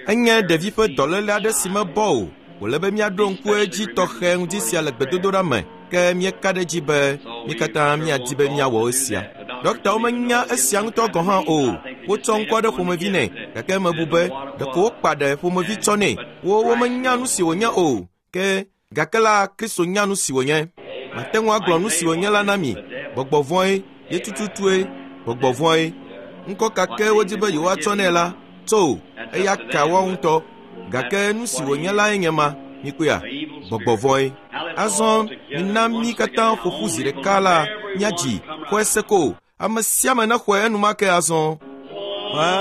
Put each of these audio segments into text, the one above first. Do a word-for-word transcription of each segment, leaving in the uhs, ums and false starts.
Enye ɖevi ƒe dɔléle aɖe si mebɔ o. Wòle be míaɖo ŋku edzi tɔxɛ ŋdi sia le gbedodoɖa me. Ke míeka ɖe edzi be mí katã míadi be míawɔ esia. Ɖɔktawo menya esia ŋutɔ gɔ̃ hã o. Wotsɔ ŋkɔ ɖe ƒomevi nɛ, gake mebu be ɖeko wokpa ɖe ƒomevi tsɔ nɛ. Wo womenya nu si wònye o. Ke gake la Kristo nya nu si wònye. Mate ŋu agblɔ nu si wònye la na mi. Gbɔgbɔ vɔ̃e ye tututue, gbɔgbɔ vɔ̃e. Ŋkɔ ka ke wodi be yewoatsɔ nɛ la, tso eya ka woawo ŋutɔ. Gake nu si wònye lae nye ma, mikpɔea, gbɔgbɔ vɔ̃e. Azɔ mina mí katã ƒo ƒu zi ɖeka la míadzi xɔe se ko. Ame sia ame nexɔe enumake azɔ. Xɔe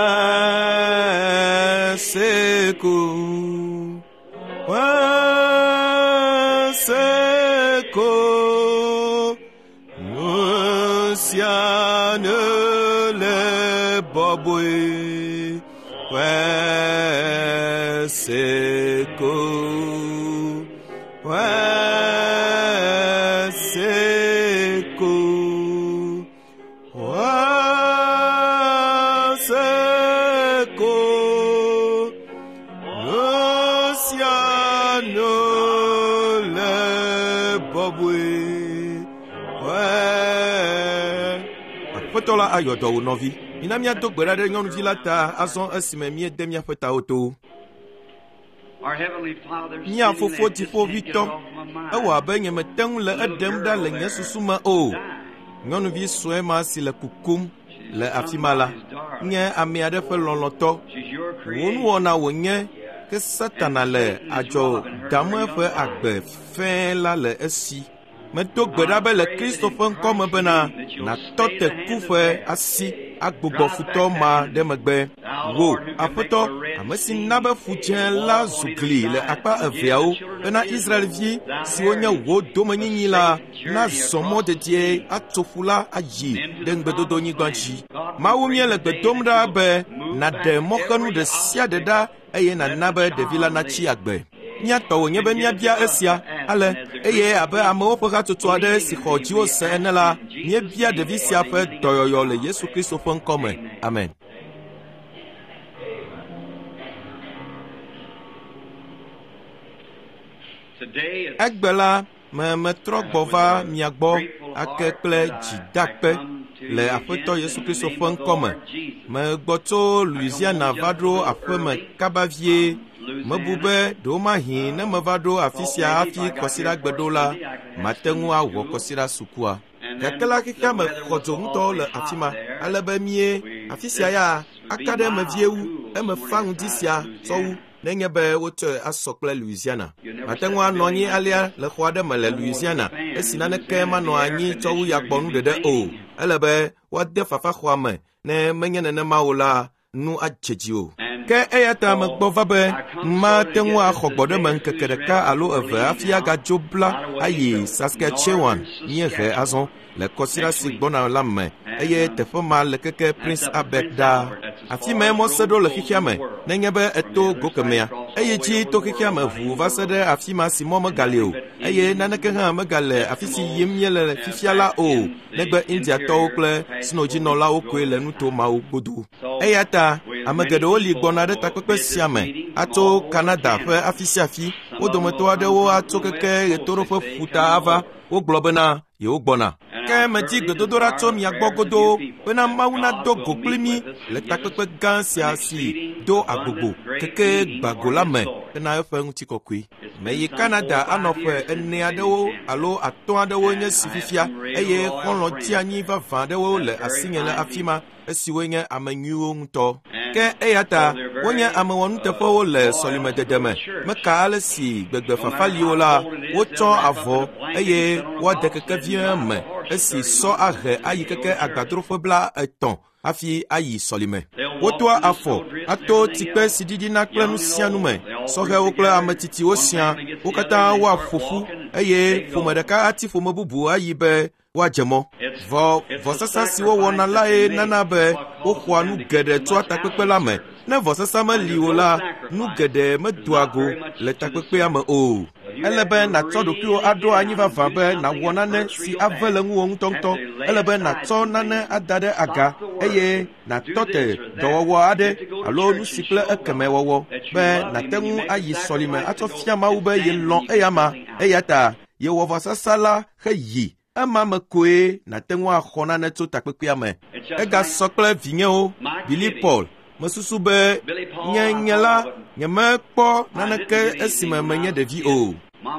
se ko. Xɔe se ko. Nu sia nu le bɔbɔe. Xɔe se ko. Xɔe se ko. Xɔe se ko. Nu sia nu le bɔbɔe. Xɔe. Aƒetɔ la ayɔ dɔ wò nɔvi. Mina míado gbe ɖa ɖe nyɔnuvi la ta azɔ esime míede míaƒe tawo to. Mía fofo dziƒoʋĩtɔ, ewɔ abe nyemete ŋu le eɖem ɖa le nye susu me o. Nyɔnuvi sue ma si le kukum le afi ma la nye ame aɖe ƒe lɔlɔ̃tɔ. Wò nuwɔna wònye ke Satana le adzɔ dam eƒe agbe fɛ̃ la le esi. Medo gbe ɖa be le Kristo ƒe ŋkɔ me bena nàtɔ te ku ƒe asi agbugbɔ futɔ ma ɖe megbe. Wò, Aƒetɔ, ame si na be ƒu dzẽ la zu gli le akpa eveawo bena Israelvi siwo nye wò domenyinyi la nazɔ mɔ dedie atso ƒu la ayi ɖe ŋugbedodonyigba dzi. Mawu míele gbe dom ɖa be nàɖe mɔxenu ɖe sia ɖe ɖa eye nàna be ɖevi la natsi agbe. Mía tɔ wònye be míabia esia ale eye abe amewo ƒe hatsotso aɖe si xɔ dziwò se ene la, míebia ɖevi sia ƒe dɔyɔyɔ le Yesu Kristo ƒe ŋkɔ me. Amen. Egbe la me metrɔ gbɔ va mia gbɔ ake kple dzidakpe le Aƒetɔ Yesu Kristo ƒe ŋkɔ me. Megbɔ tso Louisiana va ɖo aƒeme kaba vie. Mebu be ɖewomahi ne meva ɖo afi sia hafi kɔsiɖagbe ɖo la, mate ŋu awɔ kɔsiɖa sukua. Gake la xexea me xɔ dzo ŋutɔ le afi ma, ale be mie afi sia ya aka ɖe eme vie wu, eme fa ŋdi sia tsɔ wu nenye be wotsɔe asɔ kple Louisiana. Mate ŋu anɔ anyi alea le xɔ aɖe me le Louisiana esi naneke manɔ anyi tsɔ wu yagbɔnu ɖeɖe o. Ele be woade fafaxɔa me ne menye nenema o la, nu adze dzi o. Ke eya ta megbɔ va be mate ŋu axɔ gbɔɖeme ŋkeke ɖeka alo eve hafi agadzo bla ayi Saskatchewan míehe azɔ le kɔsiɖa si gbɔna la me eye teƒe ma le keke Prince Albert ɖaa. Afi mae mɔ se ɖo le xexea me nenye be eto go kemɛa. Eye dzi to xexea me ʋuu va se ɖe afi ma si mɔ megali o eye naneke hã megale afi si yim míele fifia la o negbe Indiatɔwo kple snodzinɔlawo koe le nuto mawo godo. Eya ta ame geɖewo li gbɔna ɖe takpekpe sia me atso Canada ƒe afi sia afi. Wo dometɔ aɖewo atso keke ɣetoɖoƒe ƒuta ava. Wogblɔ bena yewo gbɔna. Ke medi gbedodoɖa tso mia gbɔ godoo bena Mawu nado go kpli mí le takpekpe gã sia si do agbogbo keke gbago la me hena eƒe ŋutikɔkɔe. Meyi Canada anɔ ƒe ene aɖewo alo atɔ̃ aɖewo nye si fifia eye xɔlɔ̃ dzeanyi vavã aɖewo le asinye le afi ma esiwoe nye ame nyuiwo ŋutɔ. Ke eya ta wonye ame wɔnuteƒewo le sɔlimedede me. Meka ale si gbegbe fafa li o la, wotsɔ avɔ eye woade kekevie me esi sɔ ahe ayi keke agbadroƒe bla etɔ̃ hafi ayi sɔlime. Wotoa afɔ ato tsikpe si ɖiɖina kple nu sia nu me. Sɔhɛwo kple ame tsitsiwo sia, wo katã woaƒo ƒu eye ƒome ɖeka ati ƒome bubu ayi be woadze mɔ. Vɔ vɔsasa si wowɔna lae nana be woxɔa nu geɖe tsoa takpekpe la me. Ne vɔsasa meli o la, nu geɖe medoa go le takpekpea me o. Ele be nàtsɔ ɖokuiwò aɖo anyi vavã be nàwɔ nane si ave le ŋuwò ŋutɔŋutɔ. Ele be nàtsɔ nane ada ɖe aga eye nàtɔ te dɔwɔwɔ aɖe alo nu si kple ekeme wɔwɔ be nàte ŋu ayi sɔlime atsɔ fia Mawu be yelɔ̃ eyama eya ta yewɔ vɔsasa la heyi. Ema me koe nàte ŋu axɔ nane tso takpekpea me. Egasɔ kple vinyewo, Billy Paul. Mesusu be nye nye la nyemekpɔ naneke esime menye ɖevi o.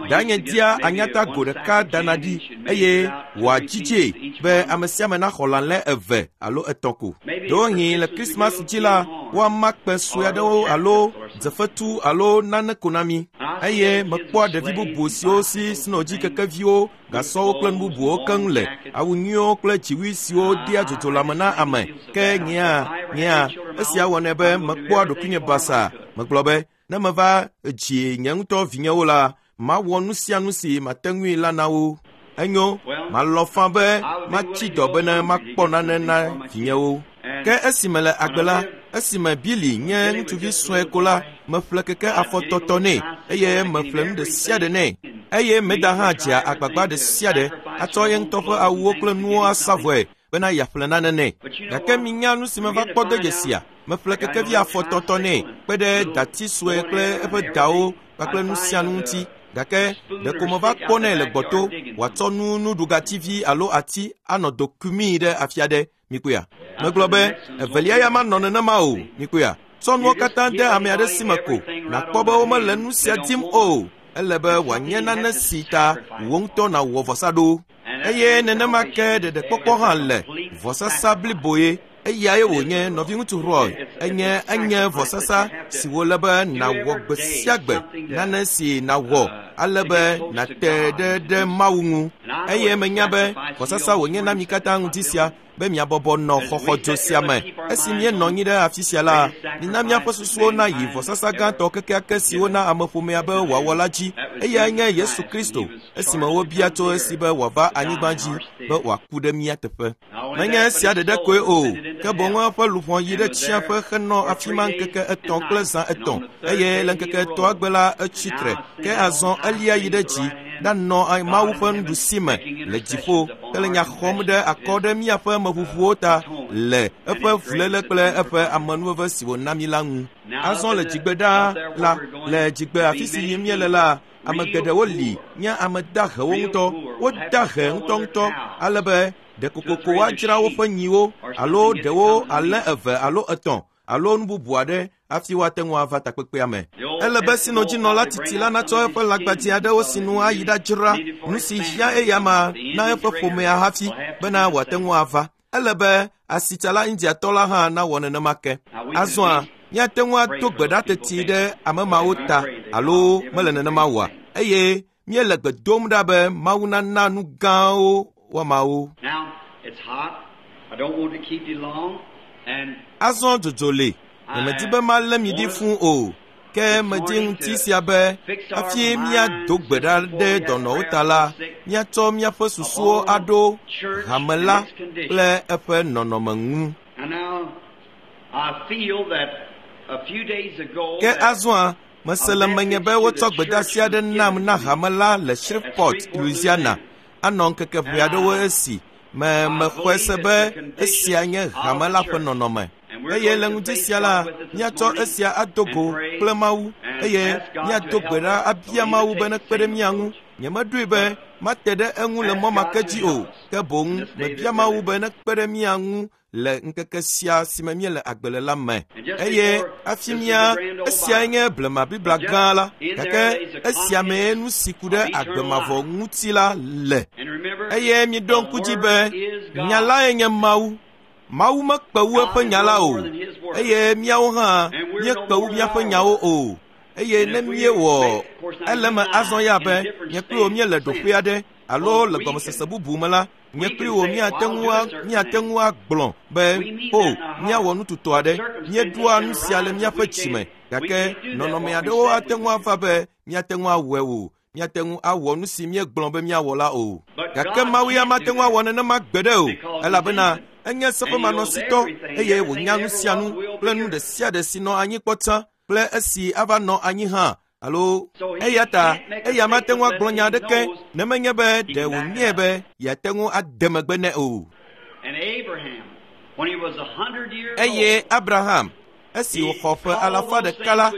Danye dia anyata go ɖeka dana ɖi eye wòadzidzee be ame sia ame naxɔ lãlẽ eve alo etɔ̃ ko. Ɖewohĩ le Krismas dzi la, woama kpe sue aɖewo alo dzefetu alo nane ko na mí. Eye mekpɔa ɖevi bubu siwo si snodzikekeviwo, gasɔwo kple nu bubuwo keŋ le, awu nyuiwo kple dziwui siwo dea dzodzo lãme na ame. Ke nyea, nyea, esia wɔnɛ be mekpɔa ɖokuinye basaa. Megblɔ be, ne meva dzi nye ŋutɔ vinyewo la, mawɔ nu sia nu si mate ŋui la na wo. Enyo, malɔ̃ faa be matsi dɔ bene makpɔ nane na vinyewo. Ke esime le agbe la, esime Billy nye ŋutsuvi sue ko la, meƒle keke afɔtɔtɔ nɛ eye meƒle nu ɖe sia ɖe nɛ. Eye Meda hã dzea agbagba ɖe sia ɖe atsɔ ye ŋutɔ ƒe awuwo kple nuwo asa vɔe bena yeaƒle nane nɛ. Gake minya nu si meva kpɔ de dzesia? Meƒle kekevi afɔtɔtɔ nɛ kpe ɖe dati sue kple eƒe dawo kpakple nu sia nu ŋuti. Gake ɖeko meva kpɔnɛ le gbɔto wòatsɔ nu nuɖugativi alo ati anɔ do kumii ɖe afi aɖe. Mikpɔea? Megblɔ be evelia ya manɔ nenema o. Mikpɔea? Tsɔ nuwo katã de ame aɖe si me ko nàkpɔ be womele nu sia dim o. Ele be wòanye nane si ta wò ŋutɔ nàwɔ vɔsa ɖo. Eye nenema ke ɖeɖekpɔkpɔ hã le vɔsasa bliboe. Eyae wònye nɔviŋutsu Roy. Enye enye vɔsasa si wòle be nàwɔ gbe sia gbe, nane si nàwɔ ale be nàte ɖe ɖe Mawu ŋu. Eye menya be vɔsasa wònye na mi katã ŋuti sia be miabɔbɔ nɔ xɔxɔdzo sia me. Esi míenɔ anyi ɖe afi sia la, mina míaƒe susuwo nayi vɔsasa gãtɔ kekeake si wona ameƒomea be wòawɔ la dzi. Eyae nye Yesu Kristo esime wobia tso esi be wòava anyigba dzi be wòaku ɖe mía teƒe. Menye esia ɖeɖe koe o, ke boŋ eƒe luʋɔ yi ɖe tsiaƒe henɔ afi ma ŋkeke etɔ̃ kple zã etɔ̃ eye le ŋkeke etɔ̃a gbe la etsi tre. Ke azɔ elia yi ɖe dzi ɖanɔ Mawu ƒe nuɖusi me le dziƒo hele nya xɔm ɖe akɔ ɖe míaƒe meʋuʋuwo ta le eƒe fuléle kple eƒe amenuveve si wòna mí la ŋu. Azɔ le dzigbe ɖaa la, le dzigbe afi si yim míele la, ame geɖewo li nye ame dahewo ŋutɔ. Woda he ŋutɔŋutɔ ale be ɖe kokoko woadzra woƒe nyiwo alo ɖewo alẽ eve alo etɔ̃ alo nu bubu aɖe hafi woate ŋu ava takpekpea me. Ele be sinodzinɔla titi la natsɔ eƒe lãgbadzi aɖewo sinu ayi ɖadzra nu si hiã eyama na eƒe ƒomea hafi bena wòate ŋu ava. Ele be asitsala Indiatɔ la hã nawɔ nenema ke. Azɔa, míate ŋu ado gbe ɖa teti ɖe ame mawo ta alo mele nenema oa? Eye míele gbe dom ɖa be Mawu nana nu gãwo woamawo. Azɔ dzodzo li. Nyemedi be malé mi ɖi fũu o, ke medi ŋuti sia be hafi míado gbe ɖa ɖe dɔnɔwo ta la, míatsɔ míaƒe susuwo aɖo hame la kple eƒe nɔnɔme ŋu. Ke azɔa, mese le menye be wotsɔ gbedeasi aɖe nam na hame la le Shreveport, Louisiana, anɔ ŋkeke ʋɛ aɖewo esi me mexɔe se be esia nye hame la ƒe nɔnɔme. Eye le ŋuti sia la, míatsɔ esia ado go kple Mawu eye míado gbe ɖa abia Mawu be nekpe ɖe mía ŋu. Nyemeɖoe be mate ɖe eŋu le mɔ ma ke dzi o, ke boŋ mebia Mawu be nekpe ɖe mía ŋu le ŋkeke sia si me míele agbe le la me. Eye hafi mía, esiae nye blema Biblia gã la, gake esia mee nu si ku ɖe agbe mavɔ ŋuti la le. Eye miɖo ŋku dzi be nya lae nye Mawu. Mawu mekpe wu eƒe nya la o, eye míawo hã míekpe wu míaƒe nyawo o. Eye ne míewɔ ele me azɔ ya be nye kpli wò míele ɖoƒe aɖe alo le gɔmesese bubu me la, nye kpli wò míate ŋu míate ŋu agblɔ be o míawɔ nu tutɔ aɖe, míeɖoa nu sia le míaƒe dzime, gake nɔnɔme aɖewo ate ŋu ava be míate ŋu awɔe o. Míate ŋu awɔ nu si míegblɔ be míawɔ la o. Gake Mawu ya mate ŋu awɔ nenema gbeɖe o, elabena enye seƒemanɔsitɔ eye wònya nu sia nu kple nu ɖe sia ɖe si nɔ anyi kpɔ tsã kple esi ava nɔ anyi hã alo eya ta eya mate ŋu agblɔ nya aɖeke ne menye be ɖe wònyae be yeate ŋu ade megbe nɛ o. Eye Abraham, esi wòxɔ ƒe alafa ɖeka la,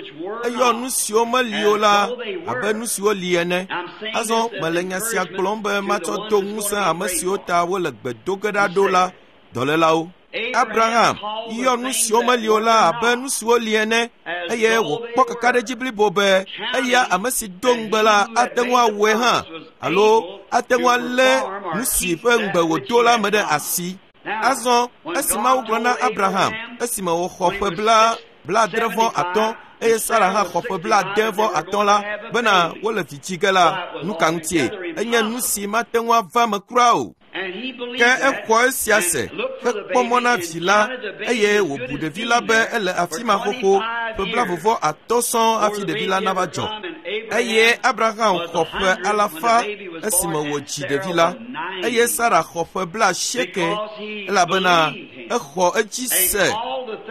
eyɔ nu siwo meli o la abe nu siwo li ene. Azɔ mele nya sia gblɔm be matsɔ do ŋusẽ ame siwo ta wole gbe do ge ɖa ɖo la, dɔlélawo. Abraham yɔ nu siwo meli o la abe nu siwo li ene, eye wòkpɔ kakaɖedzi blibo be eya ame si do ŋugbe la ate ŋu awɔe hã, alo ate ŋu alé nu si ƒe ŋugbe wòdo la me ɖe asi. Azɔ esi Mawu gblɔ na Abraham esime wòxɔ ƒe bla blaadre vɔ atɔ̃ eye Sara hã xɔ ƒe blaade vɔ atɔ̃ la bena wole vi dzi ge la, nu ka ŋutie? Enye nu si mate ŋu ava me kura o. Ke exɔ esia se hekpɔ mɔ na vi la, eye wòbu ɖevi la be ele afi ma xoxo ƒe blavovɔ atɔ̃ sɔŋ hafi ɖevi la nava dzɔ. Eye Abraham xɔ ƒe alafa esime wòdzi ɖevi la, eye Sara xɔ ƒe blaasieke elabena exɔ edzi se,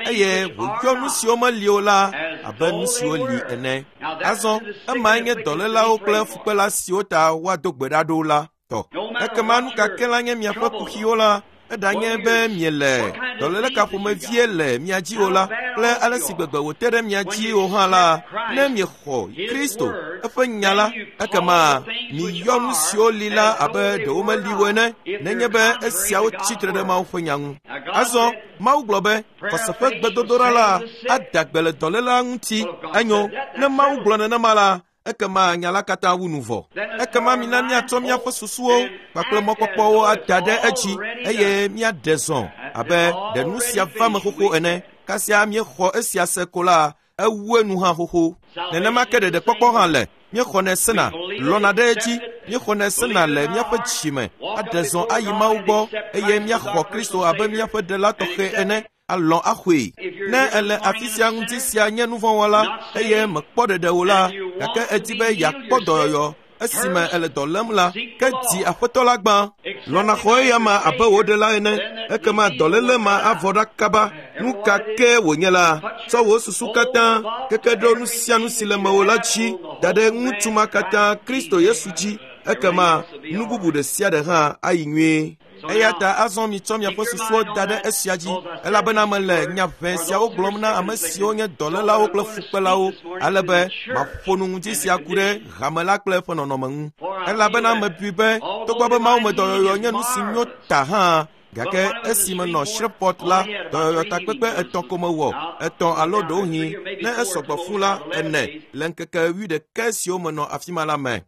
eye wòyɔ nu siwo meli o la abe nu siwo li ene. Azɔ emae nye dɔlélawo kple fukpela siwo ta woado gbe ɖa ɖo la tɔ. Ekema nu ka ke la nye miaƒe kuxiwo la, eɖanye be miele dɔléle ka ƒomevie le mia dzi o la, kple ale si gbegbe wòte ɖe mia dzi o hã la, ne miexɔ Kristo eƒe nya la, ekema miyɔ nu siwo li la abe ɖewo meli o ene, nenye be esiawo tsitre ɖe Mawu ƒe nya ŋu. Azɔ Mawu gblɔ be xɔse ƒe gbedodoɖa la ada gbe le dɔlélea ŋuti. Enyo, ne Mawu gblɔ nenema la, ekema nya la katã wu nu vɔ. Ekema mina míatsɔ míaƒe susuwo kpakple mɔkpɔkpɔwo ada ɖe edzi, eye míaɖe zɔ abe ɖe nu sia va me xoxo ene. Kasia míexɔ esia se ko la, ewu enu hã xoxo. Nenema ke ɖeɖekpɔkpɔ hã le. Míexɔnɛ sena, lɔna ɖe edzi, míexɔnɛ sena le míaƒe dzime, aɖe zɔ ayi Mawu gbɔ, eye míaxɔ Kristo abe míaƒe ɖela tɔxɛ ene, alɔ̃ axɔe. Ne ele afi sia ŋuti sia nye nuvɔ̃wɔla eye mekpɔ ɖeɖe o la, gake edi be yeakpɔ dɔyɔyɔ esime ele dɔ lém la, ke di Aƒetɔ la gbã. Lɔ̃na xɔ eya ma abe wò ɖela ene, ekema dɔléle ma avɔ ɖa kaba. Nu ka ke wònye la, tsɔ wò susu katã keke ɖo nu sia nu si le mewò la dzi da ɖe ŋutsu ma katã Kristo Yesu dzi, ekema nu bubu ɖe sia ɖe hã ayi nyuie. Eya ta azɔ mitsɔ miaƒe susuwo da ɖe esia dzi, elabena mele nya ʋɛ siawo gblɔm na ame siwo nye dɔlélawo kple fukpelawo, ale be maƒo nu ŋuti sia ku ɖe hame la kple eƒe nɔnɔme ŋu. Elabena mebui be togbɔ be mawumedɔyɔyɔ nye nu si nyo ta hã, gake esi menɔ Shreveport la, dɔyɔyɔ takpekpe etɔ̃ ko mewɔ, etɔ̃ alo ɖewohĩ ne esɔgbɔ fũ la ene le ŋkeke wuiɖekɛ siwo menɔ afi ma la me.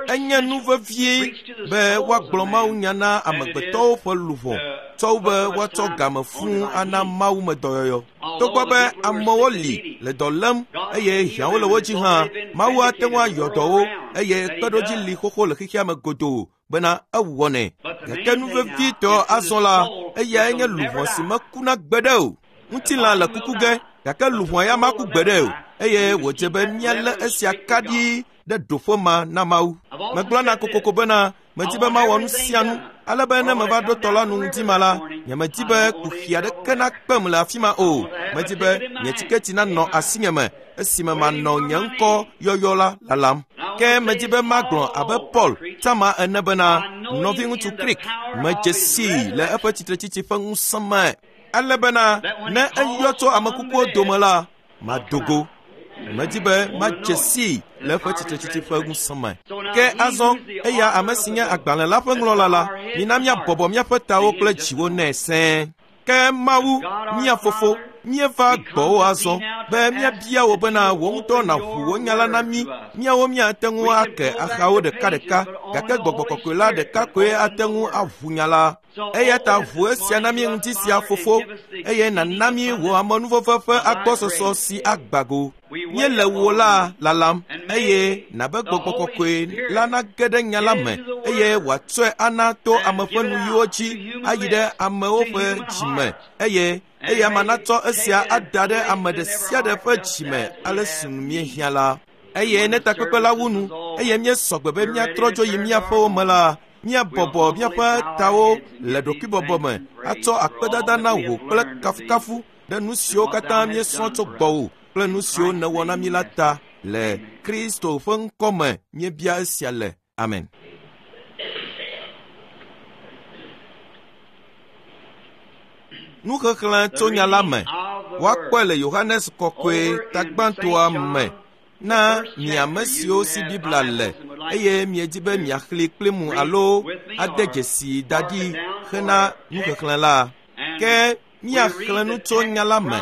Enye nu vevie be woagblɔ Mawu nya na amegbetɔwo ƒe luʋɔ, tsɔ wu be woatsɔ game fũu ana mawumedɔyɔyɔ. Togbɔ be amewo li le dɔ lém eye hiãwo le wo dzi hã, Mawu ate ŋu ayɔ dɔ wo, eye kpeɖodzi li xoxo le xexea me godoo bena ewɔnɛ. Gake nu vevitɔ azɔ la, eyae nye luʋɔ si mekuna gbeɖe o. Ŋutilã le kuku ge, gake luʋɔ ya maku gbeɖe o, eye wòdze be míalé esia kaɖi ɖe ɖoƒe ma na Mawu. Megblɔna kokoko bena medi be mawɔ nu sia nu, ale be ne meva ɖo tɔ la nu ŋdi ma la, nyemedi be kuxi aɖeke nakpem le afi ma o. Medi be nye tiketi nanɔ asinye me esime manɔ nye ŋkɔ yɔyɔ la lalam. Ke medi be magblɔ abe Paul Tama ene bena, nɔviŋutsu Krik, medze sii le eƒe tsitretsitsi ƒe ŋusẽ me, ale bena ne eyɔ tso ame kukuwo dome la, mado go. Medi be madze sii le eƒe tsitretsitsi ƒe ŋusẽ me. Ke azɔ eya ame si nye agbalẽ la ƒe ŋlɔla la, mina míabɔbɔ míaƒe tawo kple dziwo nɛ sẽe. Ke Mawu, mía Fofo, míeva gbɔwò azɔ be míabia wò bena wò ŋutɔ nàʋu wò nya la na mí. Míawo míate ŋu ake axawo ɖekaɖeka, gake Gbɔgbɔ Kɔkɔe la ɖeka koe ate ŋu aʋu nya la. Eya ta ʋu esia na mí ŋuti sia, Fofo, eye nàna mí wò amenuveve ƒe agbɔsɔsɔ si agba go. Míele wò la lalam, eye nàbe Gbɔgbɔ Kɔkɔe la nage ɖe nya la me, eye wòatsɔe ana to ame ƒe nuyiwo dzi ayi ɖe amewo ƒe dzime, eye eya ma natsɔ esia ada ɖe ame ɖe sia ɖe ƒe dzime ale si nu míehiã la. Eye ne takpekpe la wu nu, eye míesɔ gbe be míatrɔ dzo yi míaƒewo me la, míabɔbɔ míaƒe tawo le ɖokuibɔbɔ me atsɔ akpedada na wò kple kafukafu ɖe nu siwo katã míesrɔ̃ tso gbɔwò kple nu siwo nèwɔ na mí la ta. Le Kristo ƒe ŋkɔ me míebia esia le. Amen. Nuxexlẽ tso nya la me. Woakpɔe le Yohanes Kɔkɔe tagbãtɔa me na mi ame siwo si Biblia le eye miedi be miaxlẽe kpli mu alo ade dzesi da ɖi hena nuxexlẽ la. Ke míaxlẽ nu tso nya la me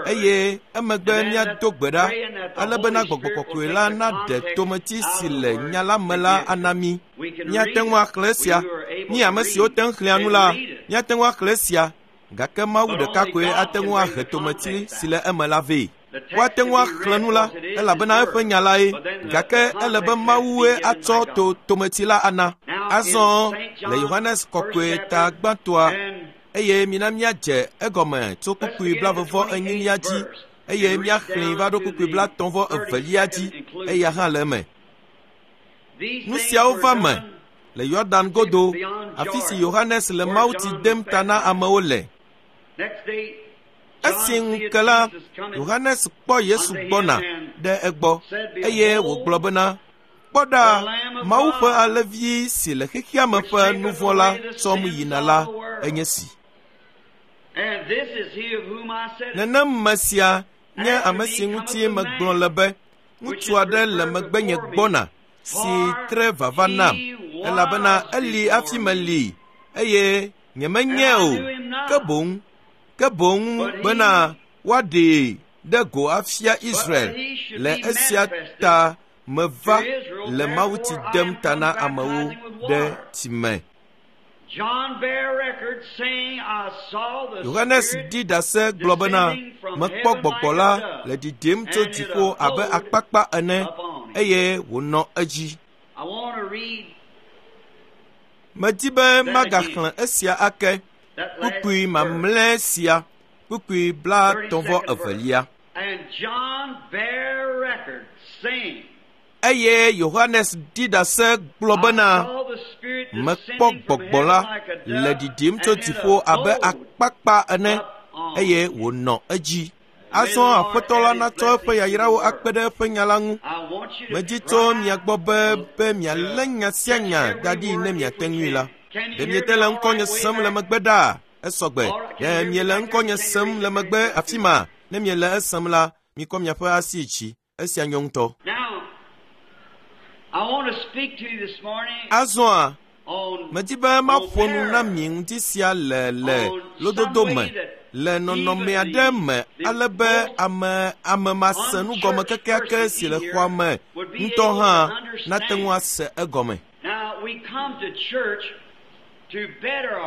eye emegbe míado gbe ɖa ale bena Gbɔgbɔ Kɔkɔe la naɖe tometi si le nya la me la ana mí. Míate ŋu axlẽ esia. Mí ame siwo te ŋu xlẽa nu la, míate ŋu axlẽ esia. Gake Mawu ɖeka koe ate ŋu ahe tometi si le eme la vɛ. Woate ŋu axlẽ nu la elabena eƒe nya lae, gake ele be Mawue atsɔ to tometi la ana. Azɔ le Yohanes Kɔkɔe ta gbãtɔa, eye mina míadze egɔme tso kpukpui blaeve enyilia dzi eye míaxlẽe va ɖo kpukpui blaetɔ̃ vɔ evelia dzi, eya hã le eme. Nu siawo va me le Yɔdan godo, afi si Yohanes le mawutsi dem ta na amewo le. Esi ŋu ke la, Yohanes kpɔ Yesu gbɔna ɖe egbɔ eye wògblɔ bena, Kpɔ ɖa, Mawu ƒe alẽvi si le xexea me ƒe nu vɔ̃ la tsɔm yina la enye si. Nenem me sia nye ame si ŋuti megblɔ le be, ŋutsu aɖe le megbenye gbɔna si tre vava nam, elabena eli hafi meli eye nyemenyae o, ke boŋ ke boŋ bena woaɖee ɖe go afia Israel. Le esia ta meva le mawutsi dem ta na amewo ɖe tsi me. Yohanes ɖi ɖase gblɔ bena, mekpɔ gbɔgbɔ la le ɖiɖim tso dziƒo abe akpakpa ene eye wònɔ edzi. Medi be magaxlẽ esia ake, kpukpui mamlɛ sia, kpukpui blaetɔ̃ vɔ evelia. Eye Yohanes ɖi ɖase gblɔ bena, mekpɔ gbɔgbɔ la le ɖiɖim tso dziƒo abe akpakpa ene eye wònɔ edzi. Azɔ Aƒetɔ la natsɔ eƒe yayrawo akpe ɖe eƒe nya la ŋu. Medi tso mia gbɔ be be mialé nya sia nya da ɖi ne miate ŋui la. Ɖe miete le ŋkɔnye sem le megbe ɖaa? Esɔgbe. Ɖe miele ŋkɔnye sem le megbe afi ma? Ne miele esem la, mikɔ miaƒe asi dzi. Esia nyo ŋutɔ. Azɔa, medi be maƒo nu na mi ŋdi sia le le lododo me, le nɔnɔme aɖe me ale be ame ame mase nugɔme kekeake si le xɔa me ŋutɔ hã nate ŋu ase egɔme.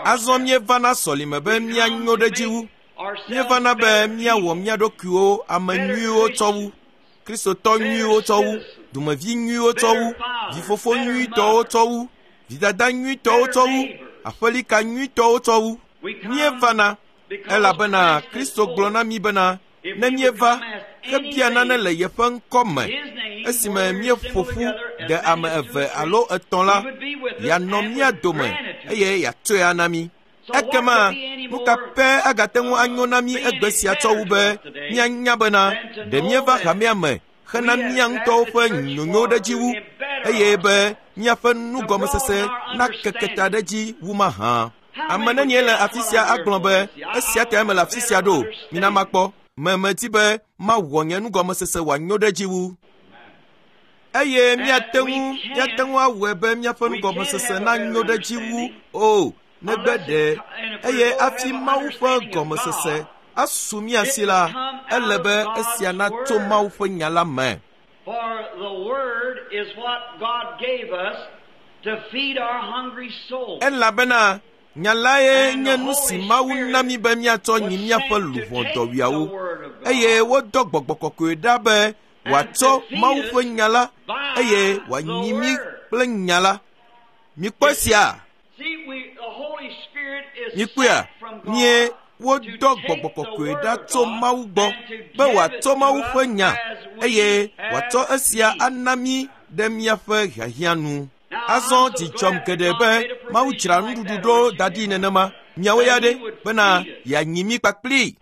Azɔ míevana sɔlime be míanyo ɖe dzi wu. Míevana be míawɔ mía ɖokuiwo ame nyuiwo tsɔ wu, Kristotɔ nyuiwo tsɔ wu, dumevi nyuiwo tsɔ wu, vifofo nyuitɔwo tsɔ wu, vidada nyuitɔwo tsɔ wu, aƒelika nyuitɔwo tsɔ wu. Míevana elabena Kristo gblɔ na mí bena ne míeva hebia nane le yeƒe ŋkɔ me, esime míeƒo ƒu ɖe ame eve alo etɔ̃ la, yeanɔ mía dome eye yeatsɔe ana mí. Ekema nu ka pɛ agate ŋu anyo na mí egbe sia tsɔ wu be míanya bena ɖe míeva hamea me hena mía ŋutɔwo ƒe nyonyo ɖe dzi wu eye be míaƒe nugɔmesese nakeke ta ɖe dzi wu mahã. Ame nenie le afi sia agblɔ be esia tae mele afi sia ɖo? Mina makpɔ. Me medi be mawɔ nye nugɔmesese wòanyo ɖe dzi wu. Eye míate ŋu míate ŋu awɔe be míaƒe nugɔmesese nanyo ɖe dzi wu o negbe ɖe eye hafi Mawu ƒe gɔmesese asu mía si la, ele be esia natso Mawu ƒe nya la me. Elabena nya lae nye nu si Mawu na mí be míatsɔ nyi míaƒe luʋɔ dɔwuiawo, eye wodɔ Gbɔgbɔ Kɔkɔe ɖa be wòatsɔ Mawu ƒe nya la eye wòanyi mí kple nya la. Mikpɔ esia? Mikpɔea? Mie wodɔ Gbɔgbɔ Kɔkɔe ɖa tso Mawu gbɔ be wòatsɔ Mawu ƒe nya eye wòatsɔ esia ana mí ɖe míaƒe hiahiã nu. Azɔ dzi dzɔm geɖe be Mawu dzra nuɖuɖu ɖo da ɖi nenema. Miawo ya ɖe bena yeanyi mí kpakplii.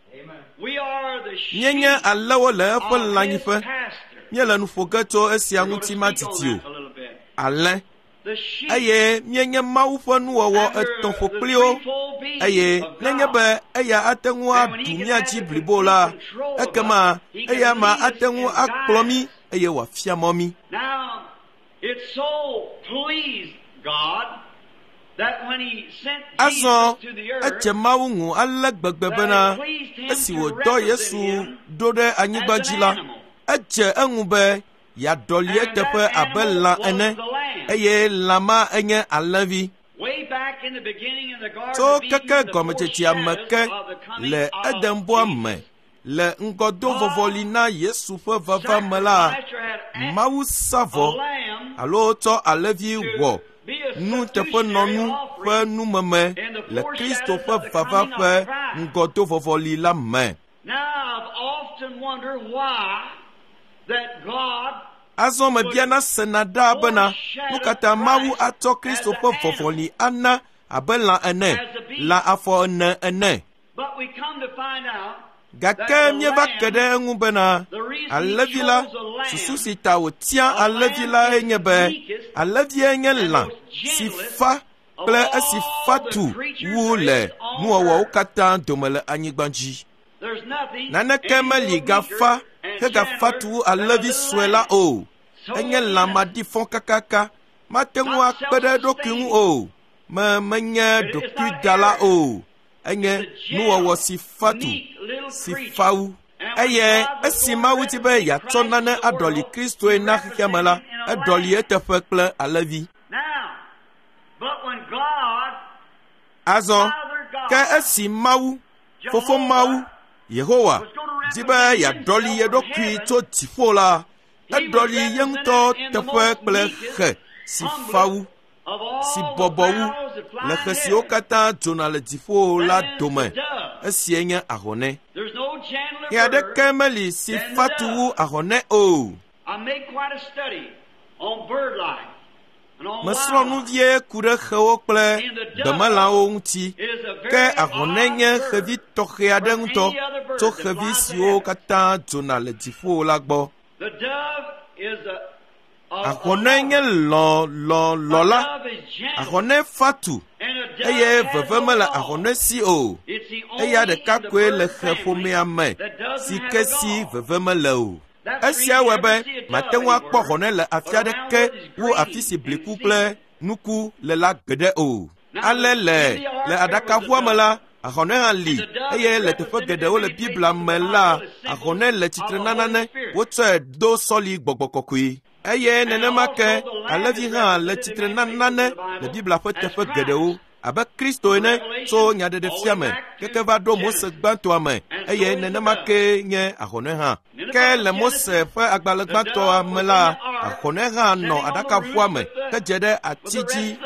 Míenye alẽwo le eƒe lãnyiƒe. Míele nu ƒo ge tso esia ŋuti madidi o. Alẽ. Eye míenye Mawu ƒe nuwɔwɔ etɔ̃ ƒokpliwo Eye nenye be eya ate ŋu aɖu mía dzi blibo la, ekema eya ma ate ŋu akplɔ mí eye wòafia mɔ mí. Azɔ edze Mawu ŋu ale gbegbe bena esi wòdɔ Yesu ɖo ɖe anyigba dzi la, edze eŋu be yeaɖɔli eteƒe abe lã ene, eye lã ma enye alẽvi. Tso keke gɔmedzedzea me ke le Edenbɔa me le ŋgɔdovɔvɔli na Yesu ƒe vava me la, Mawu sa vɔ alo tsɔ alẽvi wɔ nuteƒenɔnu ƒe numeme le Kristo ƒe vava ƒe ŋgɔdovɔvɔli la me. Azɔ mebiana sena ɖaa bena nu katã Mawu atsɔ Kristo ƒe vɔvɔli ana abe lã ene, lã afɔ ene ene. Gake míeva ke ɖe eŋu bena alẽvi la, susu si ta wòtia alẽvi lae nye be alẽvie nye lã si fa kple esi fa tu wu le nuwɔwɔwo katã dome le anyigba dzi. Naneke meli gafa hegafa tu wu alẽvi sue la o. Enye lã maɖifɔ kakaka, mate ŋu akpe ɖe eɖokui ŋu o. Me menye ɖokuidala o. Enye nuwɔwɔ si fa tu, si fa wu. Eye esi Mawu di be yeatsɔ nane aɖɔli Kristoe na xexea me la, eɖɔli eteƒe kple alẽvi. Azɔ, ke esi Mawu, Fofo Mawu, Yehowa, di be yeaɖɔli ye ɖokui tso dziƒo la, eɖɔli ye ŋutɔ teƒe kple xe si fa wu, si bɔbɔ wu le xe siwo katã dzona le dziƒo la dome. Esie nye ahɔnɛ. Xe aɖeke meli si fa tu wu ahɔnɛ o. Mesrɔ̃ nu vie ku ɖe xewo kple gbemelãwo ŋuti, ke ahɔnɛ nye xevi tɔxɛ aɖe ŋutɔ tso xevi siwo katã dzona le dziƒo la gbɔ. Ahɔnɛ nye lɔlɔlɔla. Ahɔnɛ fa tu eye veve mele ahɔnɛ si o. Eya ɖeka koe le xe ƒomea me si ke si veve mele o. Esia wɔe be mate ŋu akpɔ ahɔnɛ le afi aɖeke wu afi si bliku kple nuku le la gbeɖe o. Ale le le aɖakaʋua me la, ahɔnɛ hã li eye le teƒe geɖewo le Biblia me la, ahɔnɛ le tsitre na nane wotsɔe do sɔli gbɔgbɔ kɔkɔe. Eye nenema ke alẽvi hã le tsitre na nane le Biblia ƒe teƒe geɖewo abe Kristo ene tso nyaɖeɖefia me keke va ɖo Mose gbãtɔa me eye nenema ke nye ahɔnɛ hã. Ke le Mose ƒe agbalẽ gbãtɔa me la, ahɔnɛ hã nɔ aɖakaʋua me hedze ɖe ati dzi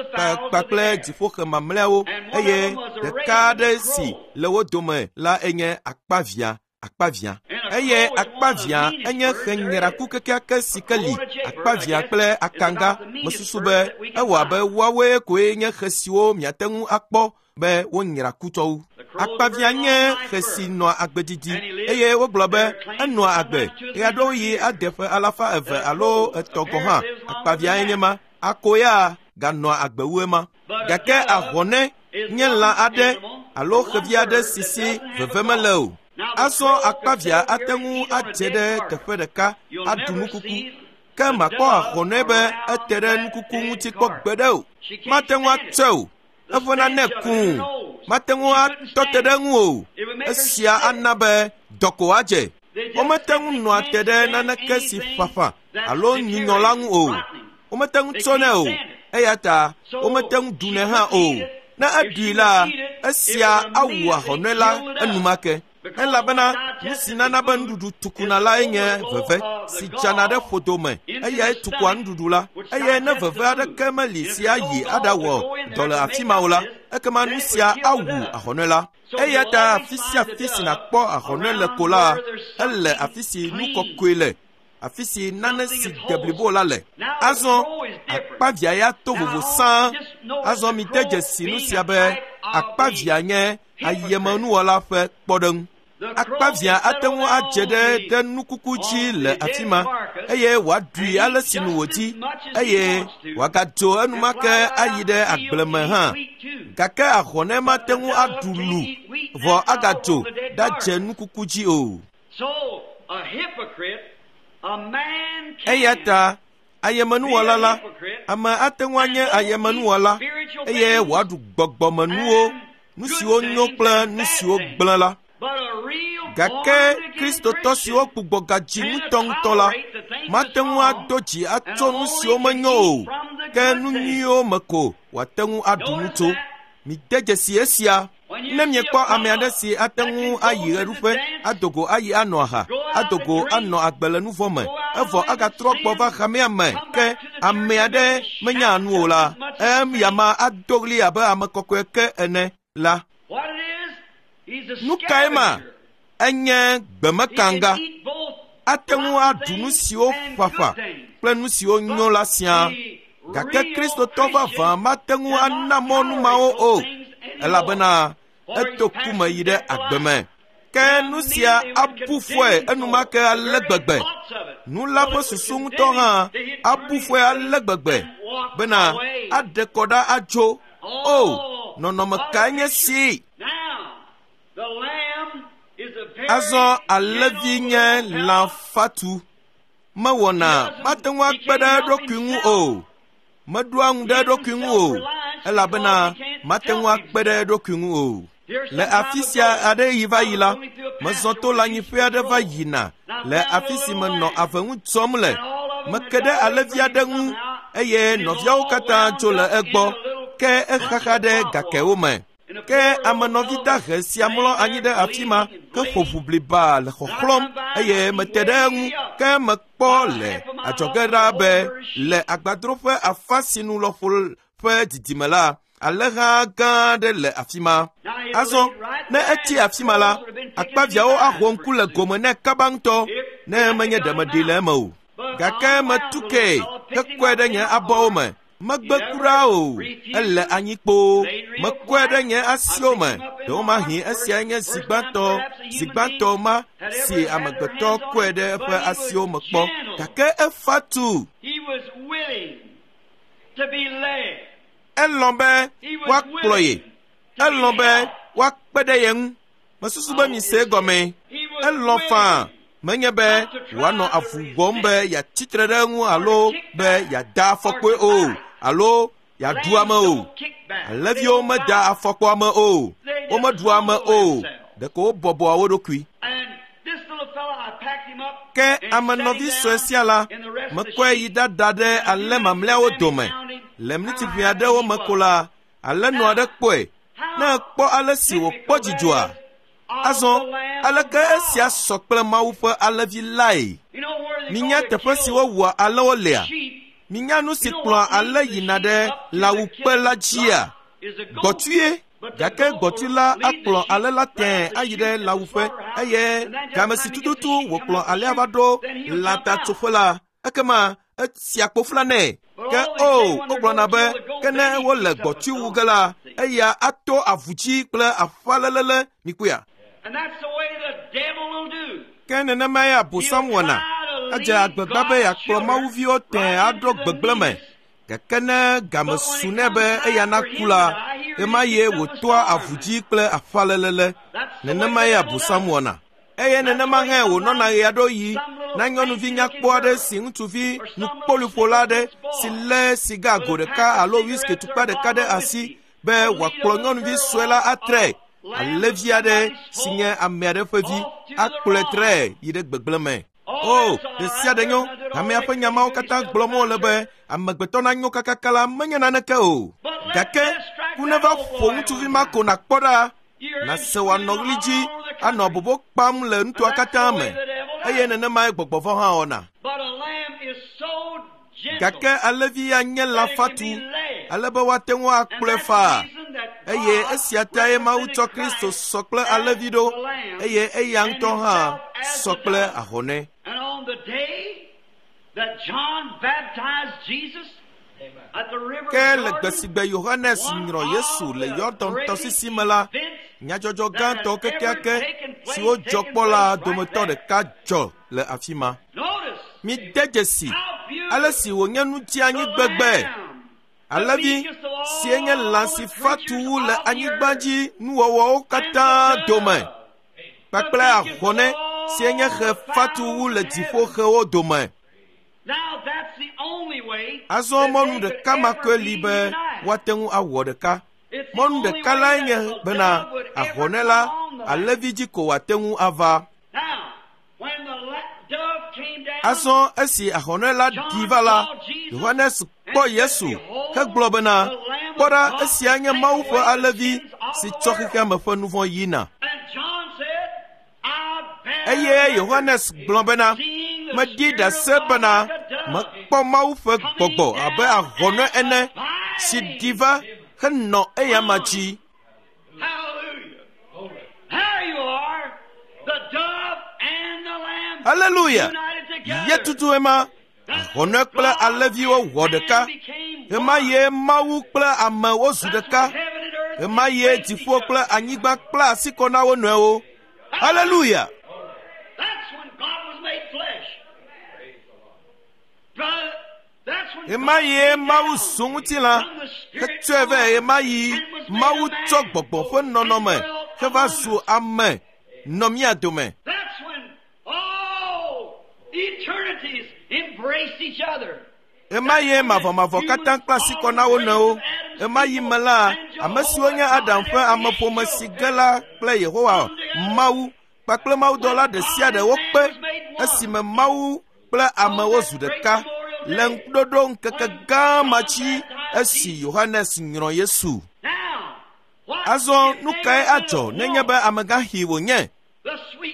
kpakple dziƒoxe mamlɛawo eye ɖeka aɖe si le wo dome la enye akpavia. Akpavia. Eye akpavia enye xe nyraku kekeake si ke li. Akpavia kple akanga mesusu be ewɔ abe woawoe koe nye xe siwo miate ŋu akpɔ be wonyra ku tsɔ wu. Akpavia nye xe si nɔa agbe didi eye wogblɔ be enɔa agbe ɣeaɖewoɣi ade ƒe alafa eve alo etɔ̃ gɔ̃ hã. Akpaviae nye ma. Akoya ganɔa agbe wu ema. Gake ahɔnɛ nye lã aɖe alo xevi aɖe si si veve mele o. Azɔ akpavia ate ŋu adze ɖe teƒe ɖeka aɖu nukuku, ke makpɔ ahɔnɛ be ete ɖe nukuku ŋuti kpɔ gbeɖe o. Mate ŋu atsɔe o, eƒe nane kũu, mate ŋu atɔ te ɖe eŋu o. Esia ana be dɔko adze. Womete ŋu nɔa te ɖe naneke si ƒaƒã alo nyunyɔ la ŋu o. Womete ŋu tsɔnɛ o, eya ta womete ŋu ɖunɛ hã o. Ne eɖui la, esia awu ahɔnɛ la enumake. Elabena nu si nana be nuɖuɖu tukuna lae nye veve si dzana ɖe ƒodo me, eyae tukua nuɖuɖu la. Eye ne veve aɖeke meli si ayi aɖawɔ dɔ le afi ma o la, ekema nu sia awu ahɔnɛ la. Eya ta afi sia afi si nàkpɔ ahɔnɛ le ko la, ele afi si nu kɔkɔe le, afi si nane si de blibo la le. Azɔ akpavia ya to vovo sãa. Azɔ mide dzesi nu sia be akpavia nye ayemenuwɔla ƒe kpɔɖeŋu. Akpavia ate ŋu adze ɖe ɖe nukuku dzi le afi ma eye wòaɖui ale si nu wòdi eye wòagadzo enumake ayi ɖe agble me hã. Gake ahɔnɛ mate ŋu aɖu lu vɔ agadzo ɖadze nukuku dzi o. Eya ta ayemenuwɔla la, ame ate ŋu anye ayemenuwɔla eye wòaɖu gbɔgbɔmenuwo, nu siwo nyo kple nu siwo gblẽ la. Gake Kristotɔ siwo gbugbɔ gadzi ŋutɔŋutɔ la mate ŋu ado dzi atso nu siwo menyo o, ke nu nyuiwo me ko wòate ŋu aɖu nu tso. Mide dzesi esia. Ne miekpɔ ame aɖe si ate ŋu ayi ɣeɖuƒe, ado go ayi anɔ aha, ado go anɔ agbe le nuvɔ me, evɔ agatrɔ gbɔ va hamea me, ke ame aɖe menya nu o la, eyama ado ɣli abe ame kɔkɔe ke ene la. Nu kae ma? Enye gbemekanga. Ate ŋu aɖu nu siwo ƒaƒã kple nu siwo nyo la siaa. Gake Kristotɔ vavã mate ŋu ana mɔ nu mawo o, elabena eto ku me yi ɖe agbe me. Ke nu sia abu fɔe enumake ale gbegbe. Nu la ƒe susu ŋutɔ hã abu fɔe ale gbegbe bena aɖe kɔ ɖa adzo. O, nɔnɔme kae nye si! Azɔ alẽvi nye lã fatu. Mewɔna mate ŋu akpe ɖe eɖokui ŋu o. Meɖoa ŋu ɖe eɖokui ŋu o, elabena mate ŋu akpe ɖe eɖokui ŋu o. Le afi sia aɖe yi va yi la, mezɔ to lãnyiƒe aɖe va yina le afi si menɔ ave ŋu dzɔm le. Meke ɖe alẽvi aɖe ŋu eye nɔviawo katã dzo le egbɔ, ke exaxa ɖe gakewo me. Ke amenɔvi dahe sia mlɔ anyi ɖe afi ma ke ƒo ʋu bliba le xɔxlɔ̃m eye mete ɖe eŋu. Ke mekpɔ le adzɔge ɖa be le agbadroƒe afa si nu lɔƒo ƒe didime la, alẽha gã aɖe le afi ma. Azɔ ne etsi afi ma la, akpaviãwo aho ŋku le gome nɛ kaba ŋutɔ ne menye ɖe meɖee le eme o. Gake metu kee hekɔe ɖe nye abɔwo me. Megbe kura o, ele anyi kpoo. Mekɔe ɖe nye asiwo me. Ɖewomahi esiae nye zi gbãtɔ, zi gbãtɔ ma si amegbetɔ kɔe ɖe eƒe asiwo me kpɔ. Gake efa tu. Elɔ̃ be woakplɔ ye. Elɔ̃ be woakpe ɖe ye ŋu. Mesusu be mise egɔme. Elɔ̃ faa. Menye be wòanɔ avu wɔm be yeatsi tre ɖe eŋu alo be yeada afɔkpoe o, alo yeaɖu ame o. Alẽviwo meda afɔkpo ame o, womeɖu ame o, ɖeko wobɔbɔa wo ɖokui. Ke amenɔvi sue sia la, mekɔe yi ɖada ɖe alẽ mamlɛawo dome. Le miniti ʋɛ aɖewo me ko la, alẽnɔ aɖe kpɔe. Ne ekpɔ ale si wòkpɔ dzidzɔa, azɔ aleke esia sɔ kple Mawu ƒe alẽvi lae? Minya teƒe si wowua alẽwo lea? Minya nu si kplɔa alẽ yina ɖe lãwuƒe la dzia? Gbɔtue. Gake gbɔtui la akplɔ alẽ la tẽe ayi ɖe lãwuƒe eye game si tututu wòkplɔ alẽa va ɖo lãtatsoƒe la, ekema esia kpofla nɛ. Ke o, wogblɔna be ke ne wole gbɔtui wu ge la, eya ato avu dzi kple aƒalelele. Mikpɔea? Ke nenemae Abosam wɔna. Edze agbagba be yeakplɔ mawuviwo tẽe aɖo gbegblẽ me. Gake ne game su nɛ be eya naku la, ɣemaɣie wòtoa avu dzi kple aƒalelele. Nenemae Abosam wɔna. Eye nenema hã wònɔna ɣe aɖewo ɣi na nyɔnuvi nyakpɔ aɖe si ŋutsuvi nukpoliƒola aɖe si lé siga go ɖeka alo wiski tukpa ɖeka ɖe asi be wòakplɔ nyɔnuvi sue la atrɛ. Alẽvi aɖe si nye ame aɖe ƒe vi akplɔe trɛ yi ɖe gbegblẽ me. O, ɖe sia ɖe nyo. Hamea ƒe nya mawo katã gblɔm wole be amegbetɔ nanyo kakaka la menye naneke o. Gake ku neva ƒo ŋutsuvi ma ko nàkpɔ ɖa, nàse wòanɔ ɣli dzi anɔ bobo kpam le nutoa katã me. Eye nenemae gbɔgbɔ vɔ̃ hã wɔna. Gake alẽvi ya nye lã fatu ale be woate ŋu akplɔe faa. Eye esia tae Mawu tsɔ Kristo sɔ kple alẽvi ɖo, eye eya ŋutɔ hã sɔ kple ahɔnɛ. Ke le gbe si gbe Yohanes nyrɔ Yesu le Yɔdan tɔsisi me la, nyadzɔdzɔ gãtɔ kekeake siwo dzɔ kpɔ la dometɔ ɖeka dzɔ le afi ma. Mide dzesi ale si wònye nu dzeanyi gbegbe. Alẽvi, sie nye lã si fatu wu le anyigba dzi nuwɔwɔwo katã dome kpakple ahɔne sie nye xe fatu wu le dziƒoxewo dome. Azɔ mɔnu ɖeka ma koe li be woate ŋu awɔ ɖeka. Mɔnu ɖeka lae nye bena ahɔne la alẽvi dzi ko wòate ŋu ava. Azɔ esi ahɔne la ɖi va la, Yohanes kpɔ Yesu hegblɔ bena, kpɔ ɖa, esia nye Mawu ƒe alẽvi si tsɔ xexeame ƒe nu vɔ̃ yina. Eye Yohanes gblɔ bena, meɖi ɖase bena mekpɔ Mawu ƒe gbɔgbɔ abe ahɔne ene si ɖi va henɔ eyama dzi. Haleluya! Ye tutu ema, ahɔne kple alẽviwo wɔ ɖeka. Ɣema ye Mawu kple ame wozu ɖeka. Ɣema ye dziƒo kple anyigba kpla asi kɔ na wo nɔewo. Haleluya! Ɣema ye Mawu zu ŋutilã hetsɔe vɛ. Ɣema yi Mawu tsɔ gbɔgbɔ ƒe nɔnɔme heva zu ame nɔ mía dome. Ɣema ye mavɔmavɔ katã kpla asi kɔ na wo nɔewo. Ɣema yi me la, ame siwo nye Adam ƒe ameƒome si ge la kple Yehowa Mawu kpakple mawudɔla ɖe sia ɖe wokpe esime Mawu kple amewo zu ɖeka le ŋkuɖoɖo ŋkeke gã ma dzi esi Yohanes nyrɔ Yesu. Azɔ nu kae adzɔ nenye be amegãxi wònye?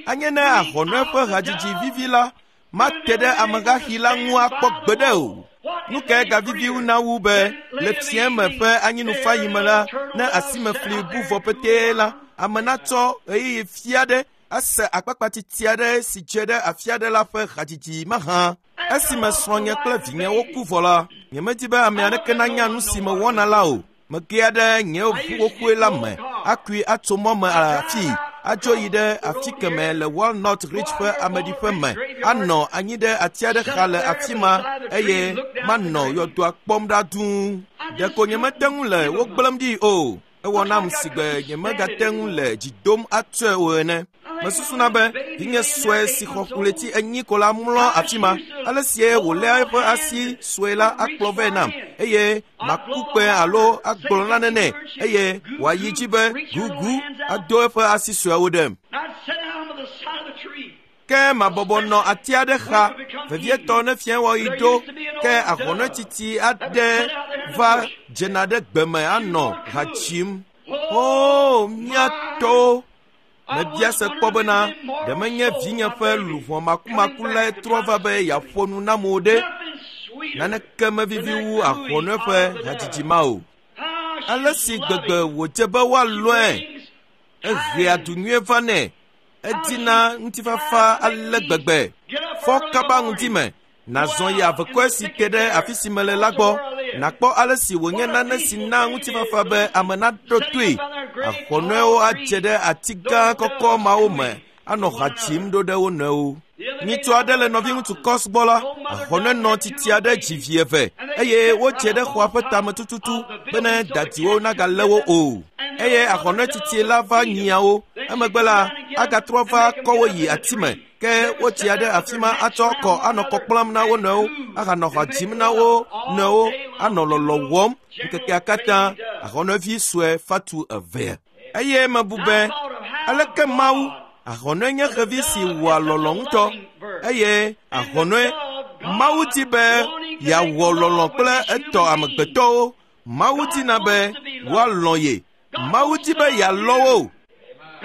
Anye ne ahɔne ƒe hadzidzi vivi la mate ɖe amegãxi la ŋu akpɔ gbeɖe o. Nu kae gavivi na wu be le fiẽme ƒe anyinufayi me la, ne asimefli bu vɔ petee la, ame natsɔ ɣeyiɣi fia ɖe ase akpakpatiti aɖe si dze ɖe afi aɖe la ƒe hadzidzi mahã. Esime srɔ̃nye kple vinyewo ku vɔ la, nyemedi be ame aɖeke nanya nu si mewɔna la o. Megea ɖe nye ʋu xoxoe la me, akui atso mɔ me afii, adzo yi ɖe afi keme le Walnut Ridge ƒe ameɖiƒe me, anɔ anyi ɖe ati aɖe xa le afi ma eye manɔ yɔdoa kpɔm ɖa dũu. Ɖeko nyemete ŋu le wo gblẽm ɖi o. Ewɔ nam si gbe nyemegate ŋu le dzi dom atsɔe o ene. Mesusuna be vinye sue si xɔ ɣleti enyi ko la mlɔ afi ma. Ale sie wòléa eƒe asi sue la akplɔ vɛ nam eye maku kpẽ alo agblɔ nane nɛ eye wòayi dzi be gugu ado eƒe asi sueawo ɖem. Ke mabɔbɔ nɔ ati aɖe xa, vevietɔ ne fiẽwɔɣi ɖo, ke ahɔnetsitsi aɖe va dzena ɖe gbeme anɔ ha dzim. Oo, mía tɔwo! Mebia se kpɔ bena ɖe menye vinye ƒe luʋɔ makumaku lae trɔ va be yeaƒo nu nam o ɖe? Naneke mevivi wu ahɔne ƒe hadzidzi ma o. Ale si gbegbe wòdze be woalɔe, ehea du nyuie va nɛ, edina ŋutifafa ale gbegbe. Fɔ kaba ŋdi me, nàzɔ yi avekɔe si te ɖe afi si mele la gbɔ, nàkpɔ ale si wònye nane si na ŋutifafa be ame naɖo toe. Ahɔnɔewo adze ɖe ati gã kɔkɔ mawo me anɔ ha dzim ɖo ɖe wo nɔewo. Nyitsu aɖe le nɔviŋutsu Kɔs gbɔ la, ahɔne nɔ titi aɖe dzi vi eve eye wodze ɖe xɔa ƒe tame tututu bene dadiwo nagalé wo o. Eye ahɔne titi la va nyiawo. Emegbe la, agatrɔ va kɔ wo yi ati me. Ke wotsia ɖe afi ma atsɔ kɔ anɔ kɔ kplam na wo nɔewo, ahanɔ ha dzim na wo nɔewo, anɔ lɔlɔ wɔm ŋkekea katã. Ahɔnevi sue fatu eve. Eye mebu be, aleke Mawu, ahɔne nye xevi si wɔa lɔlɔ ŋutɔ, eye ahɔne, Mawu di be yeawɔ lɔlɔ kple etɔ amegbetɔwo. Mawu dina be woalɔ̃ ye. Mawu di be yealɔ̃ wo.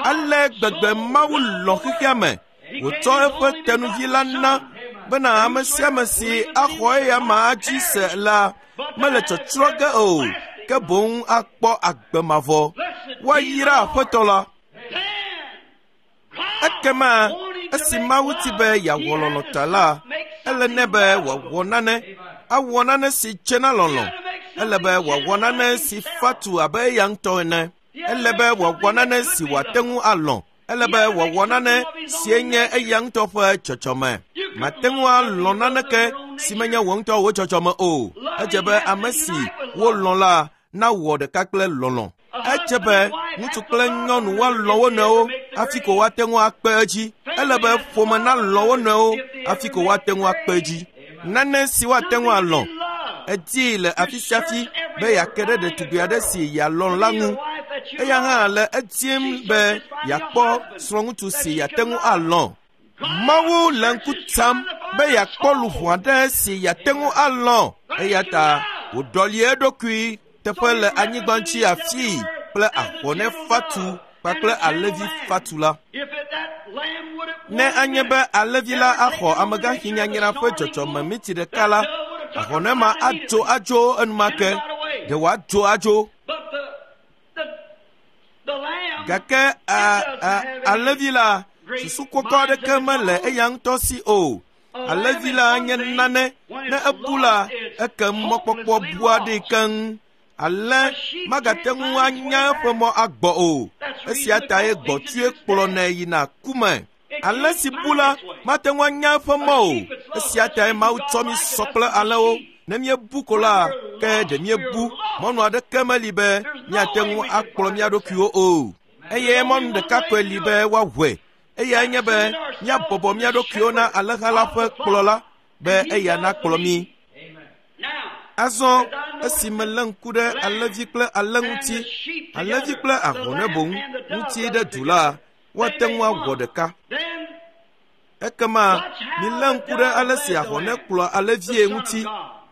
Ale gbegbe Mawu lɔ̃ xexea me, wòtsɔ eƒe tenuvi la na bena ame sia ame si axɔ eya ma dzi se la mele tsɔtsrɔ̃ ge o, ke boŋ akpɔ agbe mavɔ. Woayra Aƒetɔ la. Ekema esi Mawu ti be yeawɔ lɔlɔ̃ ta la, ele nɛ be wòawɔ nane, awɔ nane si dze na lɔlɔ̃. Ele be wòawɔ nane si fatu abe eya ŋutɔ ene. Ele be wòawɔ nane si wòate ŋu alɔ̃. Ele be wòawɔ nane si nye eya ŋutɔ ƒe dzɔdzɔme. Mate ŋu alɔ̃ naneke si menye wò ŋutɔ wò dzɔdzɔme o. Edze be ame si wolɔ̃ la nawɔ ɖeka kple lɔlɔ̃. Edze be ŋutsu kple nyɔnu woalɔ̃ wo nɔewo hafi ko woate ŋu akpe edzi. Ele be ƒome nalɔ̃ wo nɔewo hafi ko woate ŋu akpe edzi. Nane si woate ŋu alɔ̃. Edii le afi sia afi be yeake ɖe ɖetugbi aɖe si yealɔ̃ la ŋu. Eya hã le edim be yeakpɔ srɔ̃ŋutsu si yeate ŋu alɔ̃. Mawu le ŋku tsam be yeakpɔ luʋɔ aɖe si yeate ŋu alɔ̃. Eya ta wòɖɔli eɖokui teƒe le anyigba ŋuti afii kple ahɔnɛ fatu kpakple alẽvi fatu la. Ne anye be alẽvi la axɔ amegãxi nyanyra ƒe dzɔdzɔme miti ɖeka la, ahɔnɛ ma adzo adzo enumake. Ɖe wòadzo adzo. Gake a, a, alẽvi la, susu kɔkɔ aɖeke mele eya ŋutɔ si o. Alẽvi la nye nane, ne ebu la, ekem mɔkpɔkpɔ bua ɖi keŋ. Alẽ magate ŋu anya eƒe mɔ agbɔ o. Esia tae gbɔtue kplɔnɛ yina ku me. Alẽ si bu la mate ŋu anya eƒe mɔ o. Esia tae Mawu tsɔ mí sɔ kple alẽwo. Ne míebu ko la, ke ɖe míebu. Mɔnu aɖeke meli be míate ŋu akplɔ mía ɖokuiwo o. Eye mɔnu ɖeka koe li be woaʋɔe. Eyae nye be míabɔbɔ mía ɖokuiwo na alẽha la ƒe kplɔla be eya nakplɔ mí. Azɔ esi melé ŋku ɖe alẽvi kple alẽ ŋuti, alẽvi kple ahɔnɛ boŋ ŋuti ɖe du la, woate ŋu awɔ ɖeka. Ekema milé ŋku ɖe ale si ahɔnɛ kplɔa alẽvie ŋuti,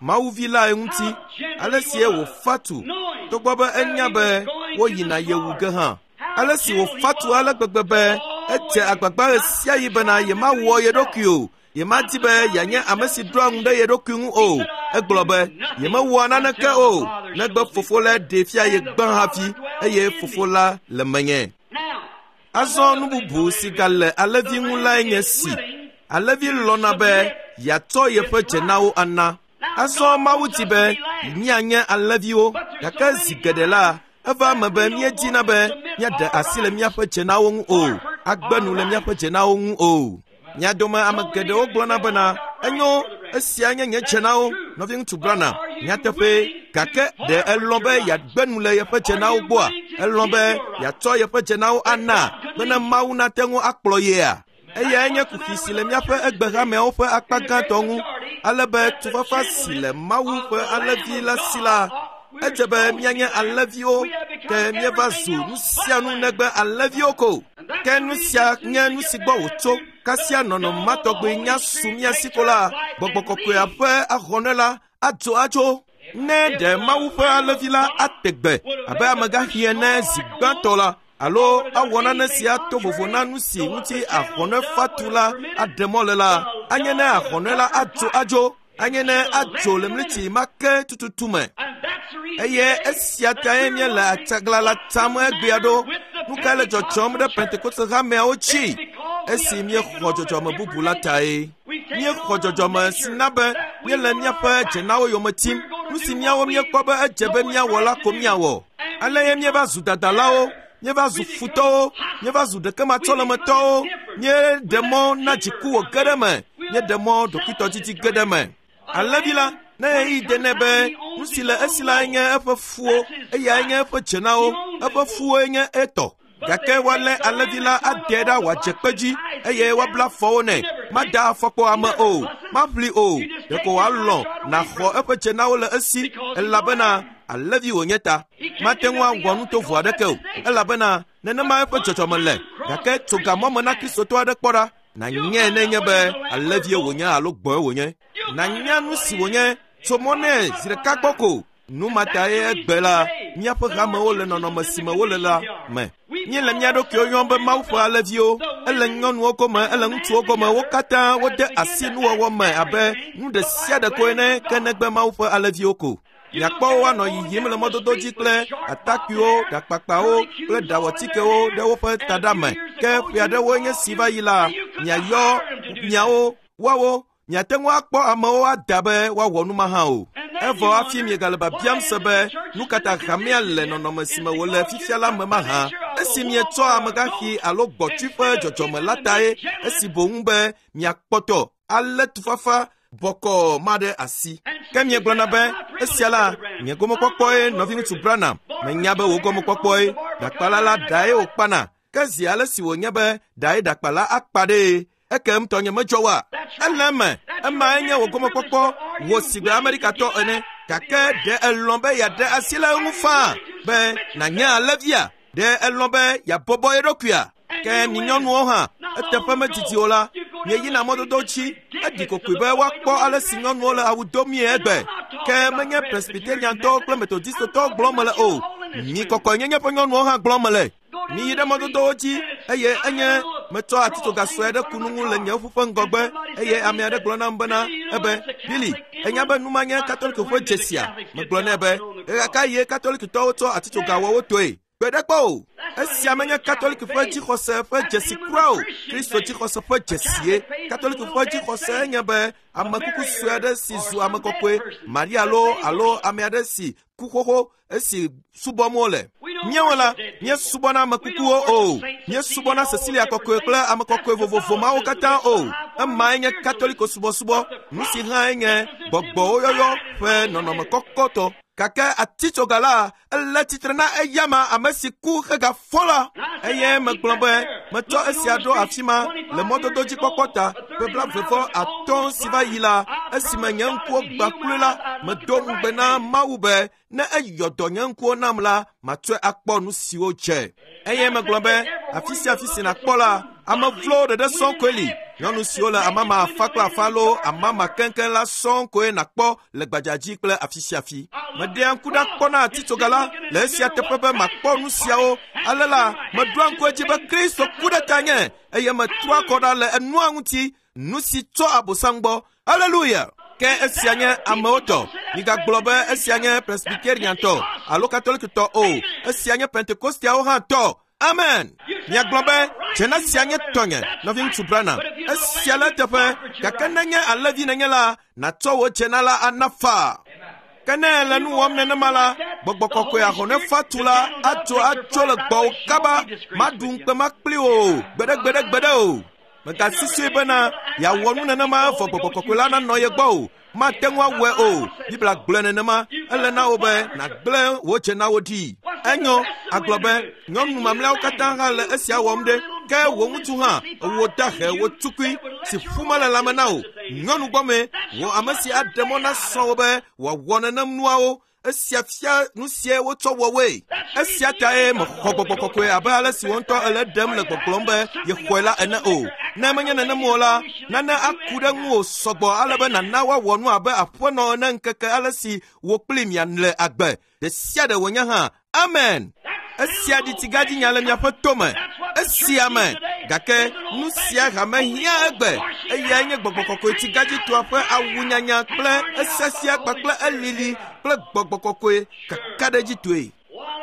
Mawuvi lae ŋuti, ale sie wòfa tu, togbɔ be enya be woyina ye wu ge hã. Ale si wòfa tu ale gbegbe be edze agbagba ɣe sia ɣi bena yemawɔ ye ɖokui o. Yemadi be yeanye ame si ɖoa ŋu ɖe ye ɖokui ŋu o. Egblɔ be yemewɔa naneke o, negbe fofo la ɖee fia ye gbã hafi, eye fofo la le menye. Azɔ nu bubu si gale alẽvi ŋu lae nye si. Alẽvi lɔ̃na be yeatsɔ yeƒe dzenawo ana. Azɔ Mawu di be míanye alẽviwo, gake zi geɖe la, eva eme be míedina be míaɖe asi le míaƒe dzenawo ŋu o, agbe nu le míaƒe dzenawo ŋu o. Mia dome ame geɖewo gblɔna bena, enyo, esia nye nye dzenawo, nɔviŋutsu Branham, nyateƒee, gake ɖe elɔ̃ be yeagbe nu le yeƒe dzenawo gbɔa? Elɔ̃ be yeatsɔ yeƒe dzenawo ana bene Mawu nate ŋu akplɔ yea? Eyae nye kuxi si le míaƒe egbehameawo ƒe akpa gãtɔ ŋu, ale be tufafa si le Mawu ƒe alẽvi la si la, edze be míanye alẽviwo, ke míeva zu nu sia nu negbe alẽviwo ko. Ke nu sia nye nu si gbɔ wòtso. Kasia nɔnɔme ma tɔgbi nya su mía si ko la, gbɔgbɔ kɔkɔea ƒe ahɔnɛ la adzo adzo. Ne ɖe Mawu ƒe alẽvi la ate gbe abe amegãxi ene zi gbãtɔ la, alo awɔ nane si ato vovo na nu si ŋuti ahɔnɛ fatu la aɖe mɔ le la, anye ne ahɔnɛ la adzo adzo, anye ne adzo le mliti ma ke tututu me. Eye esia tae míele atsagla la tam egbea ɖo. Nu kae le dzɔdzɔm ɖe Pentekoste hameawo dzi? Esi míexɔ dzɔdzɔme bubu la tae. Míexɔ dzɔdzɔme si na be míele míaƒe dzenawo yome tim. Nu si míawo míekpɔ be edze be míawɔ la ko míawɔ. Ale ye míeva zu dadalawo, míeva zu futɔwo, míeva zu ɖekematsɔlemetɔwo, míeɖe mɔ na dziku wòge ɖe eme, míeɖe mɔ ɖokuitɔdidi ge ɖe eme. Alẽvi la, ne ɣeyiɣi de nɛ be nu si le esi lae nye eƒe fuwo, eyae nye eƒe dzenawo, eƒe fuwoe nye etɔ. Gake woalé alẽvi la ade ɖa wòadze kpe dzi, eye woabla afɔwo nɛ. Mada afɔkpo ame o, maʋli o, ɖeko wòalɔ̃ nàxɔ eƒe dzenawo le esi, elabena alẽvi wònye ta. Mate ŋu awɔ nu tovo aɖeke o, elabena nenema eƒe dzɔdzɔme le. Gake tso gamɔ me na Kristotɔ aɖe kpɔ ɖa, nànyae nenye be alẽvie wònye alo gbɔ̃e wònye. Nànya nu si wònye, tso mɔ nɛ zi ɖeka gbɔ ko. Nu ma tae egbe la, míaƒe hamewo le nɔnɔme si me wole la me. Míele mía ɖokuiwo yɔm be Mawu ƒe alẽviwo. Ele nyɔnuwo gome, ele ŋutsuwo gome, wo katã wode asi nuwɔwɔ me abe nu ɖe sia ɖe ko ene, ke negbe Mawu ƒe alẽviwo ko. Miakpɔ wo anɔ yiyim le mɔdodo dzi kple atakpuiwo, ɖakpakpawo kple ɖawɔtikewo ɖe woƒe taɖa me. Ke ƒe aɖewoe nye si va yi la, miayɔ miawo, woawo, miate ŋu akpɔ amewo ada be woawɔ nu ma hã o. Evɔ hafi miegale biabiam se be nu ka ta hamea le nɔnɔme si me wòle fifia la me mahã. Esi mietsɔ amegãxi alo gbɔtui ƒe dzɔdzɔme la tae, esi boŋ be miakpɔtɔ alé tufafa bɔkɔɔ ma ɖe asi. Ke miegblɔna be Esia la, nye gomekpɔkpɔe nɔviŋutsu Branham. Menya be wò gomekpɔkpɔe. Ɖakpala la ɖae wòkpana. Ke zi ale si wònye be ɖae ɖakpala akpa ɖee. Ekem tɔnye medzɔ oa? Ele eme. Emae nye wò gomekpɔkpɔ wò sigbe Amerikatɔ ene. Gake ɖe elɔ̃ be yeaɖe asi le eŋu faa be nànye alẽvia? Ɖe elɔ̃ be yeabɔbɔ ye ɖokuia? Ke mi nyɔnuwo hã, eteƒe medidi o la, mieyina mɔdodo dzi, eɖi kokoe be woakpɔ ale si nyɔnuwo le awu domie egbe. Ke menye Presbyteriantɔwo kple Methodistotɔwo gblɔm mele o. Mi kɔkɔenyenye ƒe nyɔnuwo hã gblɔm mele. Miyi ɖe mɔdodowo dzi eye enye metsɔ atitsoga sue aɖe ku nu ŋu le nye ƒuƒe ŋgɔgbe eye ame aɖe gblɔ nam bena ebe Billy, enya be nu ma nye Katoliko ƒe dzesia? Megblɔ nɛ be ɣeka ye Katolikitɔwo tsɔ atitsoga wɔ wo toe. Gbe ɖe kpɔ o. Esia menye Katoliko ƒe dzixɔse ƒe dzesi kura o. Kristo dzixɔse ƒe dzesie. Katoliko ƒe dzixɔse nye be ame kuku sue aɖe si zu ame kɔkɔe, Maria loo alo ame aɖe si ku xoxo esi subɔm wole. Míawo la, míesubɔna ame kukuwo o. Míesubɔna Cecilia kɔkɔe kple ame kɔkɔe vovovo mawo katã o. Emae nye Katoliko subɔsubɔ. Nu si hãe nye gbɔgbɔwo yɔyɔ ƒe nɔnɔme kɔkɔtɔ. Gake atitsoga la ele tsitre na eyama ame si ku hegafɔ la. Eye megblɔ be metsɔ esia ɖo afi ma le mɔdodo dzikpɔkpɔ ta ƒe blaeve atɔ̃ si va yi la, esime nye ŋkuwo gbã kloe la, medo ŋugbe na Mawu be ne eyɔ dɔ nye ŋkuwo nam la, matsɔe akpɔ nu siwo dze. Eye megblɔ be afi sia afi si nàkpɔ la, ame vlowo ɖeɖe sɔŋ koe li. Nyɔnu siwo le amama afa kple afa loo amama keŋkeŋ la sɔŋ koe nàkpɔ le gbadzadzi kple afi sia afi. Meɖea ŋku ɖa kpɔna atitsoga la le esia teƒe be makpɔ nu siawo. Ale la, meɖoa ŋku edzi be Kristo ku ɖe tanye eye metrɔa kɔ ɖa le enua ŋuti, nu si tso Abosam gbɔ. Haleluya! Ke esia nye amewo tɔ. Migagblɔ be esia nye Presbyteriantɔ alo Katolikitɔ o. Esia nye Pentekosteawo hã tɔ. Amen. Miagblɔ be dzena sia nye tɔnye, nɔviŋutsu Branham. Esia le eteƒe, gake nenye alẽvi nenye la, nàtsɔ wò dzena la ana faa. Ke ne ele nu wɔm nenema la, gbɔgbɔ kɔkɔe ahɔne fatu la atso atso le gbɔwò kaba, maɖu ŋukpe makpli wò o, gbeɖegbeɖegbeɖe o. Megasusui bena yeawɔ nu nenema evɔ gbɔgbɔ kɔkɔe la nanɔ ye gbɔ o. Mate ŋu awɔe o. Biblia gblɔe nenema. Ele na wò be nàgblẽ wò dzenawo ɖi. Enyo, agblɔ be nyɔnu mamlɛawo katã hã le esia wɔm ɖe. Ke wò ŋutsu hã, wò dahe, wò tukui si ƒu mele lãme na wò. Nyɔnu gbɔme, wò ame si aɖe mɔ na srɔ̃wò be wòawɔ nenem nuawo. Esia fia nu sie wotsɔ wɔ woe. Esia tae mexɔ gbɔgbɔ kɔkɔe abe ale si wò ŋutɔ ele ɖem le gbɔgblɔm be yexɔe la ene o. Ne menye nenem o la, nane aku ɖe ŋuwò sɔgbɔ ale be nàna woawɔ nu abe aƒenɔ ene ŋkeke ale si wò kpli miale agbe. Ɖe sia ɖe wònye hã. Amen. Esia ɖi tsigãdzinya le miaƒe tome. Esia me. Gake nu sia hame hiã egbe. Eyae nye gbɔgbɔ kɔkɔe tsigãdzitɔa ƒe awunyanya kple esesia kpakple elili kple gbɔgbɔ kɔkɔe kakaɖedzitɔe.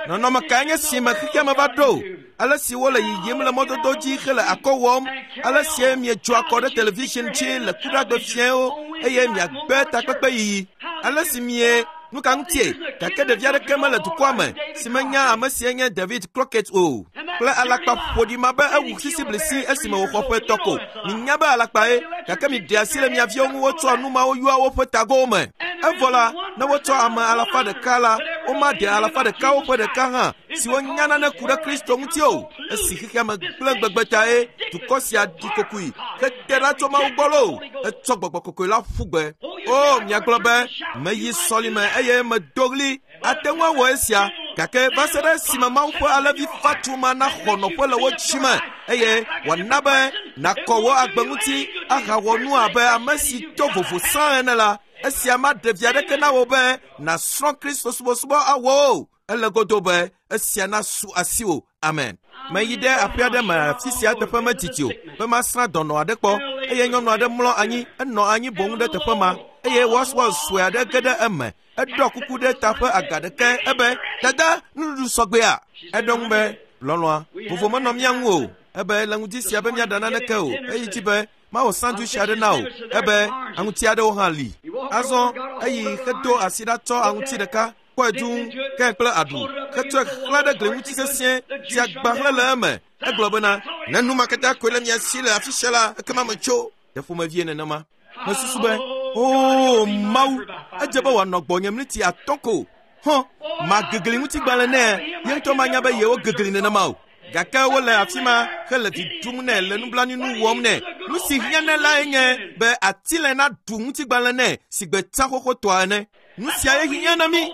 Nɔnɔme kae nye si me xexea me va ɖo? Ale si wole yiyim le mɔdodo dzi hele akɔ wɔm, ale si miedzɔ akɔ ɖe television dzi le kuɖagbe fiẽwo eye miagbe takpekpe yiyi. Ale si mie nu ka ŋutie? Gake ɖevi aɖeke mele dukɔa me si menya ame sie nye David Crockett o. Kple alakpa ƒoɖi ma be ewu sisiblisi esime wòxɔ ƒe etɔ̃ ko. Minya be alakpae, gake miɖe asi le mia viwo ŋu wotsɔa nu mawo yɔa woƒe tagowo me. Evɔ la, ne wotsɔ ame alafa ɖeka la, womaɖe alafa ɖekawo ƒe ɖeka hã siwo nya nane ku ɖe Kristo ŋuti o. Esi xexea me gblẽ gbegbe tae dukɔ sia ɖi kokoe hete ɖa tso Mawu gbɔ loo, etsɔ gbɔgbɔ kɔkɔe la ƒu gbe. O, miagblɔ be meyi sɔlime eye medo ɣli. Ate ŋu awɔ esia, gake va se ɖe esime Mawu ƒe alẽvi fatu ma naxɔ nɔƒe le wo dzime eye wòana be nàkɔ wò agbe ŋuti ahawɔ nu abe ame si to vovo sã ene la, esia maɖe vi aɖeke na wò be nàsrɔ̃ Kristo subɔsubɔ awɔ o. Ele godo be esia nasu asiwò. Amen. Meyi ɖe aƒe aɖe me afi sia teƒe medidi o be masrã dɔnɔ aɖe kpɔ eye nyɔnu aɖe mlɔ anyi, enɔ anyi boŋ ɖe teƒe ma eye Waswell sue aɖe ge ɖe eme. Eɖɔ kuku ɖe ta ƒe aga ɖeke ebe, "Dada, nuɖuɖu sɔgbea?" Eɖo ŋu be, "Lɔlɔ̃a, vovo menɔ mía ŋu o. Ebe le ŋdi sia be míaɖa naneke o. Eyi dzi be mawɔ sandwich aɖe na wò. Ebe aŋuti aɖewo hã li." Azɔ eyi hedo asi ɖa tsɔ aŋuti ɖeka kpɔe dũu ke kple aɖu hetsɔe xlã ɖe gli ŋuti sesĩe si agba hlẽ le eme. Egblɔ bena, "Ne nu ma katã koe le mia si le afi sia la, ekema metso." Ɖe ƒomevie nenema. Mesusu be, O Mawu, edze be wòanɔ gbɔnye miniti atɔ̃ ko. Hɔn, magegli ŋutigbalẽ nɛ, ye ŋutɔ manya be yewo gegli nenema o. Gake wole afi ma hele vi ɖum nɛ le nublanuinu wɔm nɛ. Nu si hiã nɛ lae nye be atilɛ naɖu ŋutigbalẽ nɛ si gbe tsã xoxotɔa ene. Nu siae hiã na mí.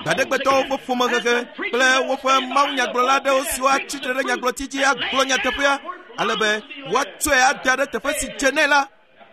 Gbaɖegbetɔwo ƒe ƒomehehe kple woƒe mawunyagblɔla aɖewo siwo atsi tre ɖe nyagblɔti dzi agblɔ nyateƒea ale be woatsɔe ada ɖe teƒe si dze nɛ la.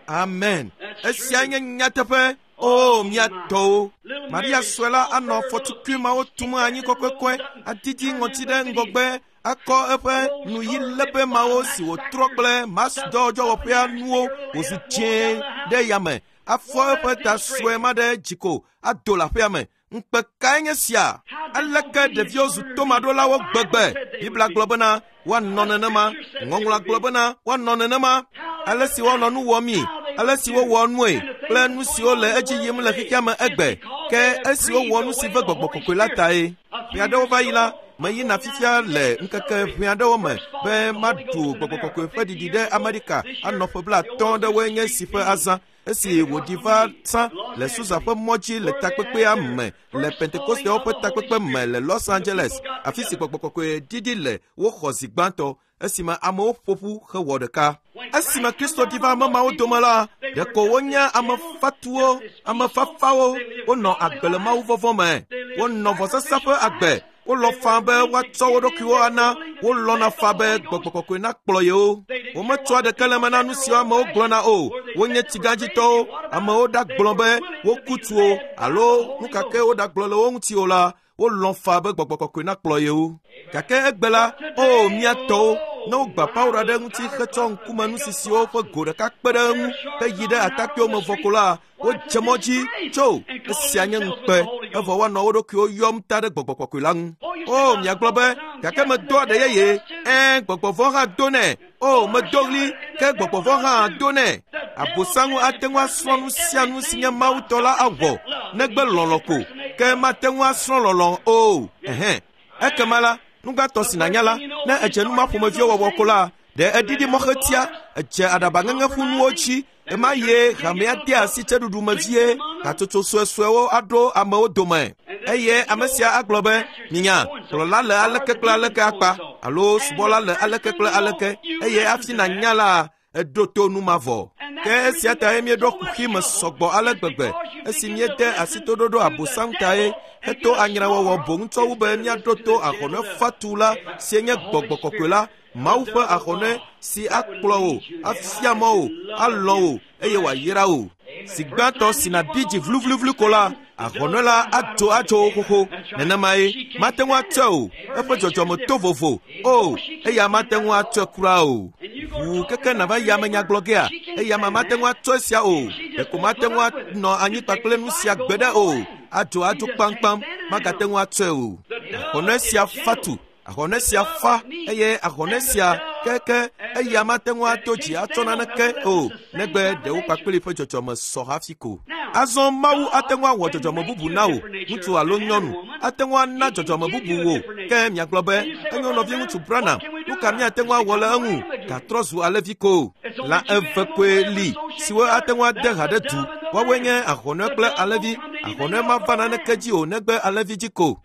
Amen. Esia nye nyateƒe. O mía tɔwo. Maria sue la anɔ afɔtukui mawo tum anyi kɔkɔekɔe, adidi ŋɔti ɖe ŋgɔgbe, akɔ eƒe nuyi lebe mawo si wòtrɔ kple Mars dɔwɔƒea nuwo wòzu dzẽe ɖe yame, afɔ eƒe ta sue ma ɖe dziko ado le aƒea me. Ŋukpe kae nye sia? Aleke ɖeviwo zu tomaɖolawo gbegbe? Biblia gblɔ bena woanɔ nenema. Ŋɔŋlɔa gblɔ bena woanɔ nenema. Ale si woanɔ nu wɔmii, ale si wowɔ nue kple nu siwo le edzi yim le xexea me egbe, ke esi wowɔ nu si ve gbɔgbɔ kɔkɔe la tae. Ƒe aɖewo va yi la, meyina fifia le ŋkeke ʋɛ aɖewo me be maɖu gbɔgbɔ kɔkɔe ƒe ɖiɖi ɖe Amerika anɔ ƒe blaatɔ̃ ɖewoe nye si ƒe azã. Esi wòɖi va tsã le Susa ƒe mɔ dzi le takpekpea me le Pentekostewo ƒe takpekpe me le Los Angeles, afi si gbɔgbɔ kɔkɔe ɖiɖi le woxɔ zi gbãtɔ esime amewo ƒo ƒu hewɔ ɖeka. Esime Kristo ɖi va ame mawo dome la, ɖeko wonye ame fatuwo, ame fafawo, wonɔ agbe le Mawu vɔvɔ̃ me, wonɔ vɔsasa ƒe agbe, wolɔ̃ faa be woatsɔ wo ɖokuiwo ana, wolɔ̃na faa be gbɔgbɔ kɔkɔe nakplɔ yewo. Wometsɔa ɖeke le eme na nu siwo amewo gblɔna o. Wonye tsigãdzitɔwo. Amewo ɖagblɔ be woku tu o alo nu ka ke woɖagblɔ le wo ŋuti o la, wolɔ̃ faa be gbɔgbɔ kɔkɔe nakplɔ yewo. Gake egbe la, o mía tɔwo, ne wogba Paulo ɖe ŋuti hetsɔ ŋkume nusisiwo ƒe go ɖeka kpe ɖe eŋu heyi ɖe atakpuiwo me vɔ ko la, wodze mɔ dzi tso esia nye ŋukpe, evɔ woanɔ wo ɖokuiwo yɔm ta ɖe gbɔgbɔ kɔkɔe la ŋu. O miagblɔ be, gake medo aɖe yeye, ɛ̃ gbɔgbɔ vɔ̃ hã do nɛ. O medo ɣli, ke gbɔgbɔ vɔ̃ hã do nɛ. Abosaŋu ate ŋu asrɔ̃ nu sia nu si nye Mawu tɔ la awɔ, negbe lɔlɔ̃ ko, ke mate ŋu asrɔ̃ lɔlɔ̃ o. Ɛhɛn. Ekema la, nugbãtɔ si nànya la, ne edze nu ma ƒomeviwo wɔwɔ ko la, ɖe eɖiɖi mɔxetia, edze aɖabaŋeŋe ƒu nuwo dzi, ema ye hamea de asi tseɖuɖu me vie, hatsotso suesuewo aɖo amewo dome. Eye ame sia agblɔ be, minya, kplɔla le aleke kple aleke akpa, alo subɔla le aleke kple aleke, eye hafi nànya la, eɖo to nu mavɔ. Ke esia tae míeɖo kuxi me sɔgbɔ ale gbegbe, esi míede asi toɖoɖo abosam tae, heto anyrawɔwɔ boŋ tsɔ wu be míaɖo to ahɔnɛ fatu la si nye gbɔgbɔ kɔkɔe la, Mawu ƒe ahɔnɛ si akplɔ wò, afia mɔ wò, alɔ̃ wò eye wòayra wò. Si gbãtɔ si nàbi dzi vluvluvlu ko la, ahɔnɛ la adzo atso wò xoxo. Nenemae, mate ŋu atsɔe o, eƒe dzɔdzɔme to vovo. O, eya mate ŋu atsɔe kura o. Ʋuu keke nàva yi amenyagblɔ gea, eya ma mate ŋu atsɔ esia o. Ɖeko mate ŋu anɔ anyi kpakple nu sia gbeɖe o. Adzo adzo kpamkpam, magate ŋu atsɔe o. Ahɔnɛ sia fatu, ahɔnɛ sia fa, eye ahɔnɛ sia keke eya mate ŋu ato dzi atsɔ naneke o, negbe ɖewo kpakple ƒe dzɔdzɔme sɔ hafi ko. Azɔ Mawu ate ŋu awɔ dzɔdzɔme bubu na wò, ŋutsu alo nyɔnu, ate ŋu ana dzɔdzɔme bubu wò. Ke miagblɔ be, enyo nɔviŋutsu Branham, nu ka míate ŋu awɔ le eŋu? Gatrɔ zu alẽvi ko. Lã eve koe li siwo ate ŋu ade ha ɖe du. Woawoe nye ahɔnɛ kple alẽvi. Ahɔnɛ mava naneke dzi o negbe alẽvi dzi ko.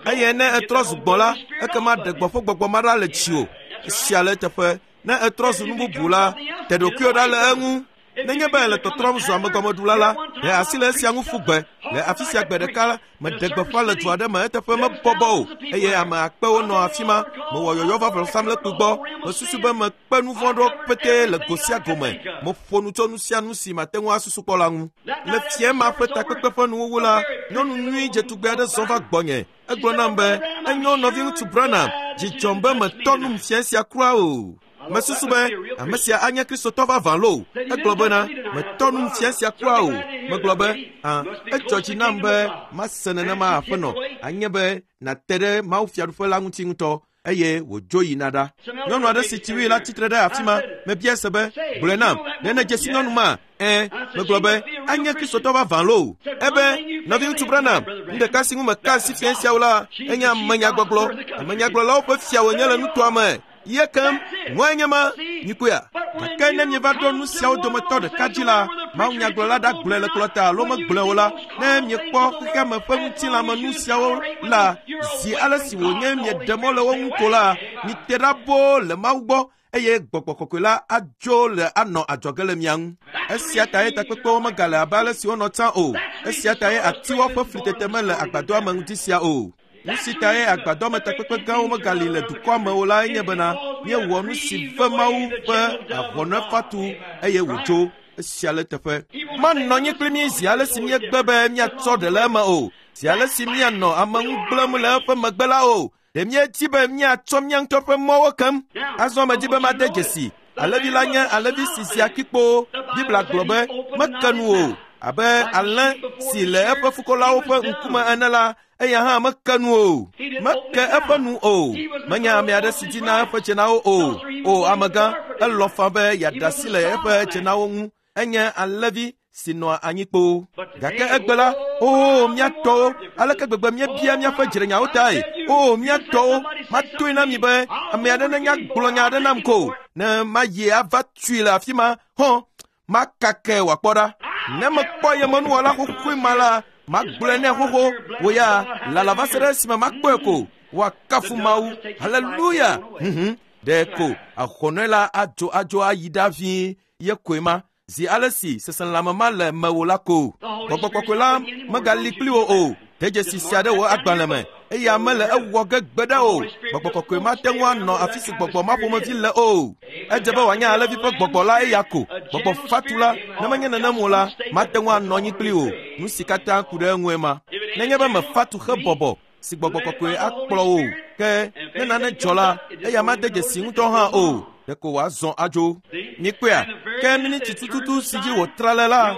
Eye ne etrɔ zu gbɔ̃ la, ekema ɖe gbɔ̃ ƒe gbɔgbɔ ma ɖa le dziwò. Esia le eteƒe. Ne etrɔ zu nu bubu la, te ɖokuiwò ɖa le eŋu. Nenye be le tɔtrɔm zu amegɔmeɖula la, ɖe asi le esia ŋu ƒu gbe. Le afi sia gbe ɖeka la, meɖe gbeƒã le du aɖe me eteƒe mebɔbɔ o, eye ame akpewo nɔ afi ma. Mewɔ yɔyɔ va vɔsamlekpui gbɔ. Mesusu be mekpe nu vɔ̃ ɖewo petee le go sia go me. Meƒo nu tso nu sia nu si mate ŋu asusu kpɔ la ŋu. Le fiẽ ma ƒe takpekpe ƒe nuwuwu la, nyɔnu nyui dzetugbe aɖe zɔ va gbɔnye. Egblɔ nam be, enyo nɔviŋutsu Branham, dzi dzɔm be metɔ num fiẽ sia kura o. Mesusu be ame sia anye Kristotɔ vavã loo. Egblɔ bena, metɔ num fiẽ sia kura o. Megblɔ be, hã, edzɔ dzi nam be mase nenema aƒenɔ, anye be nàte ɖe Mawu fiaɖuƒe la ŋuti ŋutɔ. Eye wòdzo yina ɖa. Nyɔnu aɖe si tsi wui la tsitre ɖe afi ma. Mebia se be, gblɔe nam, ɖe nèdze si nyɔnu ma? Ɛ̃, megblɔ be, anye Kristotɔ vavã loo. Ebe, nɔviŋutsu Branham, nu ɖeka si ŋu meka asi fiẽ siawo la, enye amenyagbɔgblɔ. Amenyagblɔlawo ƒe fia wònye le nutoa me. Ye kem, ŋɔe nye ma, nyikoea. Gake ne mieva ɖo nu siawo dometɔ ɖeka dzi la, Mawunyagblɔla ɖa gblɔe le kplɔta alo megblɔe o la, ne miekpɔ xexeame ƒe ŋutilãmenu siawo la, zi ale si wònye mieɖe mɔ le wo ŋu ko la, mite ɖa boo le Mawu gbɔ eye gbɔgbɔ kɔkɔe la adzo le anɔ adzɔge le mia ŋu. Esia tae takpekpewo megale abe ale si wonɔ tsã o. Esia tae atiwo ƒe flitete mele agbadɔa me ŋuti sia o. Nu si tae agbadɔme takpekpe gãwo megali le dukɔa me o lae nye bena míewɔ nu si ve Mawu ƒe ahɔnefatu eye wòdzo. Esia le teƒe. Manɔ anyi kpli mí zi ale si míegbe be míatsɔ ɖe le eme o, zi ale si míanɔ ame ŋu gblẽm le eƒe megbe la o. Ɖe míedi be míatsɔ mía ŋutɔ ƒe mɔwo kem? Azɔ medi be made dzesi. Alẽvi la nye alẽvi si zia kpikpo. Biblia gblɔ be meke nu o. Abe alẽ si le eƒe fukɔlawo ƒe ŋkume ene la, eya hã meke nu o. Meke eƒe nu o. Menye ame aɖe si dina eƒe dzenawo o. O amegã, elɔ̃ faa be yeaɖe asi le eƒe dzenawo ŋu. Enye alẽvi si nɔa anyi kpoo. Gake egbe la, oo mía tɔwo, aleke gbegbe míebia míaƒe dzrenyawo tae. Oo mía tɔwo, matoe na mi be ame aɖe nenya gblɔ nya aɖe nam ko, ne mayi ava tui le afi ma, hɔn, makake wòakpɔ ɖa. Ne mekpɔ yemenuwɔla xoxoe ma la, magblɔe nɛ xoxo, wò ya lala va se ɖe esime makpɔe ko. Woakafu Mawu. Haleluya. Mhm. Ɖe ko ahɔnɔe la adzo adzo ayi ɖa vie ye koe ma. Zi ale si seselãme ma le mewò la ko. Gbɔgbɔ kɔkɔe la megali kpli wò o. De dzesi sia ɖe wò agbalẽ me. Eya mele ewɔ ge gbeɖe o. Gbɔgbɔ kɔkɔe mate ŋu anɔ afi si gbɔgbɔ ma ƒomevi le o. Edze be wòanye alẽvi ƒe gbɔgbɔ la eya ko. Gbɔgbɔ fatu la, ne menye nenem o la, mate ŋu anɔ anyi kpli wò. Nu si katã ku ɖe eŋue ma. Nenye be mefatu hebɔbɔ si gbɔgbɔ kɔkɔe akplɔ wò, ke ne nane dzɔ la, eya made dzesi ŋutɔ hã o. Ɖeko wòazɔ adzo. Mikpɔea? Ke miniti tututu si dzi wòtra le la,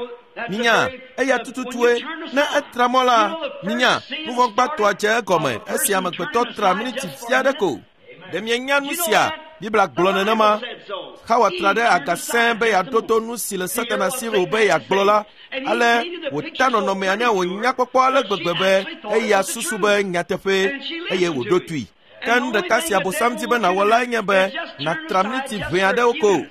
minya, eya tututue. Ne etra mɔ la, minya, nuvɔ̃gbãtɔa dze egɔme esi amegbetɔ tra miniti vi aɖe ko. Ɖe mienya nu sia? Biblia gblɔ nenema. Xawa tra ɖe aga sẽe be yeaɖo to nu si le Satana si wòbe yeagblɔ la. Ale wòta nɔnɔmea ne wònya kpɔkpɔ ale gbegbe be eya susu be nyateƒee eye wòɖo toe. Ke nu ɖeka si Abosam di be nàwɔ lae nye be nàtra miniti ʋɛ aɖewo ko.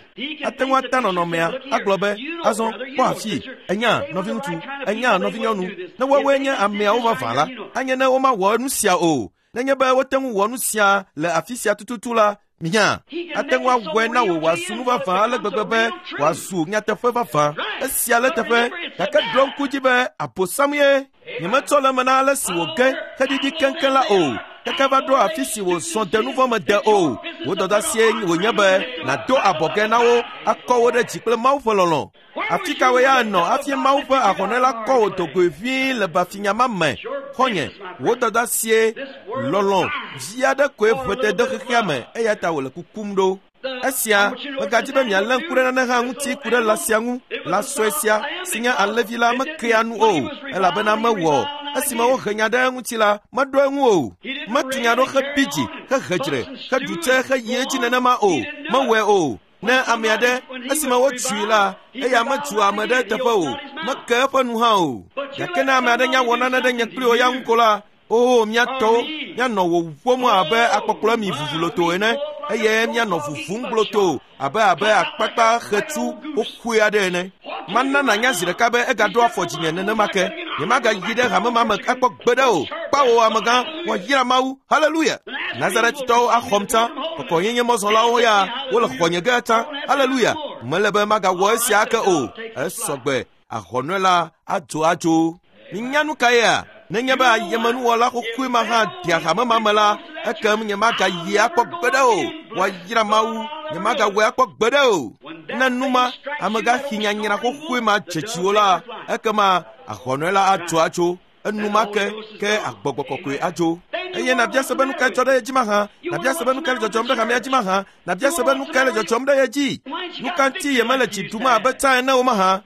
Ate ŋu ata nɔnɔmea agblɔ be, azɔ kpɔ afii, enya nɔviŋutsu, enya nɔvinyɔnu. Ne woawoe nye ameawo vavã la, anye ne womawɔ nu sia o. Nenye be wote ŋu wɔ nu sia le afi sia tututu la, minya, ate ŋu awɔe na wò wòazu nu vavã ale gbegbe be wòazu nyateƒe vavã. Esia le teƒe, gake ɖo ŋku dzi be Abosam ye. Nyemetsɔ le eme na ale si wòge heɖiɖi keŋkeŋ la o. Keke va ɖo afi si wòzɔ de nu vɔ̃ me de o. Wò dɔdeasie wònye be nàdo abɔgɛ na wo akɔ wo ɖe dzi kple Mawu ƒe lɔlɔ̃. Afi ka wò ya nɔ hafi Mawu ƒe ahɔnɛ la kɔ wò dogoe vie le bafinya ma me? Xɔ̃nye, wò dɔdeasie lɔlɔ̃ vi aɖe koe ʋete de xexea me eya ta wòle kukum ɖo. Esia megadzi be mialé ŋku ɖe nane hã ŋuti ku ɖe lã sia ŋu. Lã sue sia si nye alẽvi la mekea nu o, elabena mewɔ. Esime wohe nya ɖe eŋuti la, meɖo eŋu o. Metu nya ɖo hebi dzi, hehe dzre, heɖu tse heyi edzi nenema o. Mewɔe o. Ne ame aɖe, esime wotui la, eya metu ame ɖe teƒe o. Meke eƒe nu hã o. Gake ne ame aɖe nya wɔ nane ɖe nye kpli wò ya ŋu ko la, oo mía tɔwo, míanɔ wò ƒom abe akpɔkplɔ mi vuvuloto ene, eye míanɔ vuvum gblotoo abe abe akpakpa xetsu xoxoe aɖe ene. Mana nànya zi ɖeka be egaɖo afɔ dzinye nenema ke. Nyemagayi ɖe hame ma me akpɔ gbeɖe o. Kpawo amegã, woayra Mawu. Haleluya. Nazaretitɔwo axɔm tsã. Kɔkɔenyenye mɔzɔlawo ya wole xɔnye ge tsã. Haleluya. Mele be magawɔ esia ake o. Esɔgbe. Ahɔnɔe la adzo adzo. Minya nu kaea? Nenye be ayemenuwɔla xoxoe ma hã dea hame ma me la, ekem nyemagayi akpɔ gbeɖe o. Woayra Mawu, nyemagawɔe akpɔ gbeɖe o. Ne nu ma, amegãxi nyanyra xoxoe ma dze dziwò la, ekema ahɔnɔe la adzo atso. Enumake ke agbɔgbɔ kɔkɔe adzo. Eye nàbia se be nu kae dzɔ ɖe ye dzi mahã? Nàbia se be nu kae le dzɔdzɔm ɖe hamea dzi mahã? Nàbia se be nu kae le dzɔdzɔm ɖe ye dzi? Nu ka ŋuti yemele dzi ɖum abe tsã ene o mahã?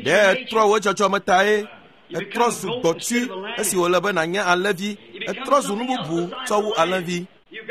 Ɖe etrɔ wò dzɔdzɔme tae? Etrɔ zu gbɔtui esi wòle be nànye alẽvi. Etrɔ zu nu bubu tsɔ wu alẽvi.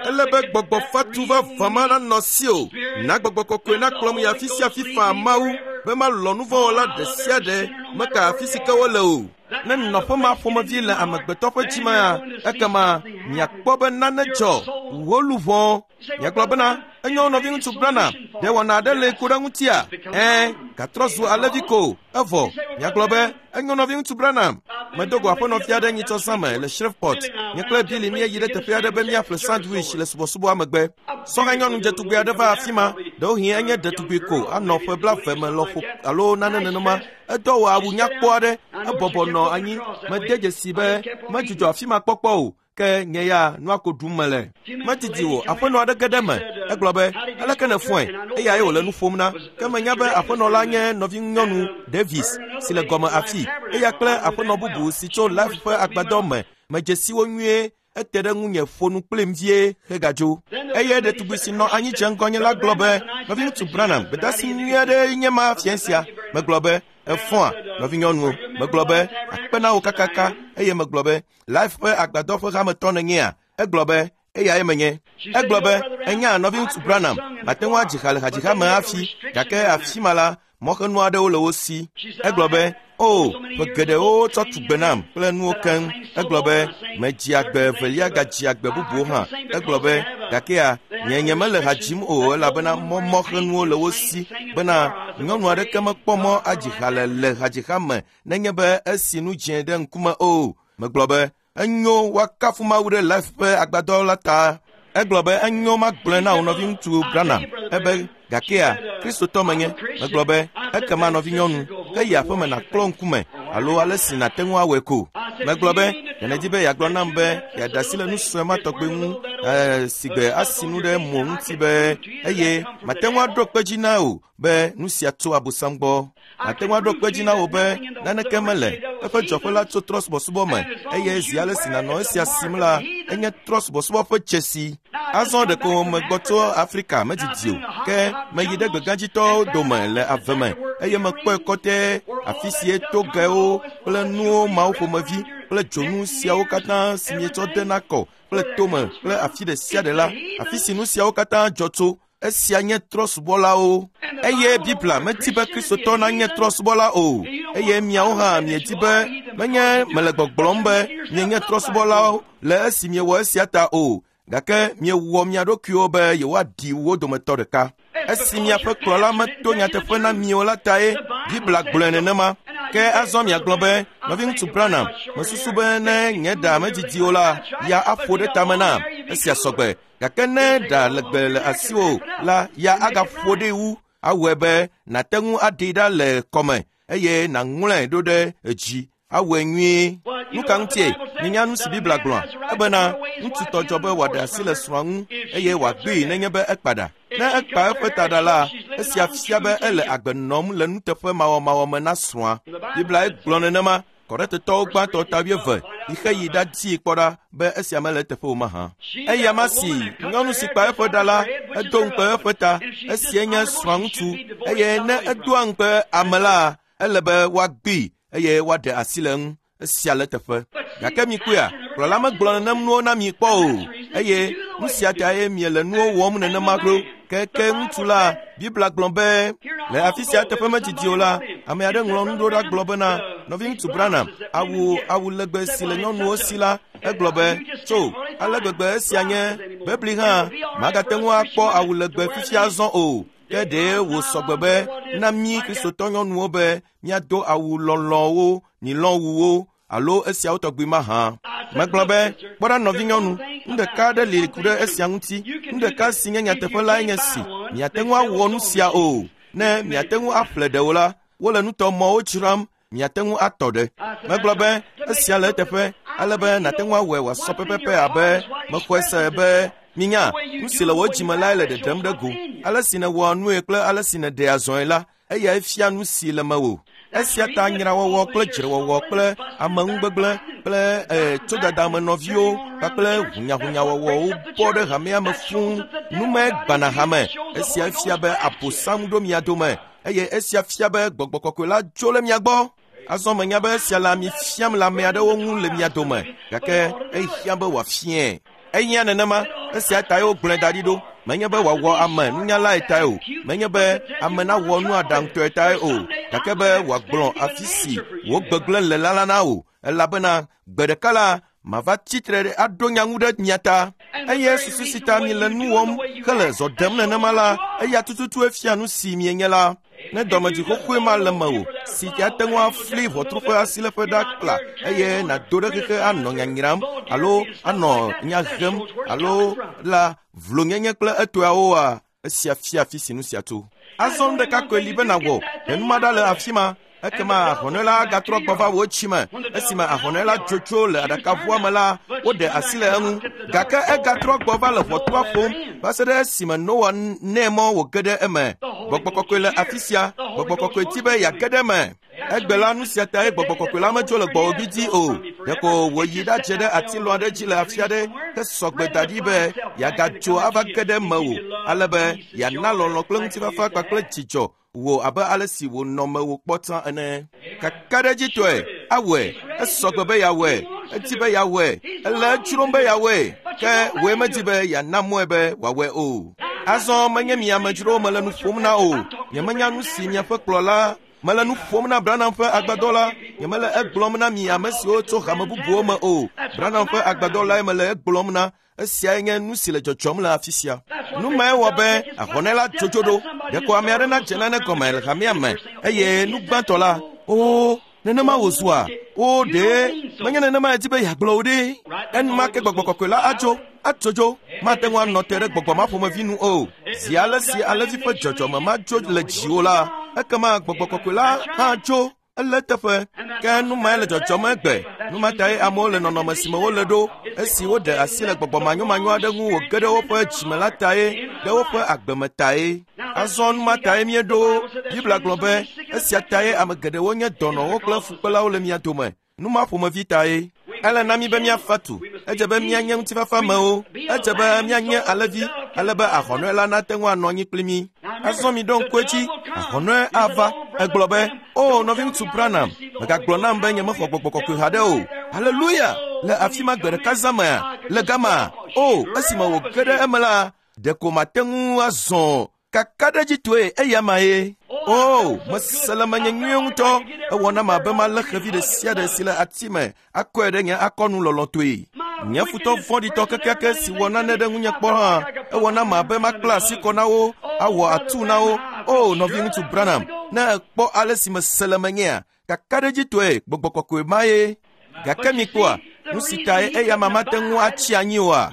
Ele be gbɔgbɔ fatu vavã ma nanɔ si o. Na gbɔgbɔ kɔkɔe nakplɔm yi afi sia afi faa Mawu be malɔ̃ nu vɔ̃wɔla ɖe sia ɖe meka afi si ke wole o. Ne nɔƒe ma ƒomevi le amegbetɔ ƒe dzi mea, ekema miakpɔ be nane dzɔ. Wò luʋɔ Miagblɔ bena enyo nɔviŋutsu Branham ɖe wɔna aɖe le ku ɖe ŋutia? Ɛ̃, gatrɔ zu alẽvi ko evɔ. Miagblɔ be enyo nɔviŋutsu Branham. Medo go aƒenɔvi aɖe nyitsɔ zã me le Shreveport. Nye kple Billy míeyi ɖe teƒe aɖe be míaƒle sandwich le subɔsubɔa megbe. Sɔhɛ nyɔnu dzetugbe aɖe va afi ma. Ɖewohĩ enye ɖetugbi ko anɔ ƒe blaeve me lɔƒo alo nane nenema. Edɔ wɔ awu nyakpɔ aɖe. Ebɔbɔ nɔ anyi. Mede dzesi be medzudzɔ afi ma kpɔkpɔ o. Ke nye ya nua ko ɖum mele. Medidi o, aƒenɔ aɖe ge ɖe eme. Egblɔ be, aleke nèfɔe? Eyae wòle nu ƒom na. Ke menya be aƒenɔ la nye nɔvinyɔnu Davis si le gɔme afi. Eya kple aƒenɔ bubu si tso Life ƒe agbadɔ me. Medze si wo nyuie. Ete ɖe ŋunye ƒo nu kplim vie hegadzo. Eye ɖetugbi si nɔ anyi dze ŋgɔnye la gblɔ be, nɔviŋutsu Branham, gbedeasi nyui aɖee nye ma fiẽ sia. Megblɔ be, efɔa, nɔvinyɔnuwo. Megblɔ be, akpe na wò kakaka. Eye megblɔ be, Life ƒe agbadɔ ƒe hametɔ nènyea? Egblɔ be, eyae menye. Egblɔ be, enya nɔviŋutsu Branham, mate ŋu adzi ha le hadziha me hafi, gake afi ma la, mɔxenu aɖewo le wo si. Egblɔ be, o, ƒe geɖewo tsɔ tu gbe nam kple nuwo keŋ. Egblɔ be, medzi agbe evelia gadzi agbe bubuwo hã. Egblɔ be, gakea, nye nye mele ha dzim o elabena mɔ mɔxenuwo le wo si bena nyɔnu aɖeke mekpɔ mɔ adzi ha le le hadziha me nenye be esi nu dzẽ ɖe ŋkume o. Megblɔ be, enyo woakafu Mawu ɖe Life ƒe agbadɔ la ta. Egblɔ be enyo magblɔe na wò nɔviŋutsu Branham. Ebe gakea Kristotɔ menye. Megblɔ be ekema nɔvinyɔnu, ke yi aƒeme nàklɔ ŋkume alo ale si nàte ŋu awɔe ko. Megblɔ be nèdi be yeagblɔ nam be yeaɖe asi le nu sue ma tɔgbe ŋu ee si gbe asi nu ɖe mo ŋuti be eye mate ŋu aɖo kpe dzi na wò be nu sia tso Abosam gbɔ. Mate ŋu aɖo kpe dzi na wò be naneke mele eƒe dzɔƒe la tso trɔ̃subɔsubɔ me eye zi ale si nànɔ esia sim la enye trɔ̃subɔsubɔ ƒe dzesi. Azɔ ɖeko megbɔ tso Afrika medidi o ke meyi ɖe gbegãdzitɔwo dome le ave me eye mekpɔe kɔtɛ afi si togewo kple nuwo mawo ƒomevi kple dzonu siawo katã si mietsɔ dena kɔ kple tome kple afi ɖe sia ɖe la afi si nu siawo katã dzɔ tso. Esia nye trɔ̃subɔlawo. Eye Biblia medi be Kristotɔ nanye trɔ̃subɔla o. Eye miawo hã miedi be menye mele gbɔgblɔm be mienye trɔ̃subɔlawo le esi miewɔ esia ta o. Gake miewɔ mia ɖokuiwo be yewoaɖi wo dometɔ ɖeka. Esi miaƒe kplɔla meto nyateƒe na mi o la tae Biblia gblɔe nenema. Ke azɔ miagblɔ be, nɔviŋutsu Branham, mesusu be ne nye ɖa medidi o la, ya aƒo ɖe tame nam. Esia sɔgbe. Gake ne ɖa legbe le asiwò la, ya agaƒo ɖee wu. Awɔe be nàte ŋu aɖee ɖa le kɔme eye nàŋlɔe ɖo ɖe edzi. Awɔe nyuie. Nu ka ŋutie? Minya nu si Biblia gblɔa? Ebena ŋutsu tɔ dzɔ be wòaɖe asi le srɔ̃a ŋu eye wòagbee nenye be ekpa ɖa. Ne ekpa eƒe taɖa la, esia fia be ele agbe nɔm le nuteƒe mawɔmawɔ me na srɔ̃a. Biblia gblɔ nenema. Korintetɔwo gbãtɔ ta wuieve yi xe yi ɖadii kpɔ ɖa be esia mele eteƒe o mahã. Eya ma si nyɔnu si kpa eƒe ɖa la, edo ŋukpe eƒe ta. Esia nye srɔ̃ŋutsu eye ne edoa ŋukpe ame la, ele be woagbee eye woaɖe asi le eŋu. Esia le eteƒe. Gake mikpɔea, kplɔla megblɔ nenem nuwo na mi kpɔ o eye nu sia tae miele nuwo wɔm nenema ɖo. Ke ke ŋutsu la, Biblia gblɔ be le afi sia teƒe medidi o la, ame aɖe ŋlɔ nu ɖo ɖa gblɔ bena nɔviŋutsu Branham awu awu legbe si le nyɔnuwo si la, egblɔ be tso ale gbegbe esia nye bebli hã magate ŋu akpɔ awu legbe fifia azɔ o. Ke ɖe wòsɔgbe be na mí Kristotɔ nyɔnuwo be míado awu lɔlɔ̃wo, nilɔ̃wuwo alo esiawo tɔgbi mahã. Megblɔ be, kpɔ ɖa nɔvinyɔnu, nu ɖeka aɖe li ku ɖe esia ŋuti. Nu ɖeka si nye nyateƒe lae nye si, miate ŋu awɔ nu sia o. Ne miate ŋu aƒle ɖewo la, wole nutɔmɔwo dzram, miate ŋu atɔ ɖe. Megblɔ be, esia le eteƒe, ale be nàte ŋu awɔe wòasɔ pɛpɛpɛ abe mexɔe se be minya, nu si le wò dzime lae le ɖeɖem ɖe go. Ale si nèwɔa nue kple ale si nèɖea zɔe la, eyae fia nu si le mewò. Esia ta nyrawɔwɔ kple dzrewɔwɔ kple ameŋugbegblẽ kple ee tsodada me nɔviwo kpakple hunyahunyawɔwɔwo bɔ ɖe hamea me fũu. Nume gbana hame. Esia fia be Abosam ɖo mia dome eye esia fia be gbɔgbɔ kɔkɔe la dzo le mia gbɔ. Azɔ menya be esia le ami fiam le ame aɖewo ŋu le mia dome gake ehiã be wòafiae. Ehiã nenema. Esia tae wogblɔe da ɖi ɖo. Menye be wòawɔ ame nunyalae tae o. Menye be ame nawɔ nu aɖaŋutɔe tae o. Gake be wòagblɔ afi si wò gbegblẽ le la la na wò. Elabena gbe ɖeka la, Mava tsitre ɖe aɖo nya ŋu ɖe mia ta. Eye susu si ta mi le nu wɔm hele zɔ ɖem nenema la, eya tututue fia nu si mienye la. Ne dɔmedzi xoxoe ma le mewò, si ate ŋu afli ʋɔtru ƒe asiléƒe ɖa kpla eye nàdo ɖe xexe anɔ nyanyram alo anɔ nya hem alo la vlonyenye kple etɔawoa, esia fia afi si nu sia tso. Azɔ nu ɖeka koe li be nàwɔ, ɖe nu ma ɖa le afi ma. Ekema ahɔnɛ la agatrɔ gbɔ va wò tsime. Esime ahɔnɛ la dzotso le aɖakaʋua me la, woɖe asi le eŋu. Gake egatrɔ gbɔ va le ʋɔtrua ƒom va se ɖe esime Noa nɛ mɔ wòge ɖe eme. Gbɔgbɔ kɔkɔe le afi sia. Gbɔgbɔ kɔkɔe di be yeage ɖe eme. Egbe la nu sia tae gbɔgbɔ kɔkɔe la medzo le gbɔwò gbidi o. Ɖeko wòyi ɖadze ɖe atilɔ aɖe dzi le afi aɖe hesɔ gbe da ɖi be yeagadzo ava ge ɖe mewò, ale be yeana lɔlɔ̃ kple ŋutifafa kpakple dzidzɔ wò abe ale si wònɔ mewò kpɔ tsã ene. Kakaɖedzitɔe awɔe, esɔ gbe be yeawɔe, edi be yeawɔe, ele edzrom be yeawɔe, ke wòe medi be yeana mɔe be wòawɔe o. Azɔ menye mi amedzrowo mele nu ƒom na o. Nyemenya nu si miaƒe kplɔla mele nu ƒom na Branham ƒe agbadɔ la. Nyemele egblɔm na mi ame siwo tso hame bubuwo me o. Branham ƒe agbadɔ lae mele egblɔm na. Esiae nye nu si le dzɔdzɔm le afi sia. Nu mae wɔ be ahɔnɛ la dzodzo ɖo. Ɖeko ame aɖe nadze nane gɔme le hamea me eye nu gbãtɔ la, o nenema wòzua, o ɖe menye nenema edi be yeagblɔ o ɖe. Enumake gbɔgbɔ kɔkɔe la adzo, atsodzo. Mate ŋu anɔ te ɖe gbɔgbɔ ma ƒomevi nu o. Zi ale si alẽvi ƒe dzɔdzɔme madzo le dziwò la, ekema gbɔgbɔ kɔkɔe la hã tso. Ele teƒe. Ke nu mae le dzɔdzɔm egbe. Nu ma tae amewo le nɔnɔme si me wole ɖo, esi woɖe asi le gbɔgbɔ manyomanyo aɖe ŋu wòge ɖe woƒe dzime la tae, ɖe woƒe agbeme tae. Azɔ nu ma tae míeɖo. Biblia gblɔ be esia tae ame geɖewo nye dɔnɔwo kple fukpelawo le mia dome. Nu ma ƒomevi tae. Ele na mí be míafa tu. Edze be míanye ŋutifafamewo. Edze be míanye alẽvi, ale be ahɔnɔe la nate ŋu anɔ anyi kpli mí. Azɔ mi ɖo ŋku edzi, ahɔnɔe ava. Egblɔ be, o nɔviŋutsu Branham, mègagblɔ nam be nyemexɔ gbɔgbɔ kɔkɔe haɖe o. Haleluya! Le afi ma gbe ɖeka zã mea, le gama, o esime wòge ɖe eme la, ɖeko mate ŋu azɔ kakaɖedzitɔe eya ma ye. O, mese le menye nyuie ŋutɔ. Ewɔ nam abe malé xevi ɖe sia ɖe si le ati me akɔe ɖe nye akɔnu lɔlɔ̃tɔe. Nye futɔ vɔ̃ɖitɔ kekeake si wɔ nane ɖe ŋunye kpɔ hã, ewɔ nam abe makpla asi kɔ na wo, awɔ atu na wo. O, nɔviŋutsu Branham, ne èkpɔ ale si mese le menyea, kakaɖedzitɔe gbɔgbɔ kɔkɔe ma ye. Gake mikpɔa, nu si tae eya ma mate ŋu atsi anyi oa?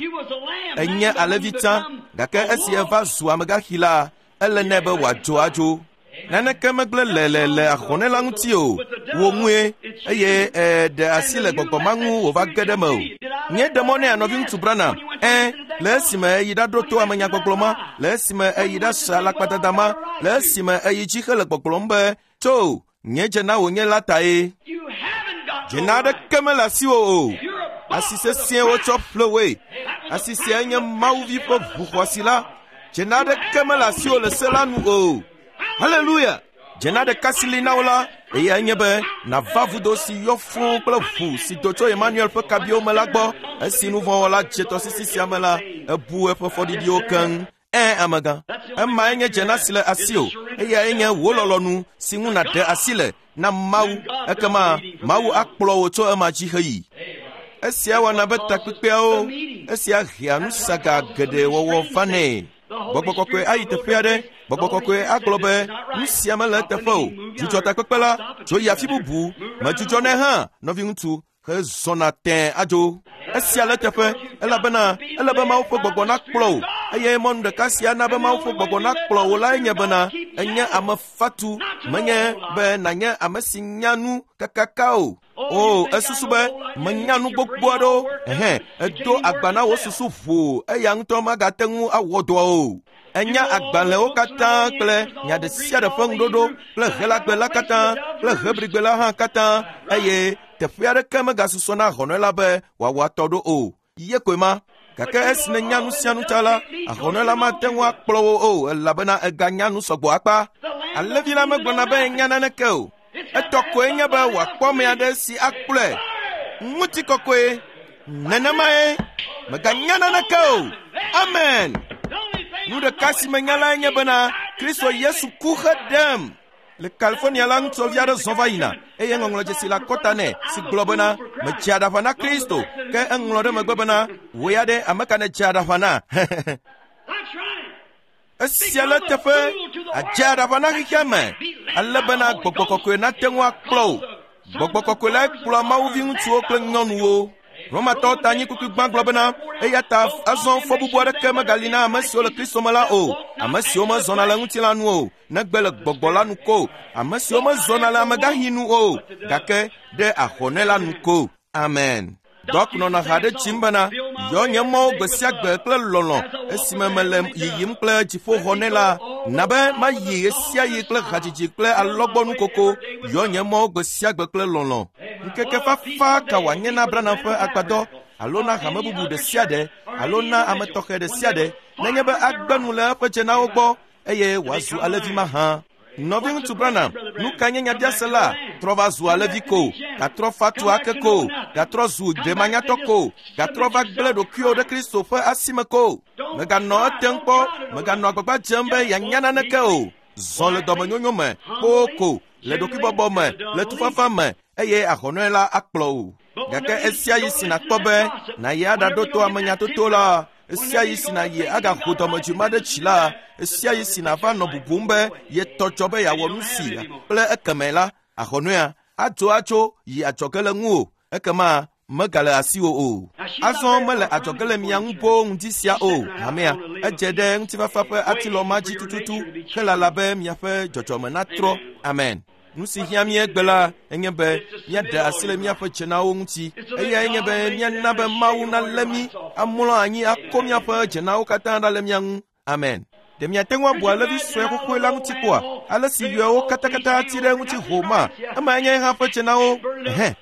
Enye alẽvi tsã, gake esi eva zu amegaxi la, ele nɛ be wòadzo adzo. Naneke megblẽ le le le ahɔnɛ la ŋuti o. Wò ŋue, eye eɖe asi le gbɔgbɔ ma ŋu wòva ge ɖe me o. Nye ɖe mɔ nɛ nɔviŋutsu Branham, ẽ, le esime eyi ɖaɖo to amenyagbɔgblɔ ma, le esime eyi ɖase alakpadada ma, le esime eyi dzi hele gbɔgblɔm be, tso, nye dze na wònye la tae. Dzena aɖeke mele asiwò o. Asi sesĩe wotsɔ ƒle woe. Asi siae nye Mawuvi ƒe ʋu xɔasi la. Dzena aɖeke mele asiwò le se la nu o. Haleluya! Dzena ɖeka si li na wo la, eyae nye be nàva vudo si yɔ fũu kple ʋu si do tso Emmanuel ƒe kabiwo me la gbɔ. Esi nuvɔ̃wɔla dze tɔsisi sia me la, ebu eƒe fɔɖiɖiwo keŋ. Ẽ, amegã, emae nye dzena si le asiwò. Eyae nye wò lɔlɔ̃nu si ŋu nàɖe asi le na Mawu. Ekema Mawu akplɔ wò tso ema dzi heyi. Esia wɔna be takpekpeawo, esia hea nusaga geɖe wɔwɔ vanɛ. Gbɔgbɔ kɔkɔe ayi teƒe aɖe. Gbɔgbɔ kɔkɔe agblɔ be nu sia mele eteƒe o. Dzudzɔ takpekpe la, dzo yi afi bubu. Medzudzɔ nɛ hã, nɔviŋutsu, hezɔna tẽe adzo. Esia le eteƒe, elabena ele be Mawu ƒe gbɔgbɔ nakplɔ wò. Eye mɔnu ɖeka sia na be Mawu ƒe gbɔgbɔ nakplɔ wò lae nye bena enye ame fatu, menye be nànye ame si nya nu kakaka o. O, esusu be menya nu gbogbo aɖewo. Ɛhɛ, edo agba na wò susu ʋuu, eya ŋutɔ magate ŋu awɔ dɔa o. Enya agbalẽwo katã kple nya ɖe sia ɖe ƒe ŋuɖoɖo kple Helagbe la katã kple Hebrigbe la hã katã, eye teƒe aɖeke megasusɔ na ahɔnɔe la be wòawɔ atɔ ɖo o. Ye koe ma. Gake esi nènya nu sia nu ta la, ahɔnɔe la mate ŋu akplɔ wò o, elabena eganya nu sɔgbɔ akpa. Alẽvi la megblɔna be enya naneke o. Etɔ koe nye be wòakpɔ ame aɖe si akplɔe. Ŋutikɔkɔe. Nenemae. Meganya naneke o. Amen. Nu ɖeka si menya lae nye bena Kristo Yesu ku heɖem. Le California la ŋutsuvi aɖe zɔ va yina eye ŋɔŋlɔdzesi le akɔta nɛ si gblɔ bena medze aɖaʋa na Kristo ke eŋlɔ ɖe megbe bena wò ya ɖe ame ka nèdze aɖaʋa na. Esia le teƒe adze aɖaʋa na xexea me ale bena gbɔgbɔ kɔkɔe nate ŋu akplɔ wò. Gbɔgbɔ kɔkɔe lae kplɔa mawuvi ŋutsuwo kple nyɔnuwo. Romatɔwo ta anyi kukui gbã gblɔ bena eya ta azɔ fɔbubu aɖeke megali na ame siwo le Kristo me la o, ame siwo mezɔna le ŋutilã nu o, negbe le gbɔgbɔ la nu ko, ame siwo mezɔna le amegaxi nu o, gake ɖe ahɔnɛ la nu ko. Amen. Dɔk nɔna ha ɖe dzim bena yɔ nye mɔwo gbe sia gbe kple lɔlɔ̃ esime mele yiyim kple dziƒoxɔ nɛ la, na be mayi ɣe sia ɣi kple hadzidzi kple alɔgbɔnukoko. Yɔ nye mɔwo gbe sia gbe kple lɔlɔ̃. Ŋkeke fafa ka wòanye na Branham ƒe agbadɔ alo na hame bubu ɖe sia ɖe alo na ame tɔxɛ ɖe sia ɖe nenye be agbe nu le eƒe dzenawo gbɔ eye wòazu alevi mahã. Nɔviŋutsu Branham, nu ka nye nyabiase la? Trɔ va zu alevi ko, gatrɔ fatu ake ko, gatrɔ zu ɖemanyatɔ ko, gatrɔ va gblẽ ɖokuiwò ɖe Kristo ƒe asime ko. Mèganɔ etem kpɔ, mèganɔ agbagba dzem be yeanya naneke o. Zɔ le dɔmenyonyo me, kpoo ko, le ɖokuibɔbɔ me, le tufafa me, eye ahɔnɔe la akplɔ wò. Gake esia yi si nàkpɔ be nàyi aɖaɖo to amenyatoto la, esia yi si nàyi agaho dɔmedzoe ma ɖe tsi la, esia yi si nàva nɔ bubum be yetɔ dzɔ be yeawɔ nu si kple ekeme la, ahɔnɔea adzo atso yi adzɔge le ŋuwò, ekema megale asiwò o. Azɔ mele adzɔge le mia ŋu boo ŋdi sia o, hamea. Edze ɖe ŋutifafa ƒe atilɔ ma dzi tututu helala be miaƒe dzɔdzɔme natrɔ. Amen. Nu si hiã mí egbe la enye be míaɖe asi le míaƒe dzenawo ŋuti. Eyae nye be míana be Mawu nalé mí, amlɔ anyi akɔ míaƒe dzenawo katã ɖa le mía ŋu. Amen. Ɖe miate ŋu abu alevi sue xoxoe la ŋuti kpɔa? Ale si yɔewo katakata ti ɖe ŋuti ho ma, emae nye hã ƒe dzenawo. Ɛhɛ.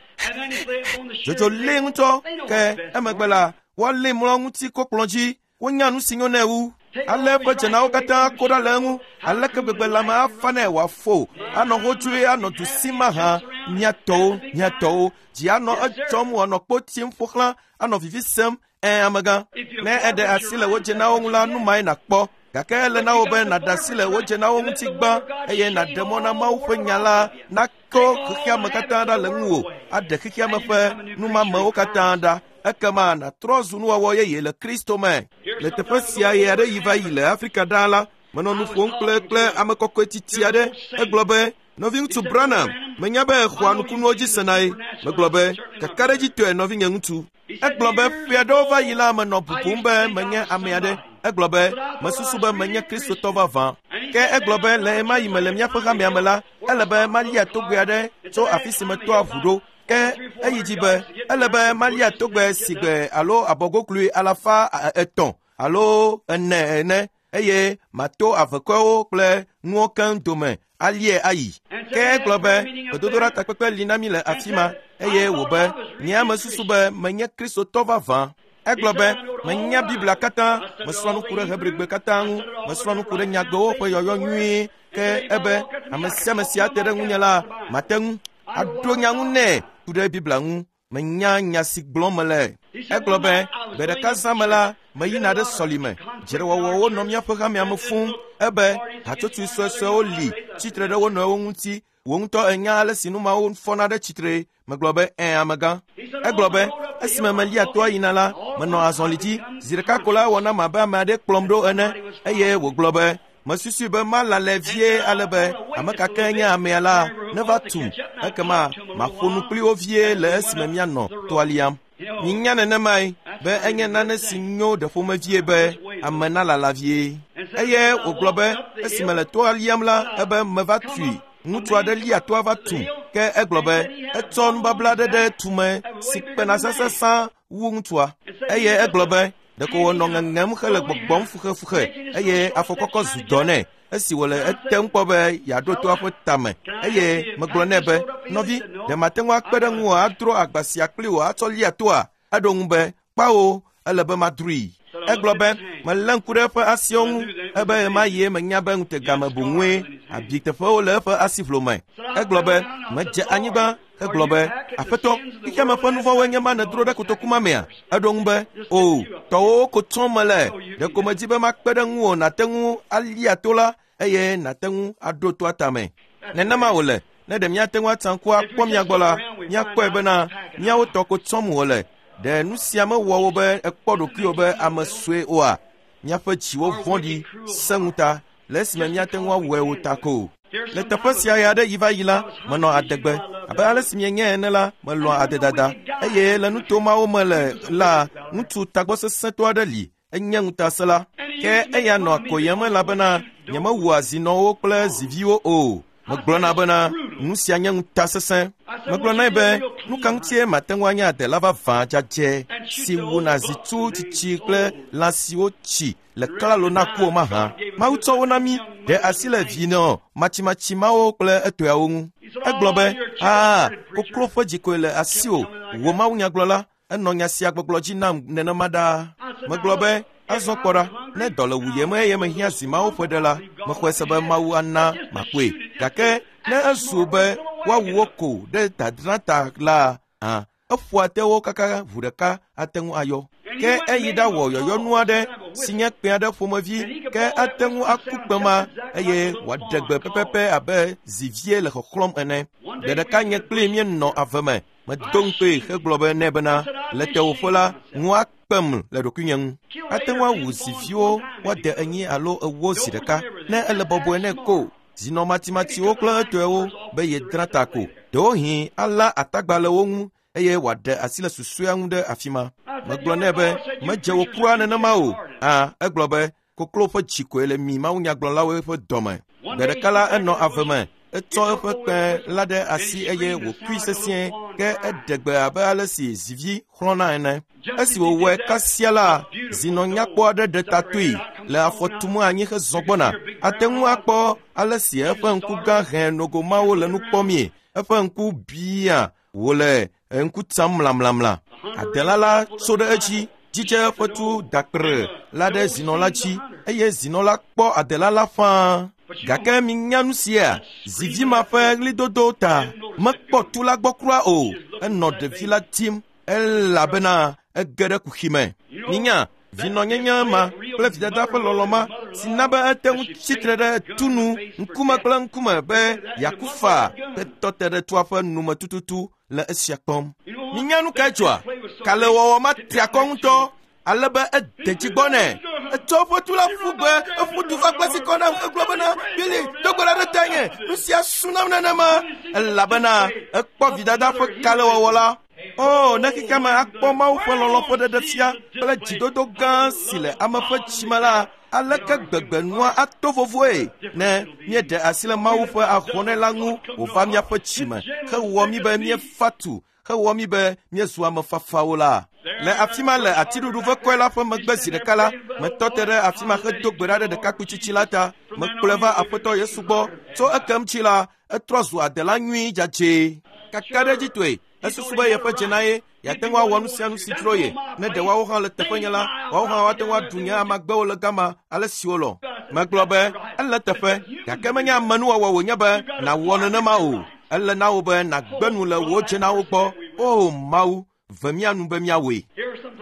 Dzodzo lée ŋutɔ ke emegbe la woalée mlɔ ŋuti kokplɔ̃ dzi. Wonya nu si nyo nɛ wu. Ale eƒe dzenawo katã ko ɖa le eŋu. Aleke gbegbe lãme afa nɛ wòafo, anɔ hodzoe anɔ du sim mahã. Mía tɔwo, mía tɔwo, dzi anɔ edzɔm wòanɔ kpo tim ƒo xlã, anɔ vivi sem. Ẽ amegã, ne eɖe asi le wò dzenawo ŋu la, nu mae nàkpɔ. Gake ele na wò be nàɖe asi le wò dzenawo ŋuti gbã eye nàɖe mɔ na Mawu ƒe nya la nakɔ xexeame katã ɖa le ŋuwò, aɖe xexeame ƒe numamewo katã ɖa. Ekema nàtrɔ zu nuwɔwɔ yeye le Kristo me. Le teƒe sia ɣe aɖe yi va yi le Afrika ɖaa la, menɔ nu ƒom kple kple ame kɔkɔe titi aɖe. Egblɔ be, nɔviŋutsu Branham, menya be exɔa nukunuwo dzi senae. Megblɔ be, kakaɖedzitɔe nɔvinye ŋutsu. Egblɔ be ƒe aɖewo va yi la menɔ bubum be menye ame aɖe. Egblɔ be mesusu be menye Kristotɔ vavã. Ke egblɔ be le ɣemaɣi me le míaƒe hamea me la, ele be malia togbe aɖe tso afi si metɔa ʋu ɖo. Ke eyi dzi be ele be malia togbe si gbe alo abɔgoklui alafa etɔ̃ alo ene ene eye mato avekɔewo kple nuwo keŋ dome alie ayi. Ke egblɔ be gbedodoɖa takpekpe li na mí le afi ma eye wòbe nye ame susu be menye Kristotɔ vavã. Egblɔ be menya Biblia katã, mesrɔ̃ nu ku ɖe Hebrigbe katã ŋu, mesrɔ̃ nu ku ɖe nyagbewo ƒe yɔyɔ nyuie. Ke ebe ame sia ame si ate ɖe ŋunye la, mate ŋu aɖo nya ŋu nɛ ku ɖe Biblia ŋu. Menya nya si gblɔm mele. Egblɔ be gbe ɖeka zã me la, meyina ɖe sɔlime. Dzrewɔwɔwo nɔ míaƒe hamea me fũu. Ebe hatsotsoe suesuewo li tsitre ɖe wo nɔewo ŋuti. Wò ŋutɔ enya ale si nu mawo fɔna ɖe tsitre. Megblɔ be ẽ amegã. Egblɔ be esime melia toa yina la, menɔ azɔli dzi. Zi ɖeka ko la ewɔ nam abe ame aɖe kplɔm ɖo ene. Eye wògblɔ be mesusui be malale vie ale be ame ka ke nye amea la neva tum. Ekema maƒo nu kpli wo vie le esime míanɔ toa liam. Minya nenemae be enye nane si nyo ɖe ƒomevie be ame nalala vie. Eye wògblɔ be esime le toa liam la, ebe meva tui. Ŋutsu aɖe lia toa va tum. Ke egblɔ be etsɔ nubabla aɖe ɖe tume si kpena sesesã wu ŋutsua. Eye egblɔ be ɖeko wònɔ ŋeŋem hele gbɔgbɔm fuxefuxe eye afɔkɔkɔ zu dɔ nɛ esi wòle etem kpɔ be yeaɖo toa ƒe tame. Eye megblɔ nɛ be, nɔvi, ɖe mate ŋu akpe ɖe ŋuwò adro agba sia kpli wò atsɔ lia toa? Eɖo ŋu be, kpawo, ele be madroe. Egblɔ be melé ŋku ɖe eƒe asiwo ŋu ebe ɣemaɣie menya be ŋutegame boŋue abi teƒewo le eƒe asiʋlo me. Egblɔ be medze anyigba hegblɔ be, aƒetɔ, xexeame ƒe nuvɔ̃woe nye ma nèdro ɖe kotoku ma mea? Eɖo ŋu be, o, tɔwòwo ko tsɔm mele. Ɖeko medzi be makpe ɖe ŋuwò nàte ŋu alia to la eye nàte ŋu aɖo toa tame. Nenema wòle. Ne ɖe míate ŋu atsa ŋku akpɔ mía gbɔ la, míakpɔe bena míawo tɔ ko tsɔm wòle. Ɖe nu sia mewɔ wo be ekpɔ ɖokuiwò be ame sue oa? Míaƒe dziwo vɔ̃ɖi sẽ ŋuta le esime míate ŋu awɔe o ta ko. Le teƒe sia ɣe aɖe yi va yi la, menɔ adegbe. Abe ale si mienyae ene la, melɔ̃a adedada. Eye le nuto mawo me le la, ŋutsu tagbɔsesẽtɔ aɖe li, enye ŋutasẽla. Ke eya nɔ koyem elabena nyemewua zinɔwo kple ziviwo o. Megblɔna bena nu sia nye ŋutasesẽ. Megblɔ nɛ be nu ka ŋutie mate ŋu anye adela vavã dzadzɛ si wuna zitu tsitsi kple lã siwo tsi le klalo na ku o mahã. Mawu tsɔ wo na mí ɖe asi le vinɔ matsimatsi mawo kple etɔeawo ŋu. Egblɔ be, aa, koklo ƒe dzi koe le asiwò, wò mawunyagblɔla. Enɔ nya sia gbɔgblɔ dzi nam nenema ɖaa. Megblɔ be, azɔ kpɔ ɖa, ne dɔ le wuyem eye mehiã zi mawo ƒe ɖe la, mexɔe se be Mawu ana makpɔe. Gake ne ezu be woawu wo ko ɖe dadra ta la, hã, eƒoa te wo kaka ʋu ɖeka ate ŋu ayɔ. Ke eyi ɖawɔ yɔyɔnu aɖe si nye kpẽ aɖe ƒomevi, ke ate ŋu aku kpẽ ma eye wòaɖe gbe pɛpɛpɛ abe zivie le xɔxlɔ̃m ene. Gbe ɖeka nye kpli míenɔ ave me. Medo ŋukpee hegblɔ be nɛ bena le tewòƒe la, ŋu akpem le ɖokuinye ŋu. Ate ŋu awu ziviwo woade enyi alo ewo zi ɖeka ne ele bɔbɔe nɛ ko. Zinɔ matsimatsiwo kple etɔewo be yedra ta ko. Ɖewohĩ ala atagba le wo ŋu eye wòaɖe asi le susɔea ŋu ɖe afi ma. Megblɔ nɛ be medze wò kura nenema o. Ã, egblɔ be koklo ƒe dzi koe le mi mawunyagblɔlawo ƒe dɔme. Gbe ɖeka la enɔ ave me. Etsɔ eƒe kpẽ la ɖe asi eye wòkui sesĩe ke eɖe gbe abe ale si zivi xlɔ̃na ene. Esi wòwɔe kasia la, zinɔ nyakpɔ aɖe ɖe ta toe le afɔ tum anyi hezɔ gbɔna. Ate ŋu akpɔ ale si eƒe ŋku gã hẽ nogo mawo le nu kpɔmie. Eƒe ŋku bia wòle ŋku tsam mlamlamla. Adela la tso ɖe edzi, dzidze eƒe tu dakpre la ɖe zinɔ la dzi eye zinɔ la kpɔ adela la fãa. Gake minya nu sia, zivi ma ƒe ɣlidodo ta mekpɔ tu la gbɔ kura o. Enɔ ɖevi la tim elabena ege ɖe kuxi me. Minya vinɔnyenye ma kple vidada ƒe lɔlɔ̃ ma si na be ete ŋu tsitre ɖe tu nu ŋkume kple ŋkume be yeaku faa hetɔ te ɖe tua ƒe nume tututu le esia kpɔm. Minya nu kae dzɔa? Kalẽwɔwɔ ma tri akɔ ŋutɔ ale be ede dzi gbɔ nɛ. Etsɔ eƒe tu la ƒu gbe, eƒu du va gbe si kɔ nam hegblɔ bena, Bili, do gbe ɖa ɖe tanye, nu sia su nam nenema. Elabena ekpɔ vidada ƒe kalẽwɔwɔ la. O, ne xexea me akpɔ Mawu ƒe lɔlɔ̃ ƒe ɖeɖefia kple dzidodo gã si le ame ƒe dzime la, aleke gbegbe nua ato vovoe ne míeɖe asi le Mawu ƒe ahɔnɛ la ŋu wòva míaƒe dzime hewɔ mí be míefa tu, hewɔ mí be míezu ame fafawo la. Le afi ma le atiɖuɖu vekɔe la ƒe megbe zi ɖeka la, metɔ te ɖe afi ma hedo gbe ɖa ɖe ɖekakpui tsitsi la ta. Mekplɔe va Aƒetɔ Yesu gbɔ. Tso ekem tsi la, etrɔ zu adela nyui dzadzɛ. Kakaɖedzitɔe, esusu be yeƒe dze na ye, yeate ŋu awɔ nu sia nu si dzro ye. Ne ɖe woawo hã le teƒenye la, woawo hã woate ŋu aɖu nye amagbewo le gama ale si wolɔ̃. Megblɔ be ele teƒe, gake menye amenuwɔwɔ wònye be nàwɔ nenema o. Ele na wò be nàgbe nu le wò dzenawo gbɔ. O Mawu, ve mía nu be míawɔe.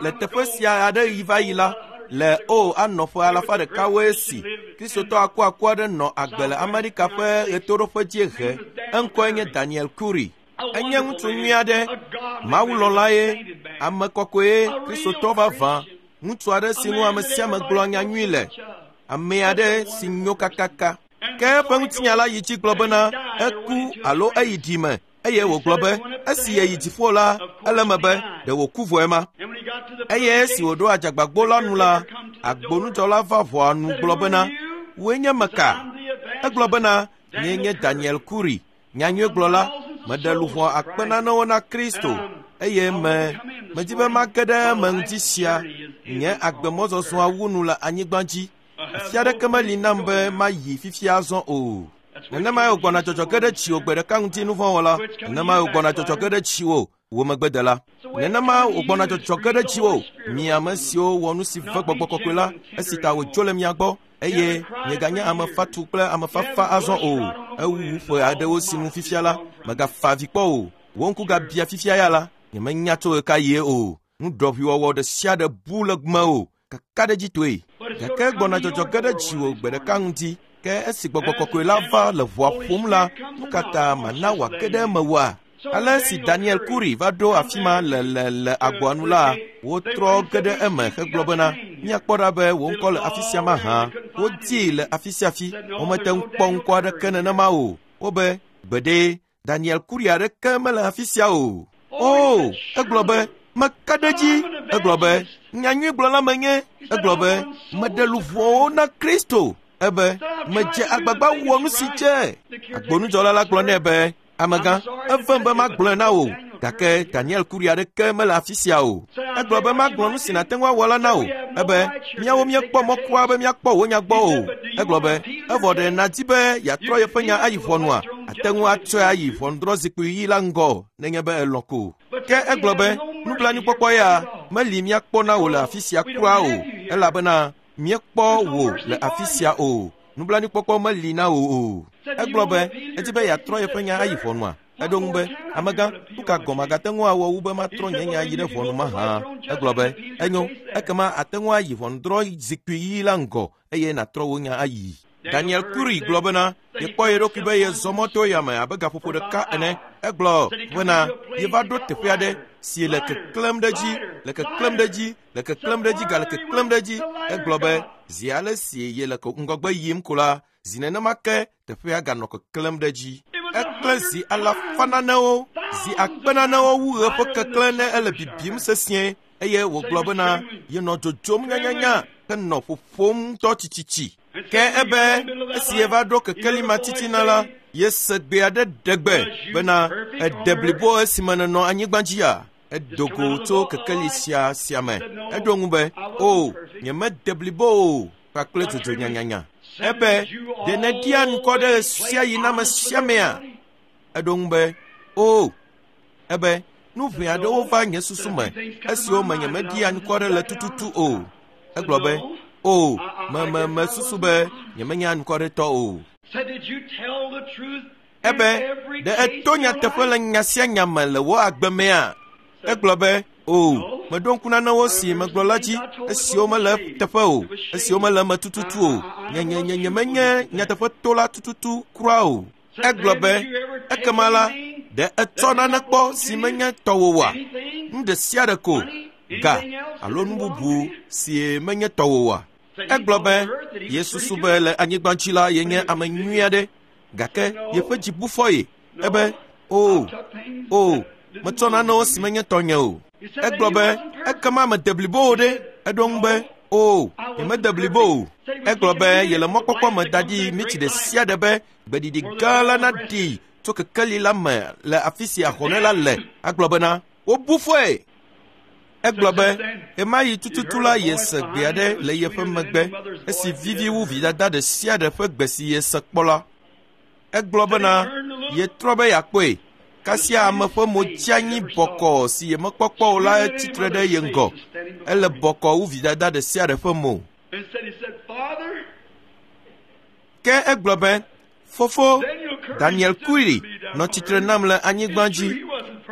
Le teƒe sia aɖe yi va yi la, le o anɔ ƒe alafa ɖekawoe si Kristotɔ akuaku aɖe nɔ agbe le Amerika ƒe ɣetoɖoƒe dziehe. Eŋkɔe nye Daniel Curry. Enye ŋutsu nyui aɖe, mawulɔ̃la ye, ame kɔkɔe, Kristotɔ vavã, ŋutsu aɖe si ŋu ame sia ame gblɔa nya nyui le, ame aɖe si nyo kakaka. Ke eƒe ŋutinya la yi dzi gblɔ bena eku alo eyi ɖime eye wògblɔ be esi yeyi dziƒo la, ele eme be ɖe wòku vɔe ma. Eye esi wòɖo adzagbagbo la nu la, agbonudzɔla va ʋɔa nu gblɔ bena, wòe nye meka? Egblɔ bena, nyee nye Daniel Curry, nyanyuigblɔla. Meɖe luʋɔ akpe nanewo na Kristo eye me medi be mage ɖe eme ŋdi sia. Nye agbemɔzɔzɔa wu nu le anyigba dzi. Afi aɖeke meli nam be mayi fifia azɔ o. Nenemae wògbɔna dzɔdzɔ ge ɖe dziwò gbe ɖeka ŋuti nuvɔ̃wɔla. Nenemae wògbɔna dzɔdzɔ ge ɖe dziwò wò megbedela. Nenema wògbɔna dzɔdzɔ ge ɖe dziwò mi ame siwo wɔ nu si ve gbɔgbɔ kɔkɔe la esi ta wòdzo le mia gbɔ eye mieganye ame fatu kple ame fafa azɔ o. Ewu ƒe aɖewo si nu fifia la, mègafa avi kpɔ o. Wò ŋku gabia fifia ya la, nyemenya tso ɣe ka yie o. Nuɖɔʋuiwɔwɔ ɖe sia ɖe bu le mewò kakaɖedzitɔe. Gake gbɔna dzɔdzɔ ge ɖe dziwò gbe ɖeka ŋuti. Ke esi gbɔgbɔ kɔkɔe la va le ʋɔa ƒom la, nu ka ta mana wòage ɖe eme oa? Ale si Daniel Curry va ɖo afi ma le le le agboa nu la, wotrɔ ge ɖe eme hegblɔ bena, míakpɔ ɖa be wò ŋkɔ le afi sia mahã. Wodii le afi sia afi, womete ŋu kpɔ ŋkɔ aɖeke nenema o. Wobe, gbeɖe, Daniel Curry aɖeke mele afi sia o. O, egblɔ be, meka ɖe edzi. Egblɔ be, nyanyuigblɔla menye. Egblɔ be, meɖe luʋɔwo na Kristo. Ebe, medze agbagba wɔ nu si dze. Agbonudzɔla la gblɔ nɛ be, amegã, evem be magblɔe na wò, gake Daniel Curry aɖeke mele afi sia o. Egblɔ be magblɔ nu si nàte ŋu awɔ la na wò. Ebe, míawo míekpɔ mɔ kura be míakpɔ wò nya gbɔ o. Egblɔ be, evɔ ɖe nàdi be yeatrɔ yeƒe nya ayi ʋɔnua, ate ŋu atsɔe ayi ʋɔnudrɔ̃zikpui ɣi la ŋgɔ nenye be elɔ̃ ko. Ke egblɔ be, nublanuikpɔkpɔ ya meli míakpɔ na wò le afi sia kura o, elabena míekpɔ wò le afi sia o. Nublanuikpɔkpɔ meli na wò o. Egblɔ be, edi be yeatrɔ yeƒe nya ayi ʋɔnua. Eɖo ŋu be, amegã, nu ka gɔme agate ŋu awɔ wu be matrɔ nye nya yi ɖe ʋɔnu mahã? Egblɔ be, enyo, ekema ate ŋu ayi ʋɔnudrɔ̃zikpui ɣi la ŋgɔ eye nàtrɔ wò nya ayi. Daniel Curry gblɔ bena, yekpɔ ye ɖokui be yezɔ mɔ to yame abe gaƒoƒo ɖeka ene. Egblɔ bena, yeva ɖo teƒe aɖe si le keklẽm ɖe edzi, le keklẽm ɖe edzi, le keklẽm ɖe edzi, gale keklẽm ɖe edzi. Egblɔ be, zi ale si yele ŋgɔgbe yim ko la, zi nenema ke teƒea ganɔ keklẽm ɖe edzi. Eklẽ zi alafa nanewo, zi akpe nanewo wu ɣe ƒe keklẽ ne ele bibim sesĩe eye wògblɔ bena yenɔ dzodzom nyanyanya henɔ ƒoƒom ŋutɔ tsitsitsi. Ke ebe esi yeva ɖo kekeli ma titina la, yese gbe aɖe ɖe gbe bena ede blibo esime nènɔ anyigba dzia. Edo go tso kekeli sia sia me. Eɖo ŋu be, o, nyemede blibo o, kpakple dzodzo nyanyanya. Ebe, ɖe nèɖia ŋkɔ ɖe sia yi na ame sia amea? Eɖo ŋu be, o. Ebe, nu ʋɛ aɖewo va nye susu me esiwo me nyemeɖia ŋkɔ ɖe le tututu o. Egblɔ be, o, me me mesusu be nyemenye anukware-tɔ o. Ebe, ɖe eto nyateƒe le nya sia nya me le wò agbe mea? Egblɔ be, o, meɖo ŋku nanewo si megblɔ la dzi esiwo mele teƒe o, esiwo mele eme tututu o. Nye nye nye nyemenye nyateƒetola tututu kura o. Egblɔ be, ekema la, ɖe etsɔ nane kpɔ si menye tɔwò oa? Nu ɖe sia ɖe ko, ga alo nu bubu si menye tɔwò oa? Egblɔ be, yesusu be le anyigba dzi la yenye ame nyui aɖe, gake yeƒe dzi bu fɔ ye. Ebe, o, o, metsɔ nanewo si menye tɔnye o. Egblɔ be, ekema mede blibo o ɖe? Eɖo ŋu be, o, nyemede blibo o. Egblɔ be yele mɔkpɔkpɔ me da ɖi mitsi ɖe sia ɖe be gbeɖiɖi gã la naɖi tso kekeli la me le afi si ahɔnɛ la le. Agblɔ bena, wobu fɔe. Egblɔ be, ɣemaɣi tututu la yese gbe aɖe le yeƒe megbe esi vivi wu vidada ɖe sia ɖe ƒe gbe si yese kpɔ la. Egblɔ bena, yetrɔ be yeakpɔe. Kasia ame ƒe mo tsi anyi bɔkɔɔ si yemekpɔkpɔ o la tsitre ɖe ye ŋgɔ. Ele bɔkɔɔ wu vidada ɖe sia ɖe ƒe mo. Ke egblɔ be, fofo, Daniel Curry nɔ tsitre nam le anyigba dzi.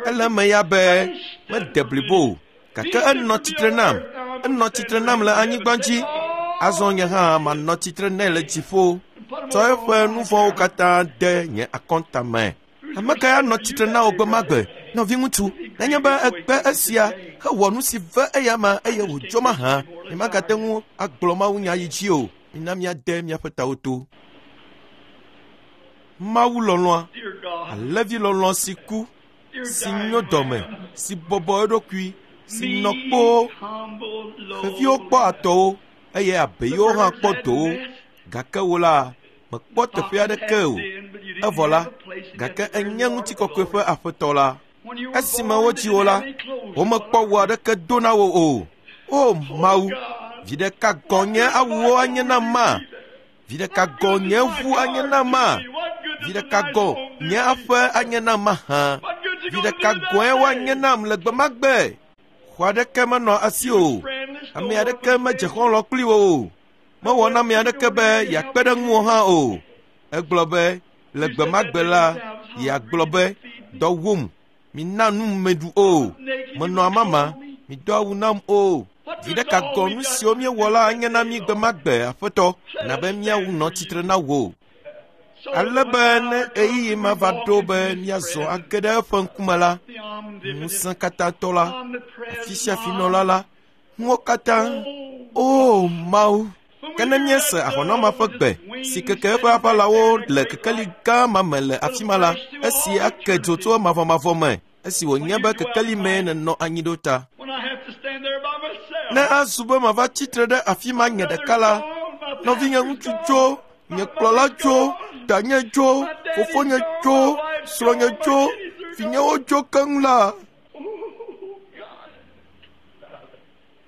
Ele eme ya be mede blibo o, gake enɔ tsitre nam. Enɔ tsitre nam le anyigba dzi. Azɔ nye hã manɔ tsitre nɛ le dziƒo. Tsɔ eƒe nu vɔ̃wo katã de nye akɔnta me. Ame kae anɔ tsitre na wò gbe ma gbe, nɔviŋutsu, nenye be egbe esia hewɔ nu si ve eya ma eye wòdzo mahã, nyemagate ŋu agblɔ mawunya yi dzi o. Mina míade míaƒe tawo to. Mawu lɔlɔ̃a, alẽvi lɔlɔ̃ si ku, si nyo dɔme, si bɔbɔ eɖokui, si nɔ kpoo. Xeviwo kpɔ atɔwo eye abeyiwo hã kpɔ dowo, gake wò la, mekpɔ teƒe aɖeke o. Evɔ la, gake enye ŋutikɔkɔe ƒe aƒetɔ la. Esime wodzi wò la, womekpɔ wu aɖeke do na wò o. O Mawu, vi ɖeka gɔ̃ nye awuwo anye nam ma? Vi ɖeka gɔ̃ nye ʋu anye nam ma? Vi ɖeka gɔ̃ nye aƒe anye nam mahã? Vi ɖeka gɔ̃e woanye nam le gbe ma gbe? Xɔ aɖeke menɔ asi o. Ame aɖeke medze xɔlɔ̃ kpli wò o. Mewɔ na ame aɖeke be yeakpe ɖe ŋuwò hã o. Egblɔ be, le gbe ma gbe la, yeagblɔ be, dɔ wum, mina nu meɖu o. Menɔ amama, mido awu nam o. Vi ɖeka gɔ nu siwo míewɔ la anye na mí gbe ma gbe, Aƒetɔ, na be míawu nɔ tsitre na wò. Ale be ne ɣeyiɣi ma va ɖo be míazɔ age ɖe eƒe ŋkume la, ŋusẽ katãtɔ la, afi sia afi nɔla la, nuwo katã, o Mawu, ke ne míese ahɔnɔma ƒe gbe si keke eƒe aʋalawo le kekeli gã ma me le afi ma la, esi ake dzo tso mavɔmavɔ me, esi wònye be kekeli mee nènɔ anyi ɖo ta. Ne azu be mava tsitre ɖe afi ma nye ɖeka la, nɔvinye ŋutsu tso, nye kplɔla tso, danye tso, fofonye tso, srɔ̃nye tso, vinyewo tso keŋ la.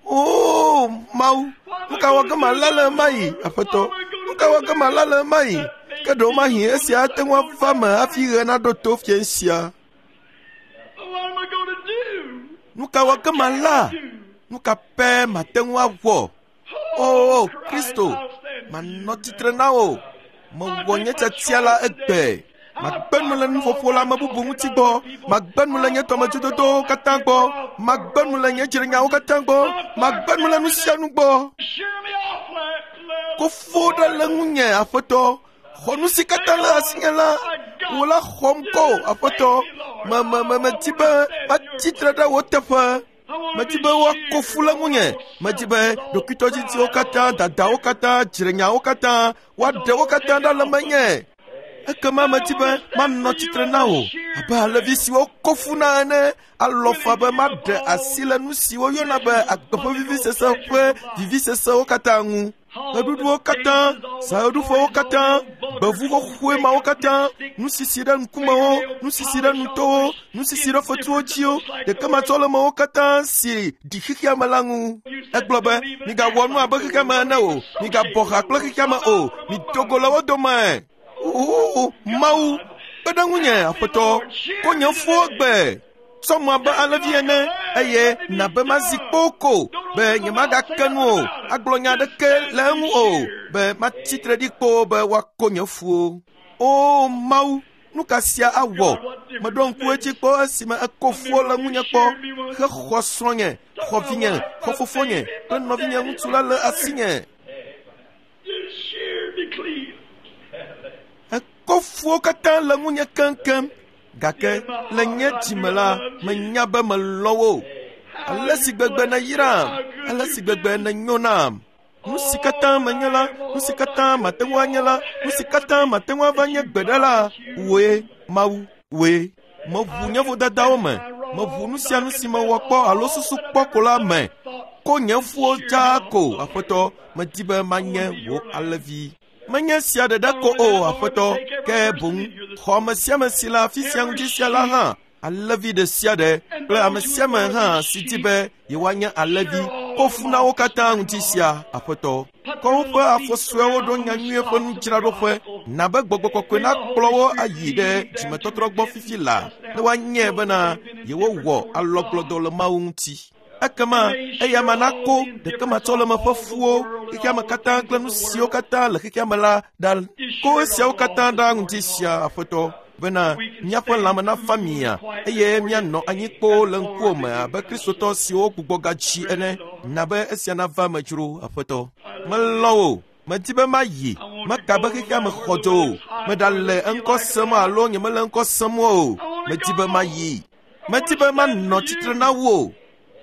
O Mawu, nu ka wɔ ge mala le ema yi, Aƒetɔ? Nu ka wɔ ge mala le ema yi? Ke ɖewomahi esia ate ŋu ava me hafi ɣe naɖo to fiẽ sia. Nu ka wɔ ge mala? Nu ka pɛ mate ŋu awɔ? O Kristo, manɔ tsitre na wò. Mewɔ nye tiatia la egbe. Magbe nu le nuƒoƒo le ame bubu ŋuti gbɔ. Magbe nu le nye dɔmedzododowo katã gbɔ. Magbe nu le nye dzrenyawo katã gbɔ. Magbe nu le nu sia nu gbɔ. Kofo ɖe le ŋunye, Aƒetɔ. Xɔ nu si katã le asinye la, wò la xɔm ko, Aƒetɔ. Me me me medi be matsi tre ɖe wò teƒe. Medi be woako fu le ŋunye. Medi be ɖokuitɔdzidziwo katã, dadawo katã, dzrenyawo katã, woaɖe wo katã ɖa le menye. Ekema medi be manɔ tsitre na wò abe alevi siwo ko fu na ene, alɔ fa be maɖe asi le nu siwo yɔna be agbe ƒe vivisese ƒe vivisesewo katã ŋu. Ɣeɖuɖuwo katã, zaɣeɖuƒewo katã, gbevu xoxoe mawo katã, nusisi ɖe ŋkumewo, nusisi ɖe nutowo, nusisi ɖe fetuwo dziwo, ɖekematsɔlemewo katã si ɖi xexea me la ŋu. Egblɔ be, migawɔ nu abe xexea me ene o, migabɔ ha kple xexea me o, mido go le wo dome. O Mawu, kpe ɖe ŋunye, Aƒetɔ, ko nye fuwo gbe. Tsɔm abe alẽvi ene, eye nabe mazi kpoo ko be nyemagake nu o, agblɔ nya aɖeke le eŋu o, be matsi tre ɖi kpoo be woako nye fuwo. O Mawu, nu ka sia awɔ? Meɖo ŋku edzi kpɔ esime eko fuwo le ŋunye kpɔ, hexɔ srɔ̃nye, xɔ vinye, xɔ fofonye kple nɔvinye ŋutsu la le asinye. Eko fuwo katã le ŋunye keŋkeŋ. Gake le nye dzime la, menya be melɔ̃ wò. Ale si gbegbe nèyram, ale si gbegbe nènyo nam. Nu si katã menye la, nu si katã mate ŋu anye la, nu si katã mate ŋu ava nye gbe ɖe la, wòe, Mawu, wòe. Meʋu nye vodadawo me, meʋu nu sia nu si mewɔ kpɔ alo susu kpɔ ko la me. Ko nye fuwo dzaa ko, Aƒetɔ, medi be manye wò alẽvi. Menye sia ɖeɖe ko o, Aƒetɔ, ke boŋ xɔ ame sia ame si le afi sia ŋuti sia la hã, alẽvi ɖe sia ɖe kple ame sia ame hã si di be yewoanye alẽvi, ko fu na wo katã ŋuti sia, Aƒetɔ. Kɔ woƒe afɔ suewo ɖo nyanyuie ƒe nudzraɖoƒe, na be gbɔgbɔ kɔkɔe nakplɔ wo ayi ɖe dzimetɔtrɔ gbɔ fifi la, ne woanyae bena yewowɔ alɔgblɔdɔ le Mawu ŋuti. Ekema eya ma nako ɖekematsɔleme ƒe fuwo, xexeame katã kple nu siwo katã le xexeame la ɖa. Ko esiawo katã ɖa ŋuti sia, Aƒetɔ, bena míaƒe lãme nafa mia eye míanɔ anyi kpoo le ŋkuwò me abe Kristotɔ siwo gbugbɔ gadzi ene. Na be esia nava me dzro, Aƒetɔ. Melɔ̃ wò. Medi be mayi, meka be xexeame xɔ dzo o. Meɖale eŋkɔ sem alo nyemele ŋkɔ sem o. Medi be mayi. Medi be manɔ tsitre na wò.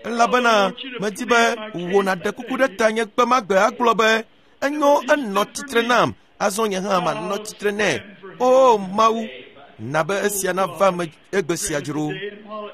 Elabena medi be wò nàɖe kuku ɖe ta nye gbe ma gbe agblɔ be enyo enɔ tsitre nam, azɔ nye hã manɔ tsitre nɛ. O Mawu, na be esia nava me egbe sia dzro.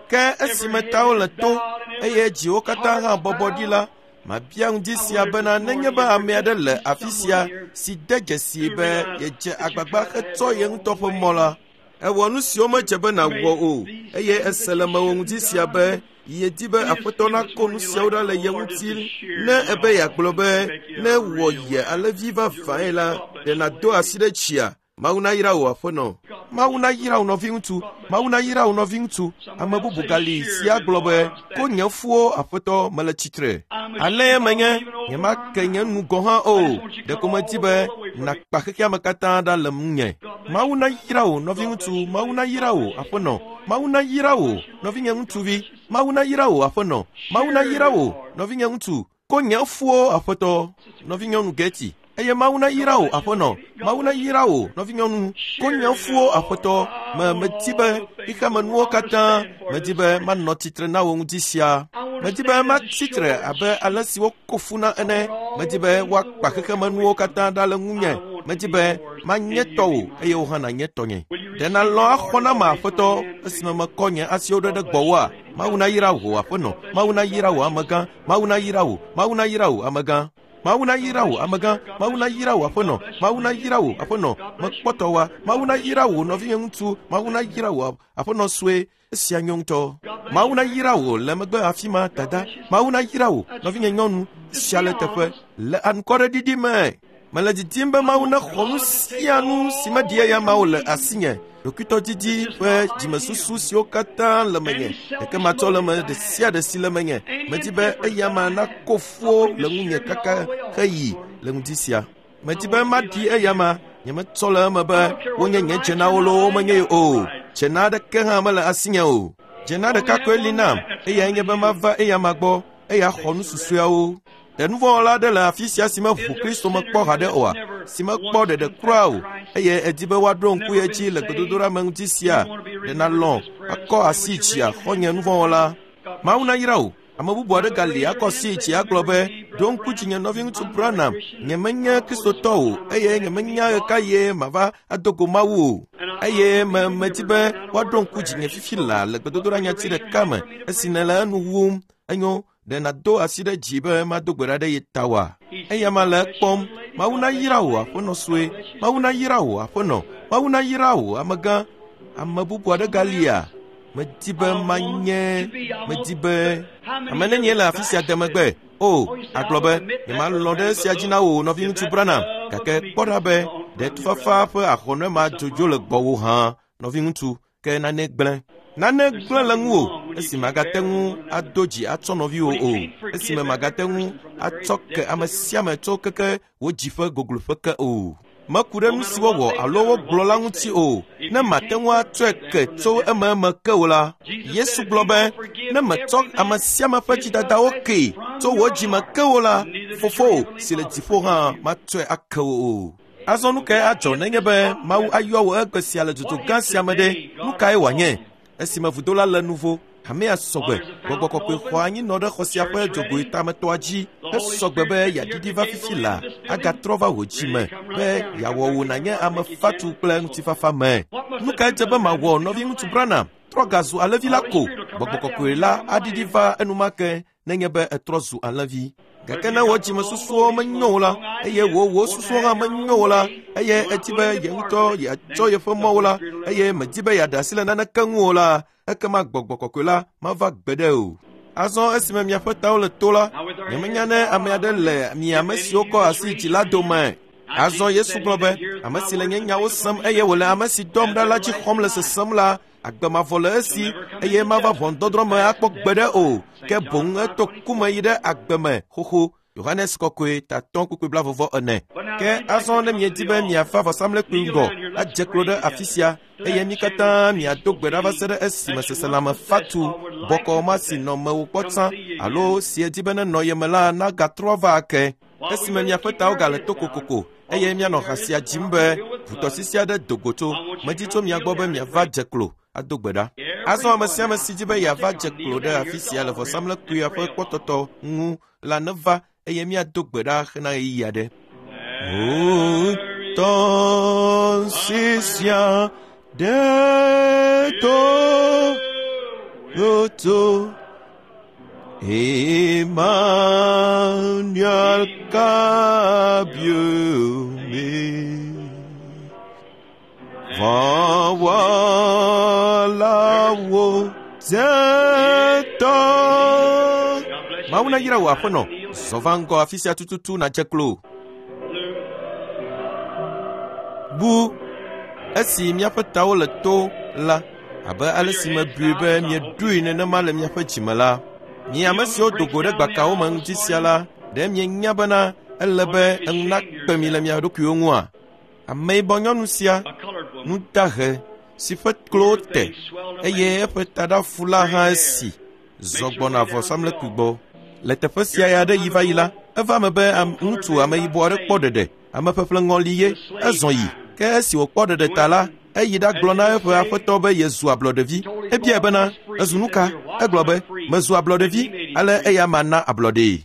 Ke esime tawo le to eye dziwo katã hã bɔbɔ ɖi la, mabia ŋdi sia bena nenye be ame aɖe le afi sia si de dzesi be yedze agbagba hetsɔ ye ŋutɔ ƒe mɔ la, ewɔ nu siwo medze be nàwɔ o, eye ese le mewò ŋdi sia be yedi be Aƒetɔ nako nu siawo ɖa le ye ŋuti. Ne ebe yeagblɔ be ne wɔ ye alẽvi vavãe la, ɖe nàdo asi ɖe tsia? Mawu nayra wò, Aƒenɔ. Mawu nayra wò nɔviŋutsu. Mawu nayra wò nɔviŋutsu. Ame bubu gali si agblɔ be, ko nye fuwo, Aƒetɔ, mele tsitre. Ale menye, nyemake nye nu gɔ̃ hã o. Ɖeko medi be nàkpa xexeame katã ɖa le ŋunye. Mawu nayra wò, nɔviŋutsu. Mawu nayra wò, Aƒenɔ. Mawu nayra wò, nɔvinye ŋutsuvi. Mawu nayra wò, Aƒenɔ. Mawu nayra wò, nɔvinye ŋutsu. Ko nye fuwo aƒetɔ, nɔvinyɔnu Geti. Eye Mawu na yra wò aƒenɔ, Mawu na yra wò nɔvinyɔnu. Ko nye fuwo aƒetɔ, me medi be xexemenuwo katã, medi be manɔ tsitre na wò ŋuti sia. Medi be matsi tre abe ale si woko fu na ene. Medi be woakpa xexemenuwo katã ɖa le ŋunye. Medi be manye tɔwò eye wò hã nànye tɔnye. Ɖe nalɔ̃ axɔ nam aƒetɔ esime mekɔ nye asiwo ɖe ɖe gbɔwòa? Mawu na yra wò aƒenɔ, Mawu na yra wò amegã, Mawu na yra wò, Mawu na yra wò amegã. Mawu na yra wò amegã, Mawu na yra wò aƒenɔ, Mawu na yra wò aƒenɔ, mekpɔ tɔwòa, Mawu na yra wò nɔvinye ŋutsu, Mawu na yra wò aƒenɔ sue, esia nyo ŋutɔ. Mawu na yra wò le megbe afi ma dada, Mawu na yra wò nɔvinye nyɔnu, esia le teƒe le anukwareɖiɖi me. Mele didim be Mawu nexɔ nu sia nu si meɖi eya mawo le asinye. Ɖokuitɔdidi ƒe dzimesusu siwo katã le menye, ɖeke matsɔ le me ɖe sia ɖe si le menye. Medi be eya ma nako fuwo le ŋunye kaka heyi le ŋdi sia. Medi be maɖi eya ma, nyemetsɔ le eme be wonye nye dzenawo loo womenye o. Dzena aɖeke hã mele asinye o. Dzena ɖeka koe li nam, eyae nye be mava eya ma gbɔ, eya xɔ nu susɔeawo. Ɖe nuvɔ̃wɔla aɖe le afi sia si meʋu Kristo mekpɔ haɖe oa, si mekpɔ ɖeɖe kura o, eye edi be woaɖo ŋku ye dzi le gbedodoɖa me ŋuti sia, ɖe nalɔ̃ akɔ asi dzi axɔ nye nuvɔ̃wɔla. Mawu na yra wò. Ame bubu aɖe gali akɔ asi dzi agblɔ be, ɖo ŋku dzinye nɔviŋutsu Branham, nyemenye Kristotɔ o, eye nyemenya ɣekaɣie mava ado go Mawu o. Eye me medi be woaɖo ŋku dzinye fifi laa le gbedodoɖa nyati ɖeka me esi nèle enu wum. Enyo, ɖe nàdo asi ɖe dzi be mado gbe ɖa ɖe ye ta oa? Eya ma le ekpɔm. Mawu na yra wò aƒenɔ sue, Mawu na yra wò aƒenɔ, Mawu na yra wò amegã. Ame bubu aɖe galia? Medi be manye, medi be ame nenie le afi sia de megbe. O, agblɔ be nyemalɔ̃ ɖe esia dzi na wò nɔviŋutsu Branham, gake kpɔ ɖa be ɖe tufafa ƒe ahɔnɔe ma dzodzo le gbɔwò hã, nɔviŋutsu, ke nane gblẽ. Nane gblẽ le ŋuwò esi magate ŋu ado dzi atsɔ nɔviwò o, esime magate ŋu atsɔ ke ame sia ame tso keke wò dzi ƒe gogloƒe ke o. Meku ɖe nu si wowɔ alo wogblɔ la ŋuti o, ne mate ŋu atsɔe ke tso ememe ke o la. Yesu gblɔ be, ne metsɔ ame sia ame ƒe dzidadawo kee tso wò dzime ke o la, fofowò si le dziƒo hã matsɔe ake wò o. Azɔ nu kae adzɔ nenye be Mawu ayɔ wò egbe sia le dzodzo gã sia me ɖe? Nu kae wòanye? Esime vudo la le nuvo, hamea sɔgbe, gbɔgbɔ kɔkɔe xɔ anyi nɔ ɖe xɔ sia ƒe dzogoe tametɔa dzi, esɔgbe be yeaɖiɖi va fifi la, agatrɔ va wò dzi me be yeawɔ wò nànye ame fatu kple ŋutifafa me. Nu kae dze be mawɔ nɔviŋutsu Branham? Trɔ gazu alẽvi la ko. Gbɔgbɔ kɔkɔe la aɖiɖi va enumake nenye be etrɔ zu alẽvi. Gake ne wò dzimesusuwo menyo o la, eye wò wò susuwo hã menyo o la, eye edi be ye ŋutɔ yeatsɔ yeƒe mɔwo la, eye medi be yeaɖe asi le naneke ŋu o la, ekema gbɔgbɔ kɔkɔe la mava gbeɖe o. Azɔ esime miaƒe tawo le to la, nyemenya ne ame aɖe le mi ame siwo kɔ asi dzi la dome. Azɔ Yesu gblɔ be, ame si le nye nyawo sem eye wòle ame si dɔm ɖa la dzi xɔm le sesem la, agbe mavɔ le esi eye mava ʋɔnudɔdrɔ̃ me akpɔ gbeɖe o, ke boŋ eto ku me yi ɖe agbe me xoxo. Yohanes kɔkɔe tatɔ kpukpui blavɔvɔ ene. Ke azɔ ne miedi be miava vɔsamlekpui ŋgɔ adze klo ɖe afi sia, eye mi katã miado gbe ɖa va se ɖe esime seselãme fatu bɔkɔ ma si nɔ mewò kpɔ tsã alo si edi be nenɔ ye me la nagatrɔ va ake. Esime miaƒe tawo gale to kokoko eye mianɔ ha sia dzim be ʋutɔsisi aɖe do go tso, medi tso mia gbɔ be miava dze klo ado gbe ɖa. Azɔ ame sia ame si di be yeava dze klo ɖe afi sia le vɔsamlekpuia ƒe kpɔtɔtɔ ŋu la neva eye miado gbe ɖa hena ɣeyiɣi aɖe. Ʋutɔsisia ɖe to go Emmanuel Kabiome Vɔwɔlawo zetɔ. Mawu na yra wò aƒenɔ, zɔ va ŋgɔ afi sia tututu nàdze klo. Bu esi miaƒe tawo le to la, abe ale si mebui be mieɖoe nenema le miaƒe dzime la, mi ame siwo do go ɖe gbakawo me ŋuti sia la, ɖe mienya bena ele be eŋu nakpe mi le mia ɖokuiwo ŋua? Ameyibɔ nyɔnu sia, nu dahe si ƒe klowo te eye eƒe taɖafu la hã esi, zɔ gbɔna vɔsamlekpui gbɔ. Le teƒe sia ya ɖe yi va yi la, eva me be ŋutsu ameyibɔ aɖe kpɔ ɖeɖe, ame ƒeƒle ŋɔli ye, ezɔ yi. Ke esi wòkpɔ ɖeɖe ta la, eyi ɖagblɔ na eƒe aƒetɔ be yezu ablɔɖevi. Ebiae bena, ezu nu ka? Egblɔ be, mezu ablɔɖevi, ale eya ma na ablɔɖee.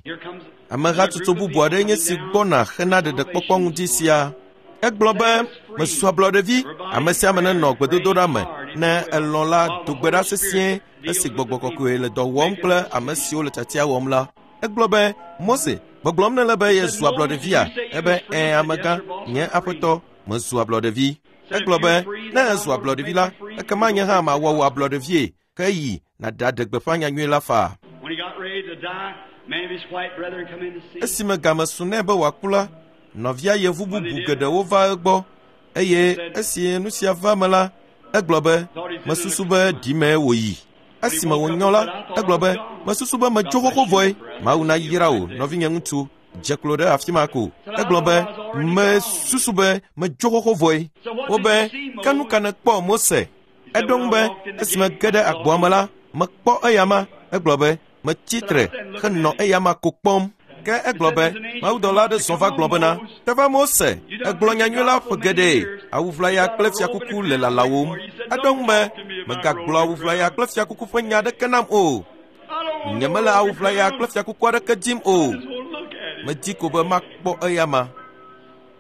Amehatsotso bubu aɖe nye si gbɔna hena ɖeɖekpɔkpɔ ŋuti sia. Egblɔ be, mezu ablɔɖevi, ame sia ame nenɔ gbedodoɖa me, ne elɔ̃ la do gbe ɖa sesĩe esi gbɔgbɔ kɔkɔe le dɔ wɔm kple ame siwo le tiatia wɔm la. Egblɔ be, Mose, gbɔgblɔm nele be yezu ablɔɖevia? Ebe, ɛ̃ amegã, nye aƒetɔ, mezu ablɔɖevi. Egblɔ be, ne ezu ablɔɖevi la, ekema nye hã mawɔ wò ablɔɖevie, ke yi nàɖaɖe gbeƒã nyanyui la faa. Esime game su nɛ be wòaku la, nɔvia yevu bubu geɖewo va egbɔ eye esi nu sia va me la, egblɔ be, mesusu be ɖimee wòyi. Esime wònyɔ la, egblɔ be, mesusu be metso xoxo vɔe. Mawu nayra wò, nɔvinye ŋutsu, dze klo ɖe afi ma ko. Egblɔ be, mesusu be metso xoxo vɔe. Wobe, ke nu ka nèkpɔ Mose? Eɖo ŋu be, esime ge ɖe agboa me la, mekpɔ eya ma. Egblɔ be, metsi tre henɔ eya ma ko kpɔm. Ke egblɔ be, mawudɔla aɖe zɔ va gblɔ bena, teva Mose, egblɔ nyanyui la ƒe geɖe, awuʋlaya kple fiakuku le lalawòm. Eɖo ŋu be, megagblɔ awuʋlaya kple fiakuku ƒe nya aɖeke nam o. Nyemele awuʋlaya kple fiakuku aɖeke dim o. Medi ko be makpɔ eya ma.